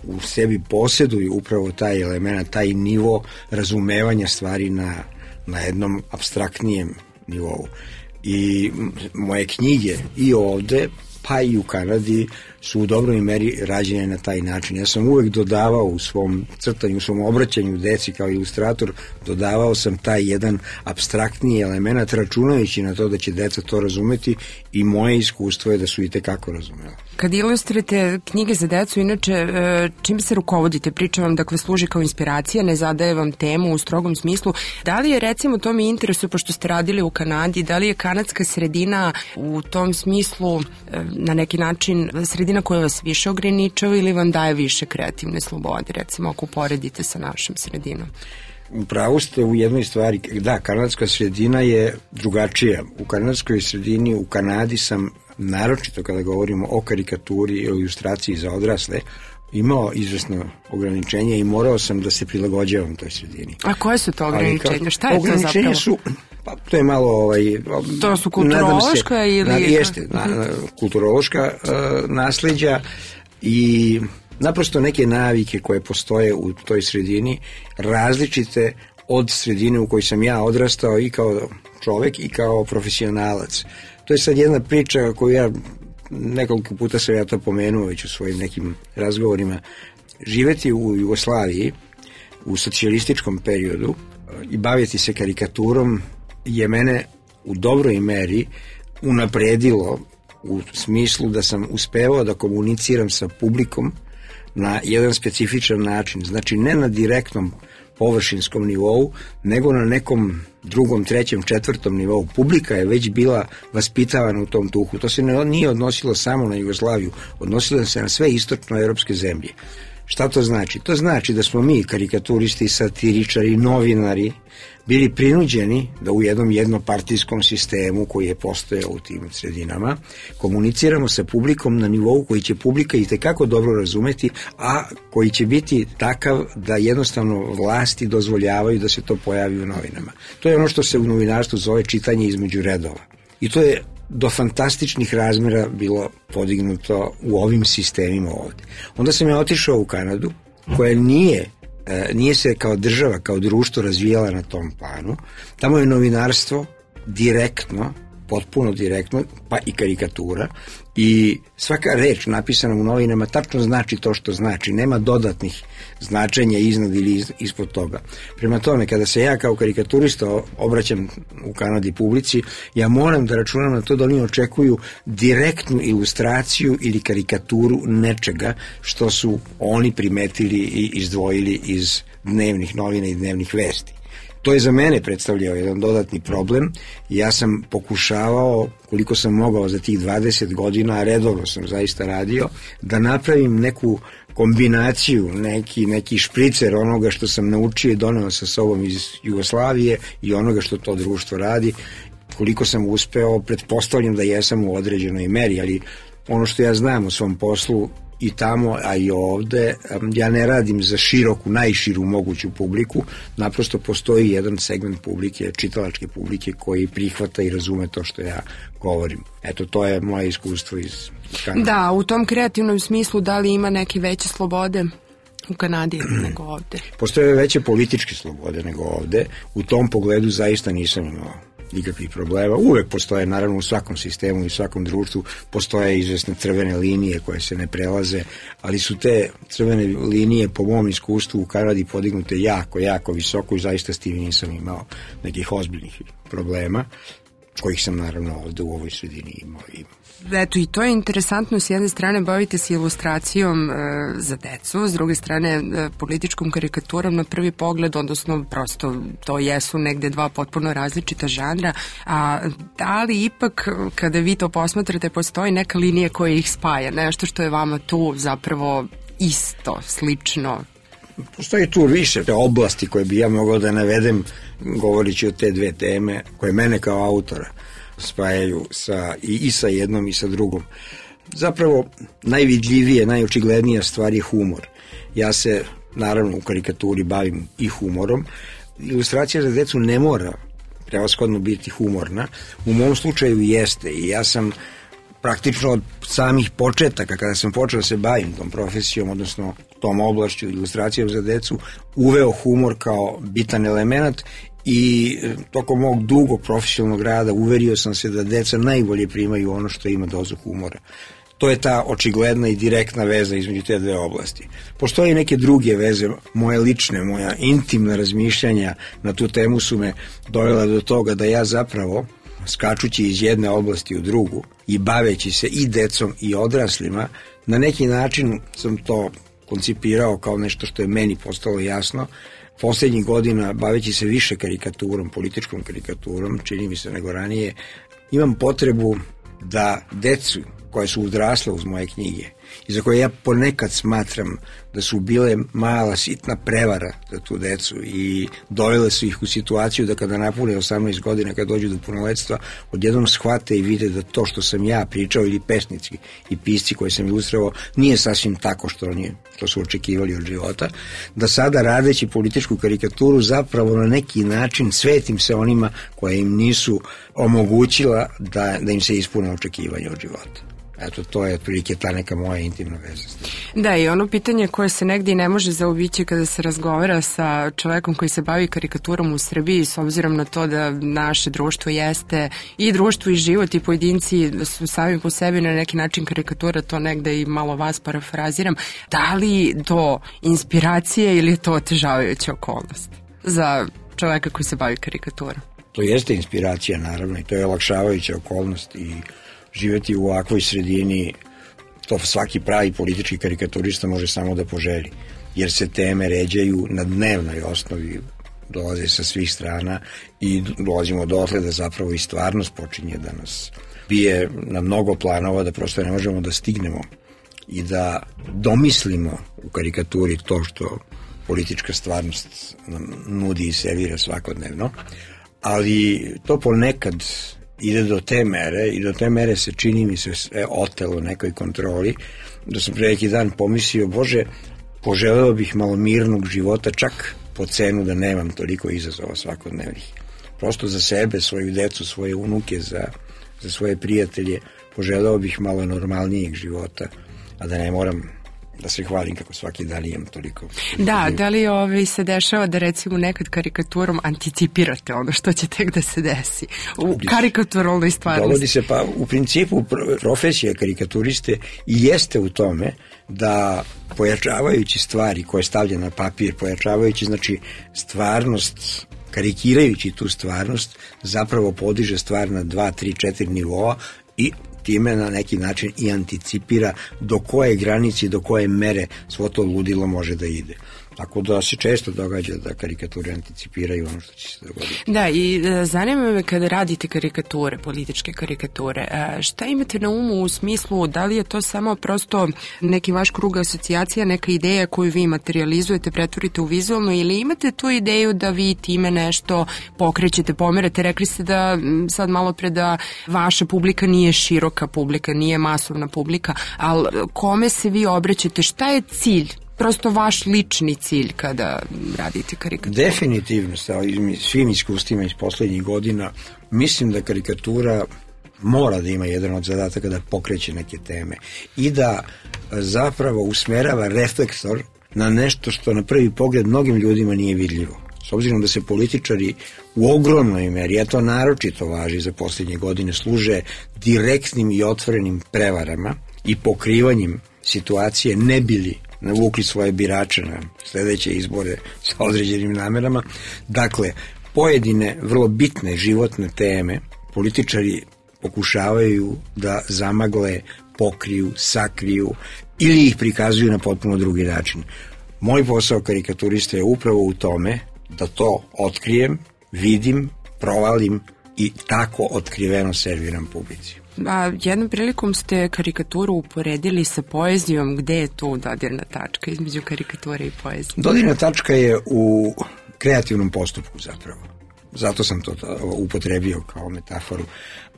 M: u sebi posjeduju upravo taj element, taj nivo razumevanja stvari na, na jednom apstraktnijem nivou. I moje knjige i ovde, pa i u Kanadi, su u dobroj meri rađene na taj način. Ja sam uvek dodavao u svom crtanju, u svom obraćanju deci kao ilustrator, dodavao sam taj jedan apstraktniji element, računajući na to da će deca to razumeti, i moje iskustvo je da su i tekako razumela.
C: Kad ilustrujete knjige za decu, inače, čim se rukovodite? Priča vam, dakle, služi kao inspiracija, ne zadaje vam temu u strogom smislu. Da li je, recimo, to mi interesuje, pošto ste radili u Kanadi, da li je kanadska sredina u tom smislu na neki način sredina koja vas više ograničava ili vam daje više kreativne slobode, recimo, ako uporedite sa našom sredinom?
M: Upravo ste u jednoj stvari. Da, kanadska sredina je drugačija. U kanadskoj sredini, u Kanadi sam, naročito kada govorimo o karikaturi i o ilustraciji za odrasle, imao izvesno ograničenje i morao sam da se prilagođavam toj sredini.
C: A koje su to ograničenja? Šta je to zapravo?
M: Ograničenja su, pa to je malo... Ovaj,
C: to su kulturološka se, ili...
M: Na, jeste, na, na, kulturološka uh, nasleđa i naprosto neke navike koje postoje u toj sredini, različite od sredine u kojoj sam ja odrastao i kao čovek i kao profesionalac. To je sad jedna priča koju ja, nekoliko puta sam ja to pomenuo već u svojim nekim razgovorima. Živeti u Jugoslaviji u socijalističkom periodu i baviti se karikaturom je mene u dobroj meri unapredilo u smislu da sam uspevao da komuniciram sa publikom na jedan specifičan način, znači ne na direktnom površinskom nivou, nego na nekom drugom, trećem, četvrtom nivou. Publika je već bila vaspitavana u tom duhu. To se ne, nije odnosilo samo na Jugoslaviju, odnosilo se na sve istočnoevropske zemlje. Šta to znači? To znači da smo mi, karikaturisti, satiričari, novinari, bili prinuđeni da u jednom jednopartijskom sistemu koji je postojao u tim sredinama komuniciramo sa publikom na nivou koji će publika i tekako dobro razumeti, a koji će biti takav da jednostavno vlasti dozvoljavaju da se to pojavi u novinama. To je ono što se u novinarstvu zove čitanje između redova. I to je do fantastičnih razmera bilo podignuto u ovim sistemima ovde. Onda sam ja otišao u Kanadu, koja nije nije se kao država, kao društvo razvijala na tom planu. Tamo je novinarstvo direktno, potpuno direktno, pa i karikatura, i svaka reč napisana u novinama tačno znači to što znači, nema dodatnih značenja iznad ili ispod toga. Prema tome, kada se ja kao karikaturista obraćam u Kanadi publici, ja moram da računam na to da oni očekuju direktnu ilustraciju ili karikaturu nečega što su oni primetili i izdvojili iz dnevnih novina i dnevnih vesti. To je za mene predstavljao jedan dodatni problem. Ja sam pokušavao, koliko sam mogao za tih dvadeset godina, a redovno sam zaista radio, da napravim neku kombinaciju, neki, neki špricer onoga što sam naučio i doneo sa sobom iz Jugoslavije i onoga što to društvo radi. Koliko sam uspeo, pretpostavljam da jesam u određenoj meri, ali ono što ja znam o svom poslu i tamo, a i ovde, ja ne radim za široku, najširu moguću publiku, naprosto postoji jedan segment publike, čitalačke publike, koji prihvata i razume to što ja govorim. Eto, to je moje iskustvo iz Kanade.
C: Da, u tom kreativnom smislu, da li ima neke veće slobode u Kanadi nego ovde?
M: Postoje veće političke slobode nego ovde. U tom pogledu zaista nisam imao nikakvih problema. Uvek postoje, naravno, u svakom sistemu i svakom društvu postoje izvesne crvene linije koje se ne prelaze, ali su te crvene linije, po mom iskustvu, u Kanadi podignute jako, jako visoko i zaista s tim nisam imao nekih ozbiljnih problema, kojih sam, naravno, ovde u ovoj sredini imao. imao.
C: Eto, i to je interesantno, s jedne strane bavite se ilustracijom e, za decu, s druge strane e, političkom karikaturom na prvi pogled, odnosno prosto to jesu negde dva potpuno različita žanra, a da li ipak kada vi to posmatrate postoji neka linija koja ih spaja, nešto što je vama tu zapravo isto, slično?
M: Postoji tu više oblasti koje bi ja mogao da navedem govorići o te dve teme koje mene kao autora spajaju sa, i, i sa jednom i sa drugom. Zapravo najvidljivije, najočiglednija stvar je humor. Ja se naravno u karikaturi bavim i humorom. Ilustracija za decu ne mora prevashodno biti humorna. U mom slučaju jeste i ja sam praktično od samih početaka, kada sam počeo da se bavim tom profesijom, odnosno tom oblašću ilustracijom za decu, uveo humor kao bitan element i tokom mog dugog profesionalnog rada uverio sam se da deca najbolje primaju ono što ima dozu humora. To je ta očigledna i direktna veza između te dve oblasti. Postoje neke druge veze, moje lične, moja intimna razmišljanja na tu temu su me dovela do toga da ja zapravo, skačući iz jedne oblasti u drugu i baveći se i decom i odraslima, na neki način sam to koncipirao kao nešto što je meni postalo jasno. Poslednjih godina, baveći se više karikaturom, političkom karikaturom, čini mi se nego ranije, imam potrebu da decu koje su odrasle uz moje knjige i za koje ja ponekad smatram da su bile mala sitna prevara za tu decu i dovele su ih u situaciju da kada napune osamnaest godina, kada dođu do punoletstva, odjednom shvate i vide da to što sam ja pričao ili pesnici i pisci koje sam ilustrovao nije sasvim tako što oni to su očekivali od života, da sada radeći političku karikaturu zapravo na neki način svetim se onima koje im nisu omogućila da, da im se ispune očekivanja od života. Eto, to je otprilike ta neka moja intimna veza.
C: Da, i ono pitanje koje se negdje i ne može zaobići kada se razgovara sa čovekom koji se bavi karikaturom u Srbiji, s obzirom na to da naše društvo jeste i društvo i život i pojedinci su sami po sebi na neki način karikatura, to negde i malo vas parafraziram. Da li to inspiracije ili je to otežavajuća okolnost za čoveka koji se bavi karikaturom?
M: To jeste inspiracija, naravno, i to je olakšavajuća okolnost i živjeti u ovakvoj sredini to svaki pravi politički karikaturista može samo da poželi, jer se teme ređaju na dnevnoj osnovi, dolaze sa svih strana i dolazimo dotle da zapravo i stvarnost počinje da nas bije na mnogo planova, da prosto ne možemo da stignemo i da domislimo u karikaturi to što politička stvarnost nam nudi i servira svakodnevno, ali to ponekad ide do te mere i do te mere se čini mi se sve otelo nekoj kontroli, da sam pre neki dan pomislio, Bože, poželeo bih malo mirnog života, čak po cenu da nemam toliko izazova svakodnevnih. Prosto za sebe, svoju decu, svoje unuke, za, za svoje prijatelje, poželeo bih malo normalnijeg života, a da ne moram da se hvalim kako svaki dan imam toliko.
C: Da, da li ovaj se dešava da recimo nekad karikaturom anticipirate ono što će tek da se desi u karikaturalnoj stvarnosti?
M: Dogodi se, pa u principu profesija karikaturiste i jeste u tome da pojačavajući stvari koje stavlja na papir, pojačavajući znači stvarnost, karikirajući tu stvarnost, zapravo podiže stvar na dva, tri, četiri nivoa i time na neki način i anticipira do koje granice, do koje mere svo to ludilo može da ide. Tako da se često događa da karikature anticipiraju ono što će se dogoditi.
C: Da, i e, zanima me kada radite karikature, političke karikature, e, šta imate na umu u smislu da li je to samo prosto neki vaš krug asocijacija, neka ideja koju vi materializujete, pretvorite u vizualno, ili imate tu ideju da vi time nešto pokrećete, pomerate? Rekli ste da sad malo pre da vaša publika nije široka publika, nije masovna publika, ali kome se vi obraćate, šta je cilj? Prosto vaš lični cilj kada radite karikaturu?
M: Definitivno, sa svim iskustvima iz poslednjih godina, mislim da karikatura mora da ima jedan od zadataka da pokreće neke teme i da zapravo usmerava reflektor na nešto što na prvi pogled mnogim ljudima nije vidljivo. S obzirom da se političari u ogromnoj meri, a to naročito važi za poslednje godine, služe direktnim i otvorenim prevarama i pokrivanjem situacije, ne bili navukli svoje birače na sledeće izbore sa određenim namerama. Dakle, pojedine vrlo bitne životne teme političari pokušavaju da zamagle, pokriju, sakriju ili ih prikazuju na potpuno drugi način. Moj posao karikaturista je upravo u tome da to otkrijem, vidim, provalim i tako otkriveno serviram publici.
C: A jednom prilikom ste karikaturu uporedili sa poezijom. Gde je tu dodirna tačka između karikature i poezije?
M: Dodirna tačka je u kreativnom postupku zapravo. Zato sam to upotrebio kao metaforu.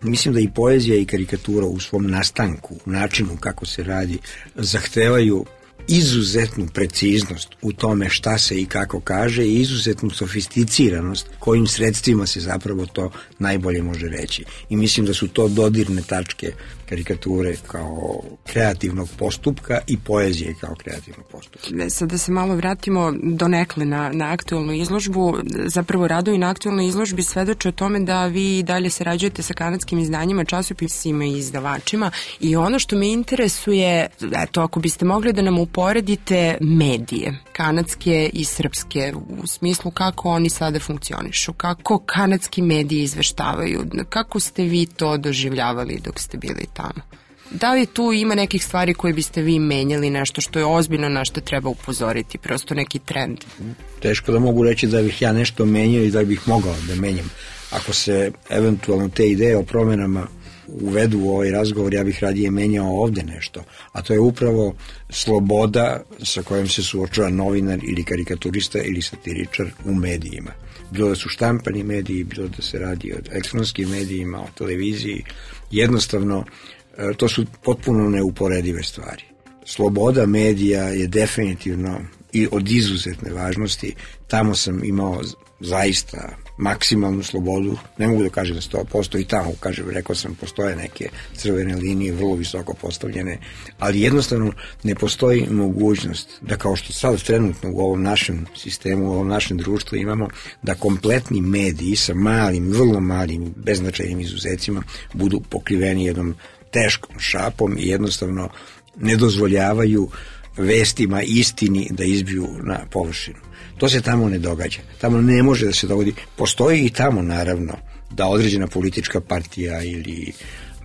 M: Mislim da i poezija i karikatura u svom nastanku, u načinu kako se radi, zahtevaju izuzetnu preciznost u tome šta se i kako kaže i izuzetnu sofisticiranost kojim sredstvima se zapravo to najbolje može reći. I mislim da su to dodirne tačke karikature kao kreativnog postupka i poezije kao kreativnog postupka.
C: Sad da se malo vratimo donekle na, na aktuelnu izložbu. Zapravo radovi na aktuelnoj izložbi svedoče o tome da vi dalje sarađujete sa kanadskim izdanjima, časopisima i izdavačima, i ono što me interesuje, eto, ako biste mogli da nam uporedite medije, kanadske i srpske, u smislu kako oni sada funkcionišu, kako kanadski mediji izveštavaju, kako ste vi to doživljavali dok ste bili tamo? Da li tu ima nekih stvari koje biste vi menjali, nešto što je ozbiljno, na što treba upozoriti, prosto neki trend?
M: Teško da mogu reći da bih ja nešto menjao i da bih mogao da menjam. Ako se eventualno te ideje o promenama uvedu u ovaj razgovor, ja bih radije menjao ovde nešto, a to je upravo sloboda sa kojom se suočava novinar ili karikaturista ili satiričar u medijima. Bilo da su štampani mediji, bilo da se radi o elektronskim medijima, o televiziji, jednostavno to su potpuno neuporedive stvari. Sloboda medija je definitivno i od izuzetne važnosti. Tamo sam imao zaista maksimalnu slobodu, ne mogu da kažem da sto posto i tamo, kažem, rekao sam, postoje neke crvene linije vrlo visoko postavljene, ali jednostavno ne postoji mogućnost da, kao što sad trenutno u ovom našem sistemu, u ovom našem društvu imamo, da kompletni mediji sa malim, vrlo malim, beznačajnim izuzecima budu pokriveni jednom teškom šapom i jednostavno ne dozvoljavaju vestima, istini da izbiju na površinu. To se tamo ne događa. Tamo ne može da se dogodi. Postoji i tamo, naravno, da određena politička partija ili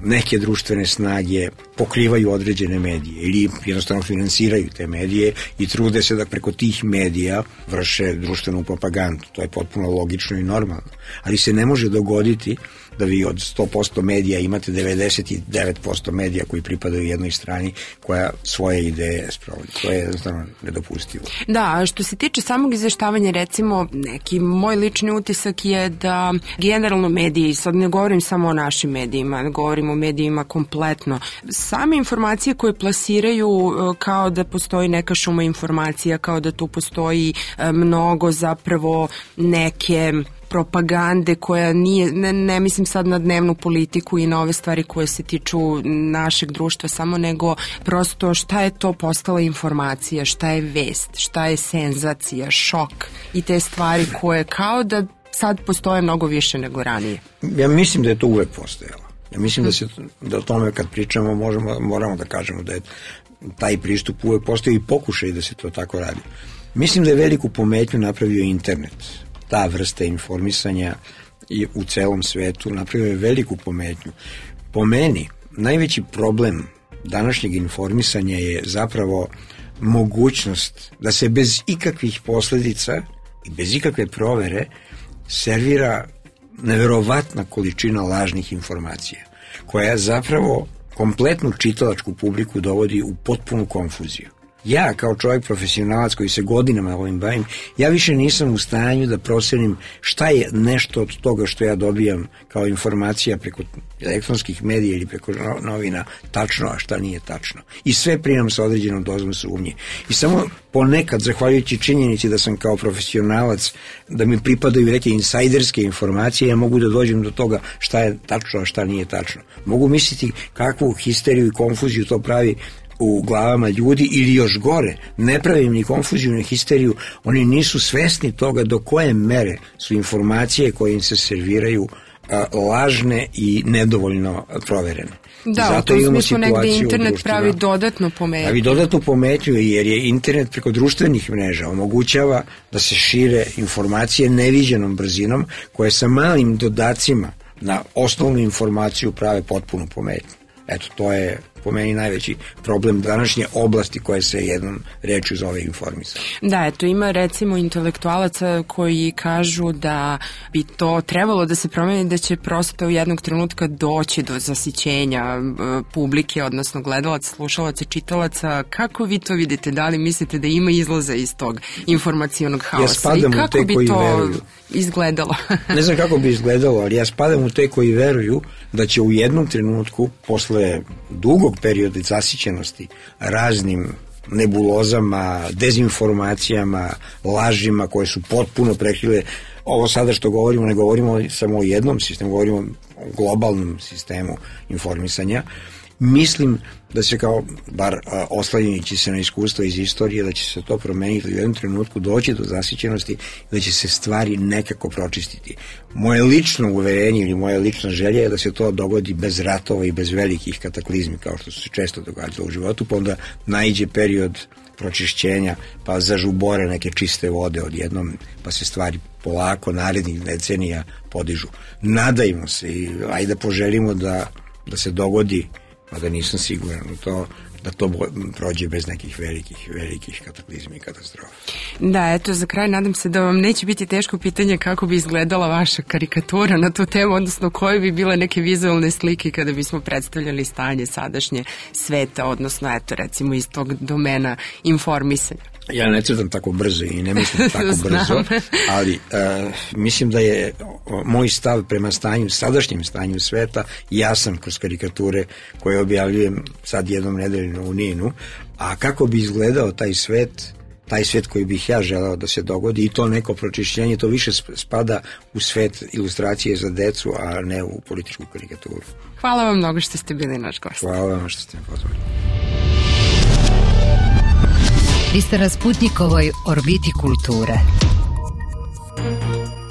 M: neke društvene snage pokrivaju određene medije ili jednostavno finansiraju te medije i trude se da preko tih medija vrše društvenu propagandu. To je potpuno logično i normalno. Ali se ne može dogoditi da vi od sto posto medija imate devedeset devet posto medija koji pripadaju jednoj strani koja svoje ideje sprovodi. To je jednostavno nedopustivo.
C: Da, a što se tiče samog izveštavanja, recimo, neki moj lični utisak je da generalno mediji, sad ne govorim samo o našim medijima, ne govorim o medijima kompletno, same informacije koje plasiraju kao da postoji neka šuma informacija, kao da tu postoji mnogo zapravo neke propagande koja nije, ne, ne mislim sad na dnevnu politiku i na ove stvari koje se tiču našeg društva samo, nego prosto šta je to postala informacija, šta je vest, šta je senzacija, šok i te stvari koje kao da sad postoje mnogo više nego ranije.
M: Ja mislim da je to uvek postojalo. Ja mislim da se da o tome kad pričamo možemo, moramo da kažemo da je taj pristup uvek postoji i pokušaj da se to tako radi. Mislim da je veliku pometnju napravio internet. Ta vrsta informisanja i u celom svetu napravio je veliku pometnju. Po meni, najveći problem današnjeg informisanja je zapravo mogućnost da se bez ikakvih posledica i bez ikakve provere servira neverovatna količina lažnih informacija, koja zapravo kompletnu čitalačku publiku dovodi u potpunu konfuziju. Ja, kao čovjek profesionalac koji se godinama ovim bavim, ja više nisam u stanju da procenim šta je nešto od toga što ja dobijam kao informacija preko elektronskih medija ili preko novina tačno, a šta nije tačno. I sve primam sa određenom dozom sumnje. I samo ponekad, zahvaljujući činjenici da sam kao profesionalac, da mi pripadaju neke insajderske informacije, ja mogu da dođem do toga šta je tačno, a šta nije tačno. Mogu misliti kakvu histeriju i konfuziju to pravi u glavama ljudi, ili još gore, ne pravim ni konfuziju ni histeriju, oni nisu svesni toga do koje mere su informacije koje im se serviraju a, lažne i nedovoljno proverene.
C: Da, zato u tom smislu negde internet pravi dodatnu pometnju. Pravi
M: dodatnu pometnju jer je internet preko društvenih mreža omogućava da se šire informacije neviđenom brzinom koje sa malim dodacima na osnovnu informaciju prave potpunu pometnju. Eto, to je po meni najveći problem današnje oblasti koje se jednom rečju zove informisanje.
C: Da, eto, ima recimo intelektualaca koji kažu da bi to trebalo da se promeni, da će prosto u jednog trenutka doći do zasićenja publike, odnosno gledalaca, slušalaca, čitalaca. Kako vi to vidite? Da li mislite da ima izlaza iz tog informacionog haosa?
M: Ja
C: i kako
M: te
C: bi
M: koji
C: to
M: veruju.
C: izgledalo?
M: Ne znam kako bi izgledalo, ali ja spadam u te koji veruju da će u jednom trenutku, posle dugog perioda zasićenosti raznim nebulozama, dezinformacijama, lažima koje su potpuno prekrile. Ovo sada što govorimo, ne govorimo samo o jednom sistemu, govorimo o globalnom sistemu informisanja. Mislim da se kao, bar oslanjajući se na iskustva iz istorije, da će se to promeniti u jednom trenutku, doći do zasićenosti, da će se stvari nekako pročistiti. Moje lično uverenje ili moja lična želja je da se to dogodi bez ratova i bez velikih kataklizmi, kao što su se često događalo u životu, pa onda naiđe period pročišćenja, pa zažubore neke čiste vode odjednom, pa se stvari polako narednih decenija podižu. Nadajmo se i ajde poželimo da, da se dogodi, a da nisam siguran u to, da to prođe bez nekih velikih, velikih kataklizmi i katastrofa.
C: Da, eto, za kraj nadam se da vam neće biti teško pitanje kako bi izgledala vaša karikatura na tu temu, odnosno koje bi bile neke vizualne slike kada bismo predstavljali stanje sadašnje sveta, odnosno, eto, recimo iz tog domena informisanja.
M: Ja ne crtam tako brzo i ne mislim tako brzo, ali uh, mislim da je moj stav prema stanju, sadašnjem stanju sveta jasan kroz karikature koje objavljujem sad jednom nedeljno u Ninu, a kako bi izgledao taj svet, taj svet koji bih ja želeo da se dogodi i to neko pročišćenje, to više spada u svet ilustracije za decu, a ne u političku karikaturu.
C: Hvala vam mnogo što ste bili naš gost.
M: Hvala vam što ste me pozvali.
A: Vi ste na Sputnikovoj orbiti kulture.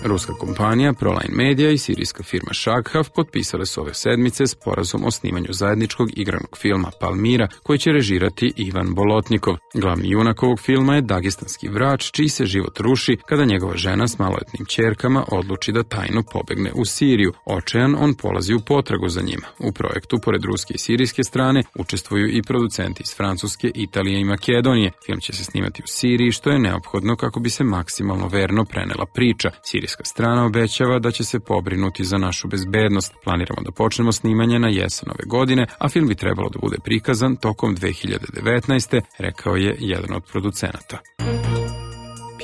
B: Ruska kompanija Proline Media i sirijska firma Shaghav potpisale su ove sedmice sporazum o snimanju zajedničkog igranog filma Palmira, koji će režirati Ivan Bolotnikov. Glavni junak ovog filma je dagestanski vrač, čiji se život ruši kada njegova žena s maloletnim ćerkama odluči da tajno pobegne u Siriju. Očajan, on polazi u potragu za njima. U projektu, pored ruske i sirijske strane, učestvuju i producenti iz Francuske, Italije i Makedonije. Film će se snimati u Siriji, što je neophodno kako bi se maksimalno verno prenela priča. Sirijska strana obećava da će se pobrinuti za našu bezbednost. Planiramo da počnemo snimanje na jesen ove godine, a film bi trebalo da bude prikazan tokom dve hiljade devetnaeste. rekao je jedan od producenata.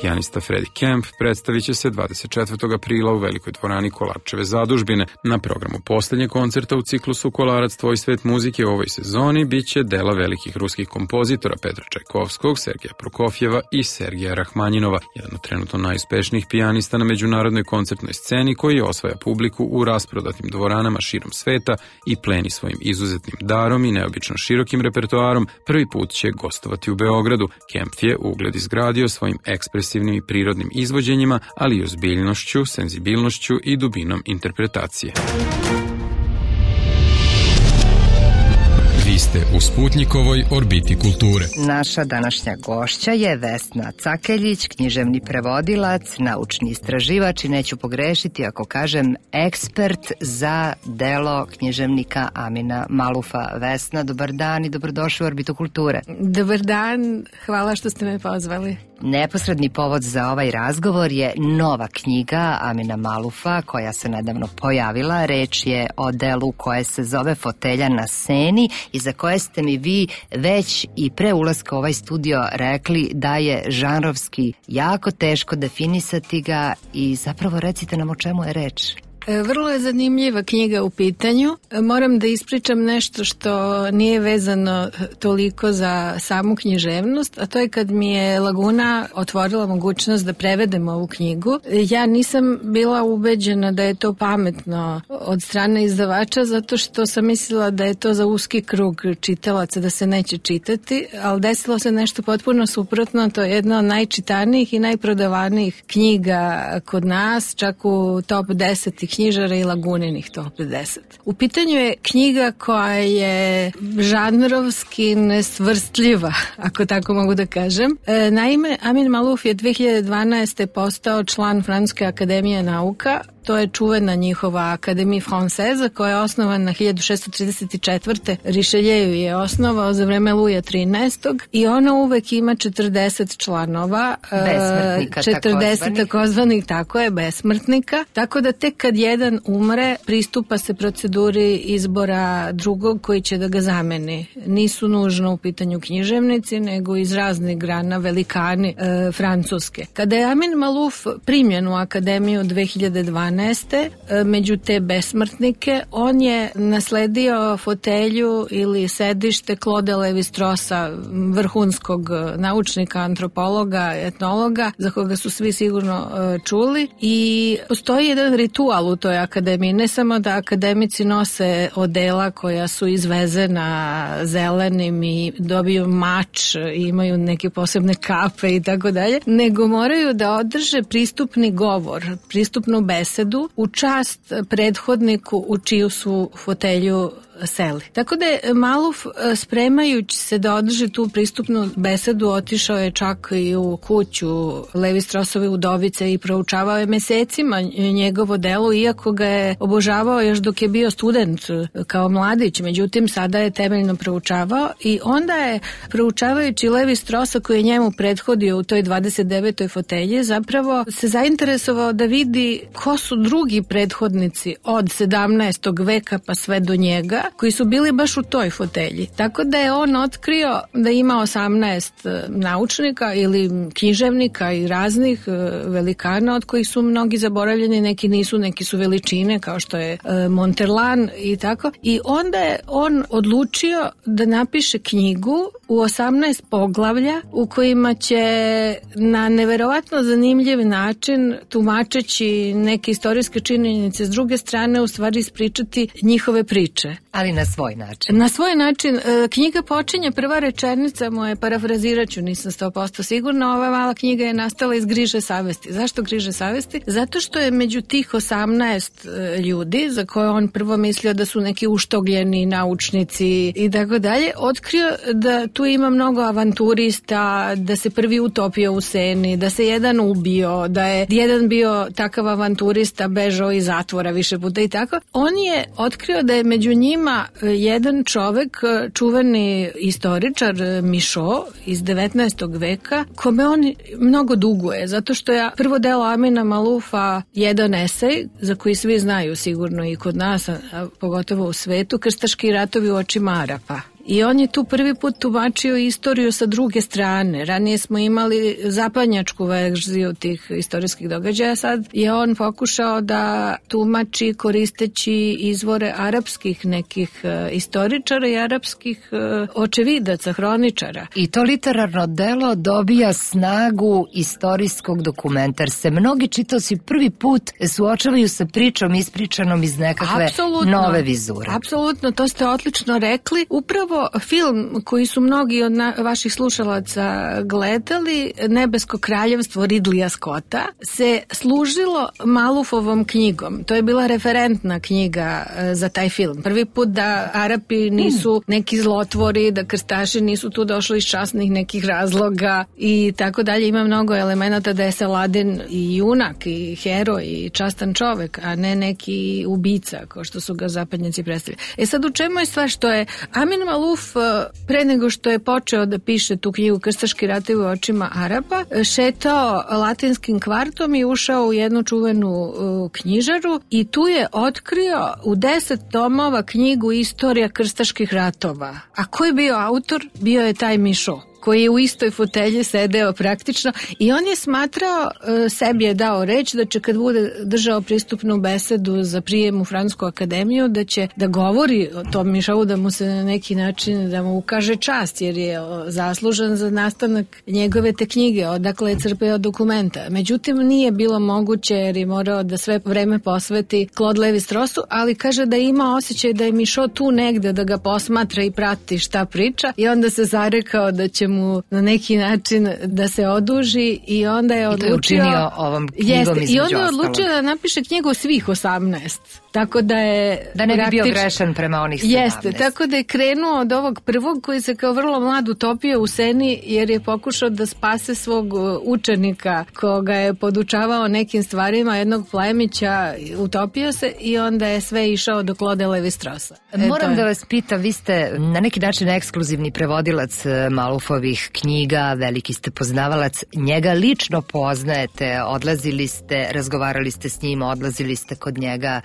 B: Pijanista Freddie Kemp predstavit će se dvadeset četvrtog aprila u velikoj dvorani Kolarčeve zadužbine. Na programu poslednjeg koncerta u ciklusu Kolarac tvoj svet muzike u ovoj sezoni bit će dela velikih ruskih kompozitora Petra Čajkovskog, Sergeja Prokofjeva i Sergeja Rahmanjinova, jedan od trenutno najuspešnijih pijanista na međunarodnoj koncertnoj sceni koji osvaja publiku u rasprodatim dvoranama širom sveta i pleni svojim izuzetnim darom i neobično širokim repertoarom. Prvi put će gostovati u Beogradu. Kemp je ugled izgradio svojim ekspresivnim i prirodnim izvođenjima, ali i ozbiljnošću, senzibilnošću i dubinom interpretacije.
E: Vi ste u Sputnjikovoj orbiti kulture.
A: Naša današnja gošća je Vesna Cakeljić, književni prevodilac, naučni istraživač i neću pogrešiti ako kažem ekspert za delo književnika Amina Malufa. Vesna, dobar dan i dobrodošli u orbitu kulture.
N: Dobar dan, hvala što ste me pozvali.
A: Neposredni povod za ovaj razgovor je nova knjiga Amina Malufa koja se nedavno pojavila. Reč je o delu koje se zove Fotelja na Seni i za koje ste mi vi već i pre ulaska u ovaj studio rekli da je žanrovski jako teško definisati ga i zapravo recite nam o čemu je reč.
N: Vrlo je zanimljiva knjiga u pitanju. Moram da ispričam nešto što nije vezano toliko za samu književnost, a to je kad mi je Laguna otvorila mogućnost da prevedem ovu knjigu. Ja nisam bila ubeđena da je to pametno od strane izdavača, zato što sam mislila da je to za uski krug čitalaca, da se neće čitati, ali desilo se nešto potpuno suprotno. To je jedna od najčitanijih i najprodavanijih knjiga kod nas, čak u top deset knjižara i Laguninih top deset. U pitanju je knjiga koja je žanrovski nesvrstljiva, ako tako mogu da kažem. E, naime, Amin Maluf je dve hiljade dvanaeste. postao član Francuske akademije nauka. To je čuvena njihova Akademija Française koja je osnovana hiljadu šessto trideset četvrte. Richelieu je osnovao za vreme Luja trinaestog. i ona uvek ima četrdeset članova.
A: Besmrtnika,
N: četrdeset takozvanih, tako je, besmrtnika. Tako da tek kad jedan umre, pristupa se proceduri izbora drugog koji će da ga zameni. Nisu nužno u pitanju književnici, nego iz raznih grana velikani e, Francuske. Kada je Amin Maluf primljen u Akademiju dve hiljade dvanaeste. među te besmrtnike, on je nasledio fotelju ili sedište Claude Lévi-Straussa, vrhunskog naučnika, antropologa, etnologa, za koga su svi sigurno čuli, i postoji jedan ritual u toj akademiji, ne samo da akademici nose odela koja su izvezena zelenim i dobiju mač i imaju neke posebne kape i tako dalje, nego moraju da održe pristupni govor, pristupnu besedu u čast prethodniku u čiju su fotelju seli. Tako da je Maluf, spremajući se da održi tu pristupnu besedu, otišao je čak i u kuću Lévi-Straussove udovice i proučavao je mesecima njegovo delo, iako ga je obožavao još dok je bio student kao mladić. Međutim, sada je temeljno proučavao i onda je, proučavajući Lévi-Straussa koji je njemu prethodio u toj dvadeset devetoj fotelji, zapravo se zainteresovao da vidi ko su drugi prethodnici od sedamnaestog veka pa sve do njega, koji su bili baš u toj fotelji. Tako da je on otkrio da ima osamnaest naučnika ili književnika i raznih velikana, od kojih su mnogi zaboravljeni, neki nisu, neki su veličine, kao što je Monterlan i tako. I onda je on odlučio da napiše knjigu u osamnaest poglavlja u kojima će na neverovatno zanimljiv način, tumačeći neke istorijske činjenice s druge strane, u stvari ispričati njihove priče.
A: Ali na svoj način.
N: Na svoj način. Knjiga počinje, prva rečenica moje, parafrazirat ću, nisam sto posto sigurna, ova mala knjiga je nastala iz griže savesti. Zašto griže savesti? Zato što je među tih osamnaest ljudi, za koje on prvo mislio da su neki uštogljeni naučnici i tako dalje, otkrio da tu ima mnogo avanturista, da se prvi utopio u Seni, da se jedan ubio, da je jedan bio takav avanturista, bežao iz zatvora više puta i tako. On je otkrio da je među njima jedan čovek, čuveni istoričar Mišo iz devetnaestog veka, kome on mnogo duguje, zato što je prvo delo Amina Malufa jedan esej, za koji svi znaju sigurno i kod nas, a pogotovo u svetu, Krstaški ratovi u očima Arapa. I on je tu prvi put tumačio istoriju sa druge strane. Ranije smo imali zapadnjačku verziju tih istorijskih događaja, sad je on pokušao da tumači koristeći izvore arapskih nekih uh, istoričara i arapskih uh, očevidaca, hroničara.
A: I to literarno delo dobija snagu istorijskog dokumenta, jer se mnogi čitaoci prvi put suočavaju sa pričom ispričanom iz nekakve Absolutno. nove vizure.
N: Apsolutno, to ste odlično rekli. Upravo film koji su mnogi od na, vaših slušalaca gledali, Nebesko kraljevstvo Ridleya Scotta, se služilo Malufovom knjigom. To je bila referentna knjiga za taj film. Prvi put da Arapi nisu neki zlotvori, da krstaši nisu tu došli iz časnih nekih razloga i tako dalje. Ima mnogo elemenata da je Saladin i junak i heroj i častan čovek, a ne neki ubica, kao što su ga zapadnjaci predstavili. E sad, u čemu je stvar? Što je Amin Maluf pre nego što je počeo da piše tu knjigu Krstaški ratovi u očima Arapa, šetao latinskim kvartom i ušao u jednu čuvenu uh, knjižaru i tu je otkrio u deset tomova knjigu Istorija krstaških ratova. A ko je bio autor? Bio je taj Mišo, koji je u istoj fotelji sedeo praktično i on je smatrao, sebi je dao reč da će kad bude držao pristupnu besedu za prijem u Francusku akademiju, da će da govori o tom Mišovu, da mu se na neki način, da mu ukaže čast, jer je zaslužan za nastanak njegove te knjige, odakle je crpeo dokumenta. Međutim, nije bilo moguće jer je morao da sve vreme posveti Claude Lévi-Strausu, ali kaže da ima osjećaj da je Mišo tu negde, da ga posmatra i prati šta priča i onda se zarekao da će mu na neki način da se oduži i onda je odlučio... I to je učinio
A: ovom knjigom između ostalog.
N: I onda je odlučio da napiše knjigu svih osamnaest. Tako da je...
A: Da ne bi bio grešan prema onih sedamnaest.
N: Jeste, tako da je krenuo od ovog prvog koji se kao vrlo mlad utopio u Seni jer je pokušao da spase svog učenika koga je podučavao nekim stvarima, jednog plemića, utopio se i onda je sve išao do Claude Lévi-Strausa.
A: Moram je... da vas pitam, vi ste na neki način ekskluzivni prevodilac Malufovih knjiga, veliki ste poznavalac, njega lično poznajete, odlazili ste, razgovarali ste s njim, odlazili ste kod njega.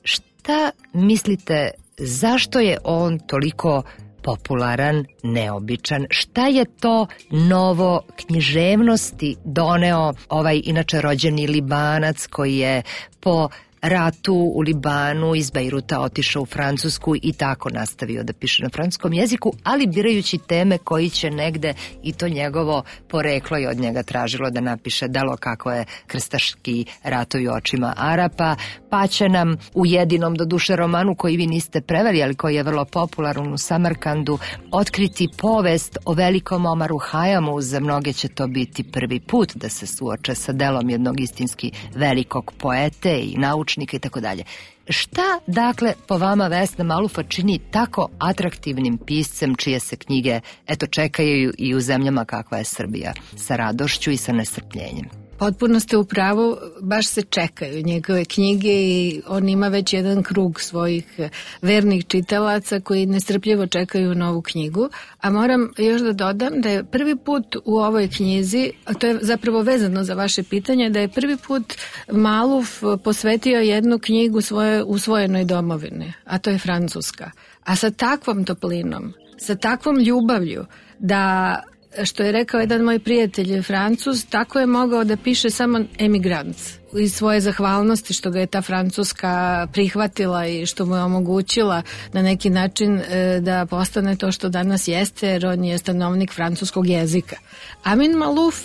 A: Šta mislite, zašto je on toliko popularan, neobičan? Šta je to novo književnosti doneo ovaj inače rođeni Libanac koji je po ratu u Libanu iz Bejruta otišao u Francusku i tako nastavio da piše na francuskom jeziku, ali birajući teme koji će negde i to njegovo poreklo je od njega tražilo da napiše delo kako je Krstaški ratovi u očima Arapa, pa će nam u jedinom do duše romanu koji vi niste preveli, ali koji je vrlo popularan u Samarkandu, otkriti povest o velikom Omaru Hajamu. Za mnoge će to biti prvi put da se suoče sa delom jednog istinski velikog poete i naučnika i tako dalje. Šta, dakle, po vama Vesna Malufa čini tako atraktivnim piscem čije se knjige, eto, čekaju i u zemljama kakva je Srbija, sa radošću i sa nestrpljenjem?
N: Potpuno ste u pravu, baš se čekaju njegove knjige i on ima već jedan krug svojih vernih čitalaca koji nestrpljivo čekaju novu knjigu, a moram još da dodam da je prvi put u ovoj knjizi, a to je zapravo vezano za vaše pitanje, da je prvi put Maluf posvetio jednu knjigu svoje usvojenoj domovini, a to je Francuska. A sa takvom toplinom, sa takvom ljubavlju da... Što je rekao jedan moj prijatelj Francuz, tako je mogao da piše samo emigrant. iz svoje zahvalnosti što ga je ta Francuska prihvatila i što mu je omogućila na neki način da postane to što danas jeste, jer on je stanovnik francuskog jezika. Amin Malouf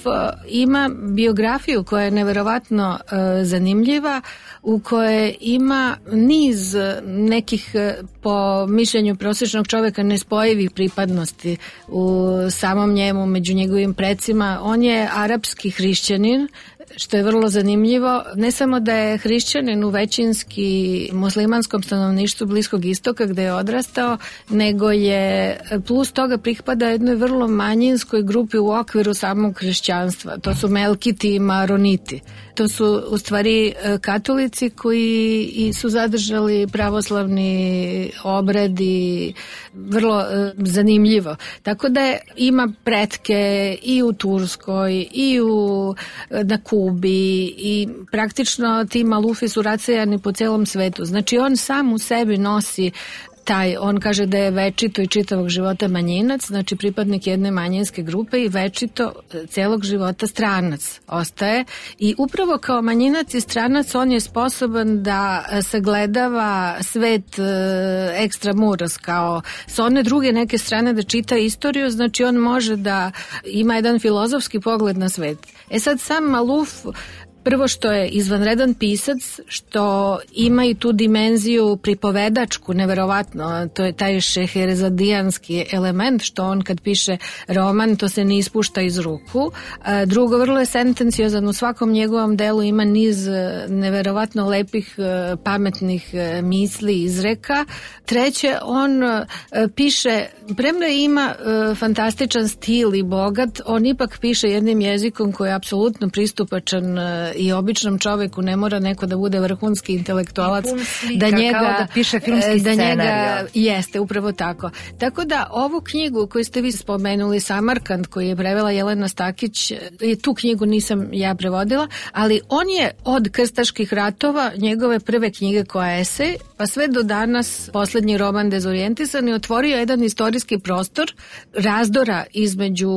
N: ima biografiju koja je neverovatno zanimljiva, u kojoj ima niz nekih, po mišljenju prosječnog čoveka, nespojivih pripadnosti u samom njemu, među njegovim precima. On je arapski hrišćanin, što je vrlo zanimljivo. Ne samo da je hrišćanin u većinski muslimanskom stanovništvu Bliskog istoka gde je odrastao, nego je plus toga pripada jednoj vrlo manjinskoj grupi u okviru samog hrišćanstva. To su Melkiti i Maroniti. To su u stvari katolici koji su zadržali pravoslavni obred i vrlo e, zanimljivo. Tako da je, ima pretke i u Turskoj i u, na Kubi i praktično ti Malufi su rasejani po celom svetu. Znači on sam u sebi nosi taj, on kaže da je večito i čitavog života manjinac, znači pripadnik jedne manjinske grupe i večito celog života stranac ostaje i upravo kao manjinac i stranac on je sposoban da sagledava svet ekstramuros, kao sa one druge neke strane da čita istoriju, znači on može da ima jedan filozofski pogled na svet. E sad sam Malouf, prvo što je izvanredan pisac, što ima i tu dimenziju pripovedačku, neverovatno, to je taj šeherezadijanski element, što on kad piše roman, to se ne ispušta iz ruku. Drugo, vrlo je sentenciozan, u svakom njegovom delu ima niz neverovatno lepih, pametnih misli, izreka. Treće, on piše, premda ima fantastičan stil i bogat, on ipak piše jednim jezikom koji je apsolutno pristupačan i običnom čoveku, ne mora neko da bude vrhunski intelektualac
A: da njega kao da piše filmski
N: da
A: scenarij.
N: Njega, jeste, upravo tako. Tako da ovu knjigu koju ste vi spomenuli, Samarkand, koju je prevela Jelena Stakić, tu knjigu nisam ja prevodila, ali on je od krstaških ratova, njegove prve knjige koja je esej, pa sve do danas poslednji roman Dezorijentisani, otvorio jedan istorijski prostor razdora između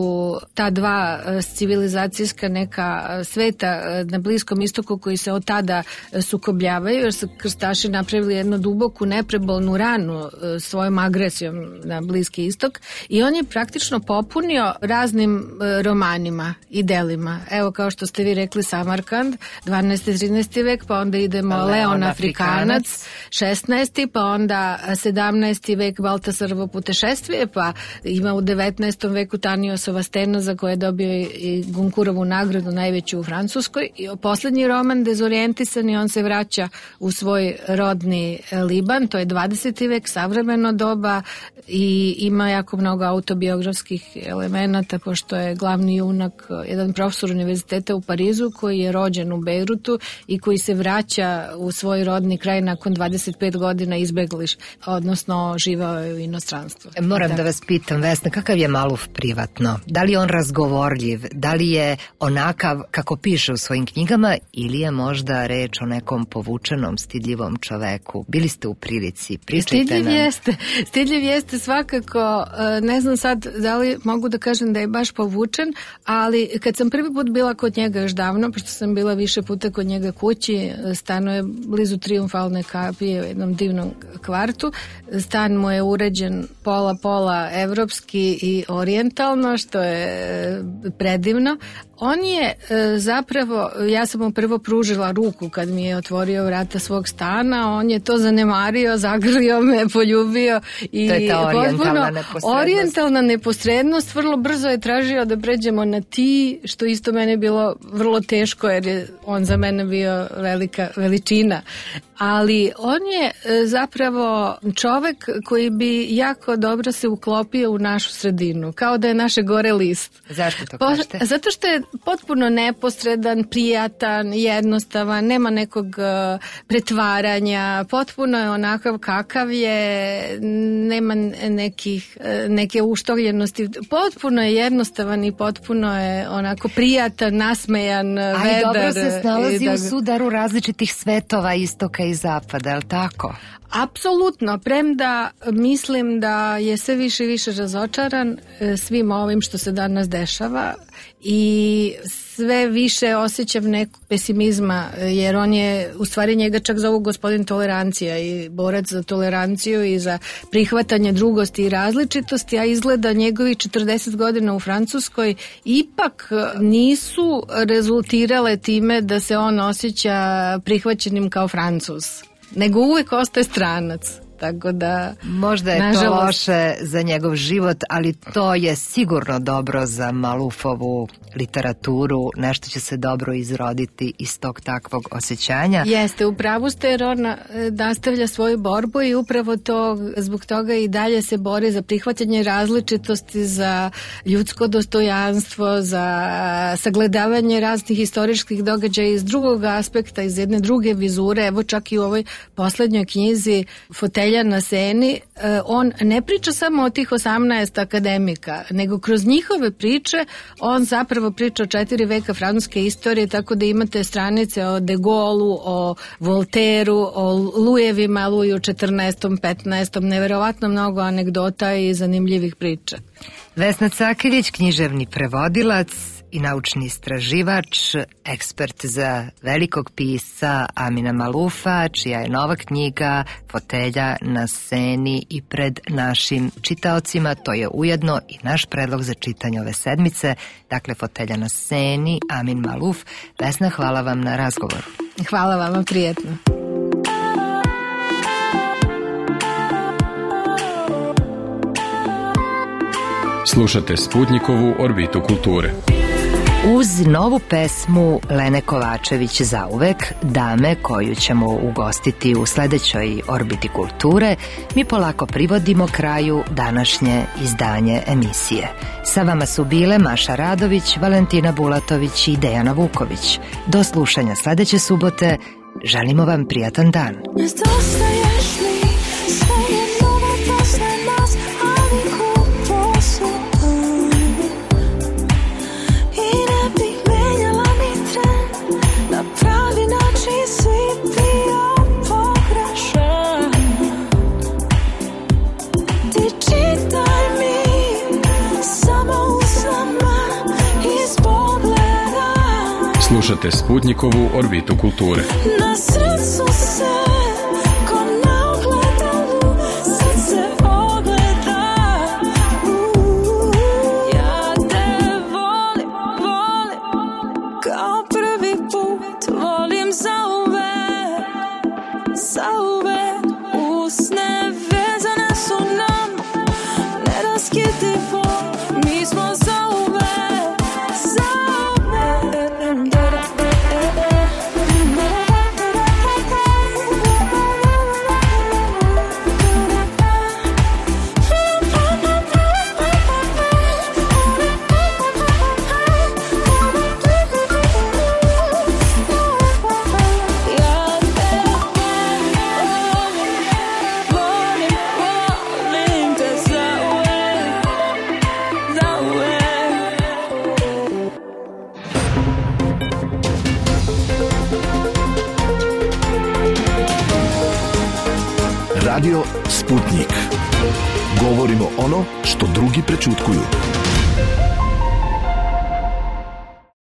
N: ta dva civilizacijska neka sveta na Bliskom istoku koji se od tada sukobljavaju, jer su krstaši napravili jednu duboku neprebolnu ranu svojom agresijom na Bliski istok i on je praktično popunio raznim romanima i delima. Evo, kao što ste vi rekli, Samarkand, dvanaesti trinaesti vek, pa onda idemo Leon, Leon Afrikanac, šesnaesti pa onda sedamnaesti vek Baltasarovo putešestvije, pa ima u devetnaestom veku Taniosova stena za koje je dobio i Gonkurovu nagradu, najveću u Francuskoj. I poslednji roman Dezorijentisani, on se vraća u svoj rodni Liban, to je dvadeseti vek, savremeno doba i ima jako mnogo autobiografskih elemenata, pošto je glavni junak jedan profesor univerziteta u Parizu koji je rođen u Bejrutu i koji se vraća u svoj rodni kraj nakon dvadeset pet godina izbegliš, odnosno živao je u inostranstvu.
A: Moram da vas pitam, Vesna, kakav je Malouf privatno? Da li je on razgovorljiv? Da li je onakav kako piše u svojim knjigama ili je možda reč o nekom povučenom, stidljivom čoveku? Bili ste u prilici, pričajte
N: Stidljiv
A: nam.
N: jeste, stidljiv jeste svakako, ne znam sad da li mogu da kažem da je baš povučen, ali kad sam prvi put bila kod njega još davno, pošto sam bila više puta kod njega kući, stanuje blizu Trijumfalne kapije u jednom divnom kvartu, stan mu je uređen pola-pola evropski i orijentalno, što je predivno. On je zapravo, ja sam mu prvo pružila ruku kad mi je otvorio vrata svog stana, on je to zanemario, zagrlio me, poljubio i
A: to je ta orijentalna neposrednost.
N: Orijentalna neposrednost, vrlo brzo je tražio da pređemo na ti, što isto mene bilo vrlo teško jer je on za mene bio velika veličina. Ali on je zapravo čovek koji bi jako dobro se uklopio u našu sredinu, kao da je naše gore list.
A: Zašto to kažete?
N: Zato što je potpuno neposredan, prijatan, jednostavan, nema nekog uh, pretvaranja, potpuno je onakav kakav je, nema nekih, uh, neke uštovljenosti, potpuno je jednostavan i potpuno je onako prijatan, nasmejan,
A: a
N: vedar.
A: A i dobro se snalazi
N: da...
A: u sudaru različitih svetova, istoka i zapada, je li tako?
N: Apsolutno, premda mislim da je sve više i više razočaran svim ovim što se danas dešava i sve više osjećam nekog pesimizma, jer on je, u stvari njega čak zovu gospodin tolerancija i borac za toleranciju i za prihvatanje drugosti i različitosti, a izgleda njegovi četrdeset godina u Francuskoj ipak nisu rezultirale time da se on osjeća prihvaćenim kao Francuz, nego uvek ostaje stranac. Tako da,
A: možda je
N: nažalost,
A: to loše za njegov život, ali to je sigurno dobro za Malufovu literaturu, nešto će se dobro izroditi iz tog takvog osjećanja.
N: Jeste, upravo ste, jer on nastavlja svoju borbu i upravo to, zbog toga i dalje se bori za prihvatanje različitosti, za ljudsko dostojanstvo, za sagledavanje raznih istorijskih događaja iz drugog aspekta, iz jedne druge vizure. Evo čak i u ovoj poslednjoj knjizi Fotelja na Seni, on ne priča samo o tih osamnaest akademika, nego kroz njihove priče on zapravo priča o četiri veka francuske istorije, tako da imate stranice o De Gauleu, o Voltairu, o Lujevima, Luju četrnaestom, petnaestom, neverovatno mnogo anegdota i zanimljivih priča.
A: Vesna Cakiljić, književni prevodilac i naučni istraživač, ekspert za velikog pisca Amina Malufa, čija je nova knjiga Fotelja na Seni i pred našim čitaocima. To je ujedno i naš predlog za čitanje ove sedmice. Dakle, Fotelja na Seni, Amin Maluf. Vesna, hvala vam na razgovoru.
N: Hvala vama, prijetno.
E: Slušate Sputnikovu orbitu kulture.
A: Uz novu pesmu Lene Kovačević Zauvek, dame koju ćemo ugostiti u sledećoj Orbiti kulture, mi polako privodimo kraju današnje izdanje emisije. Sa vama su bile Maša Radović, Valentina Bulatović i Dejana Vuković. Do slušanja sledeće subote, želimo vam prijatan dan.
E: Slušate Sputnikovu orbitu kulture.
O: Na srcu se, ko na ogledalu, sad se ogleda. Ja te volim, volim, kao prvi put, volim zauvek, zauvek. Usne vezane su nam, neraskidivo, mi smo zauvek, zauvek.
G: Radio Sputnik. Govorimo ono što drugi prećutkuju.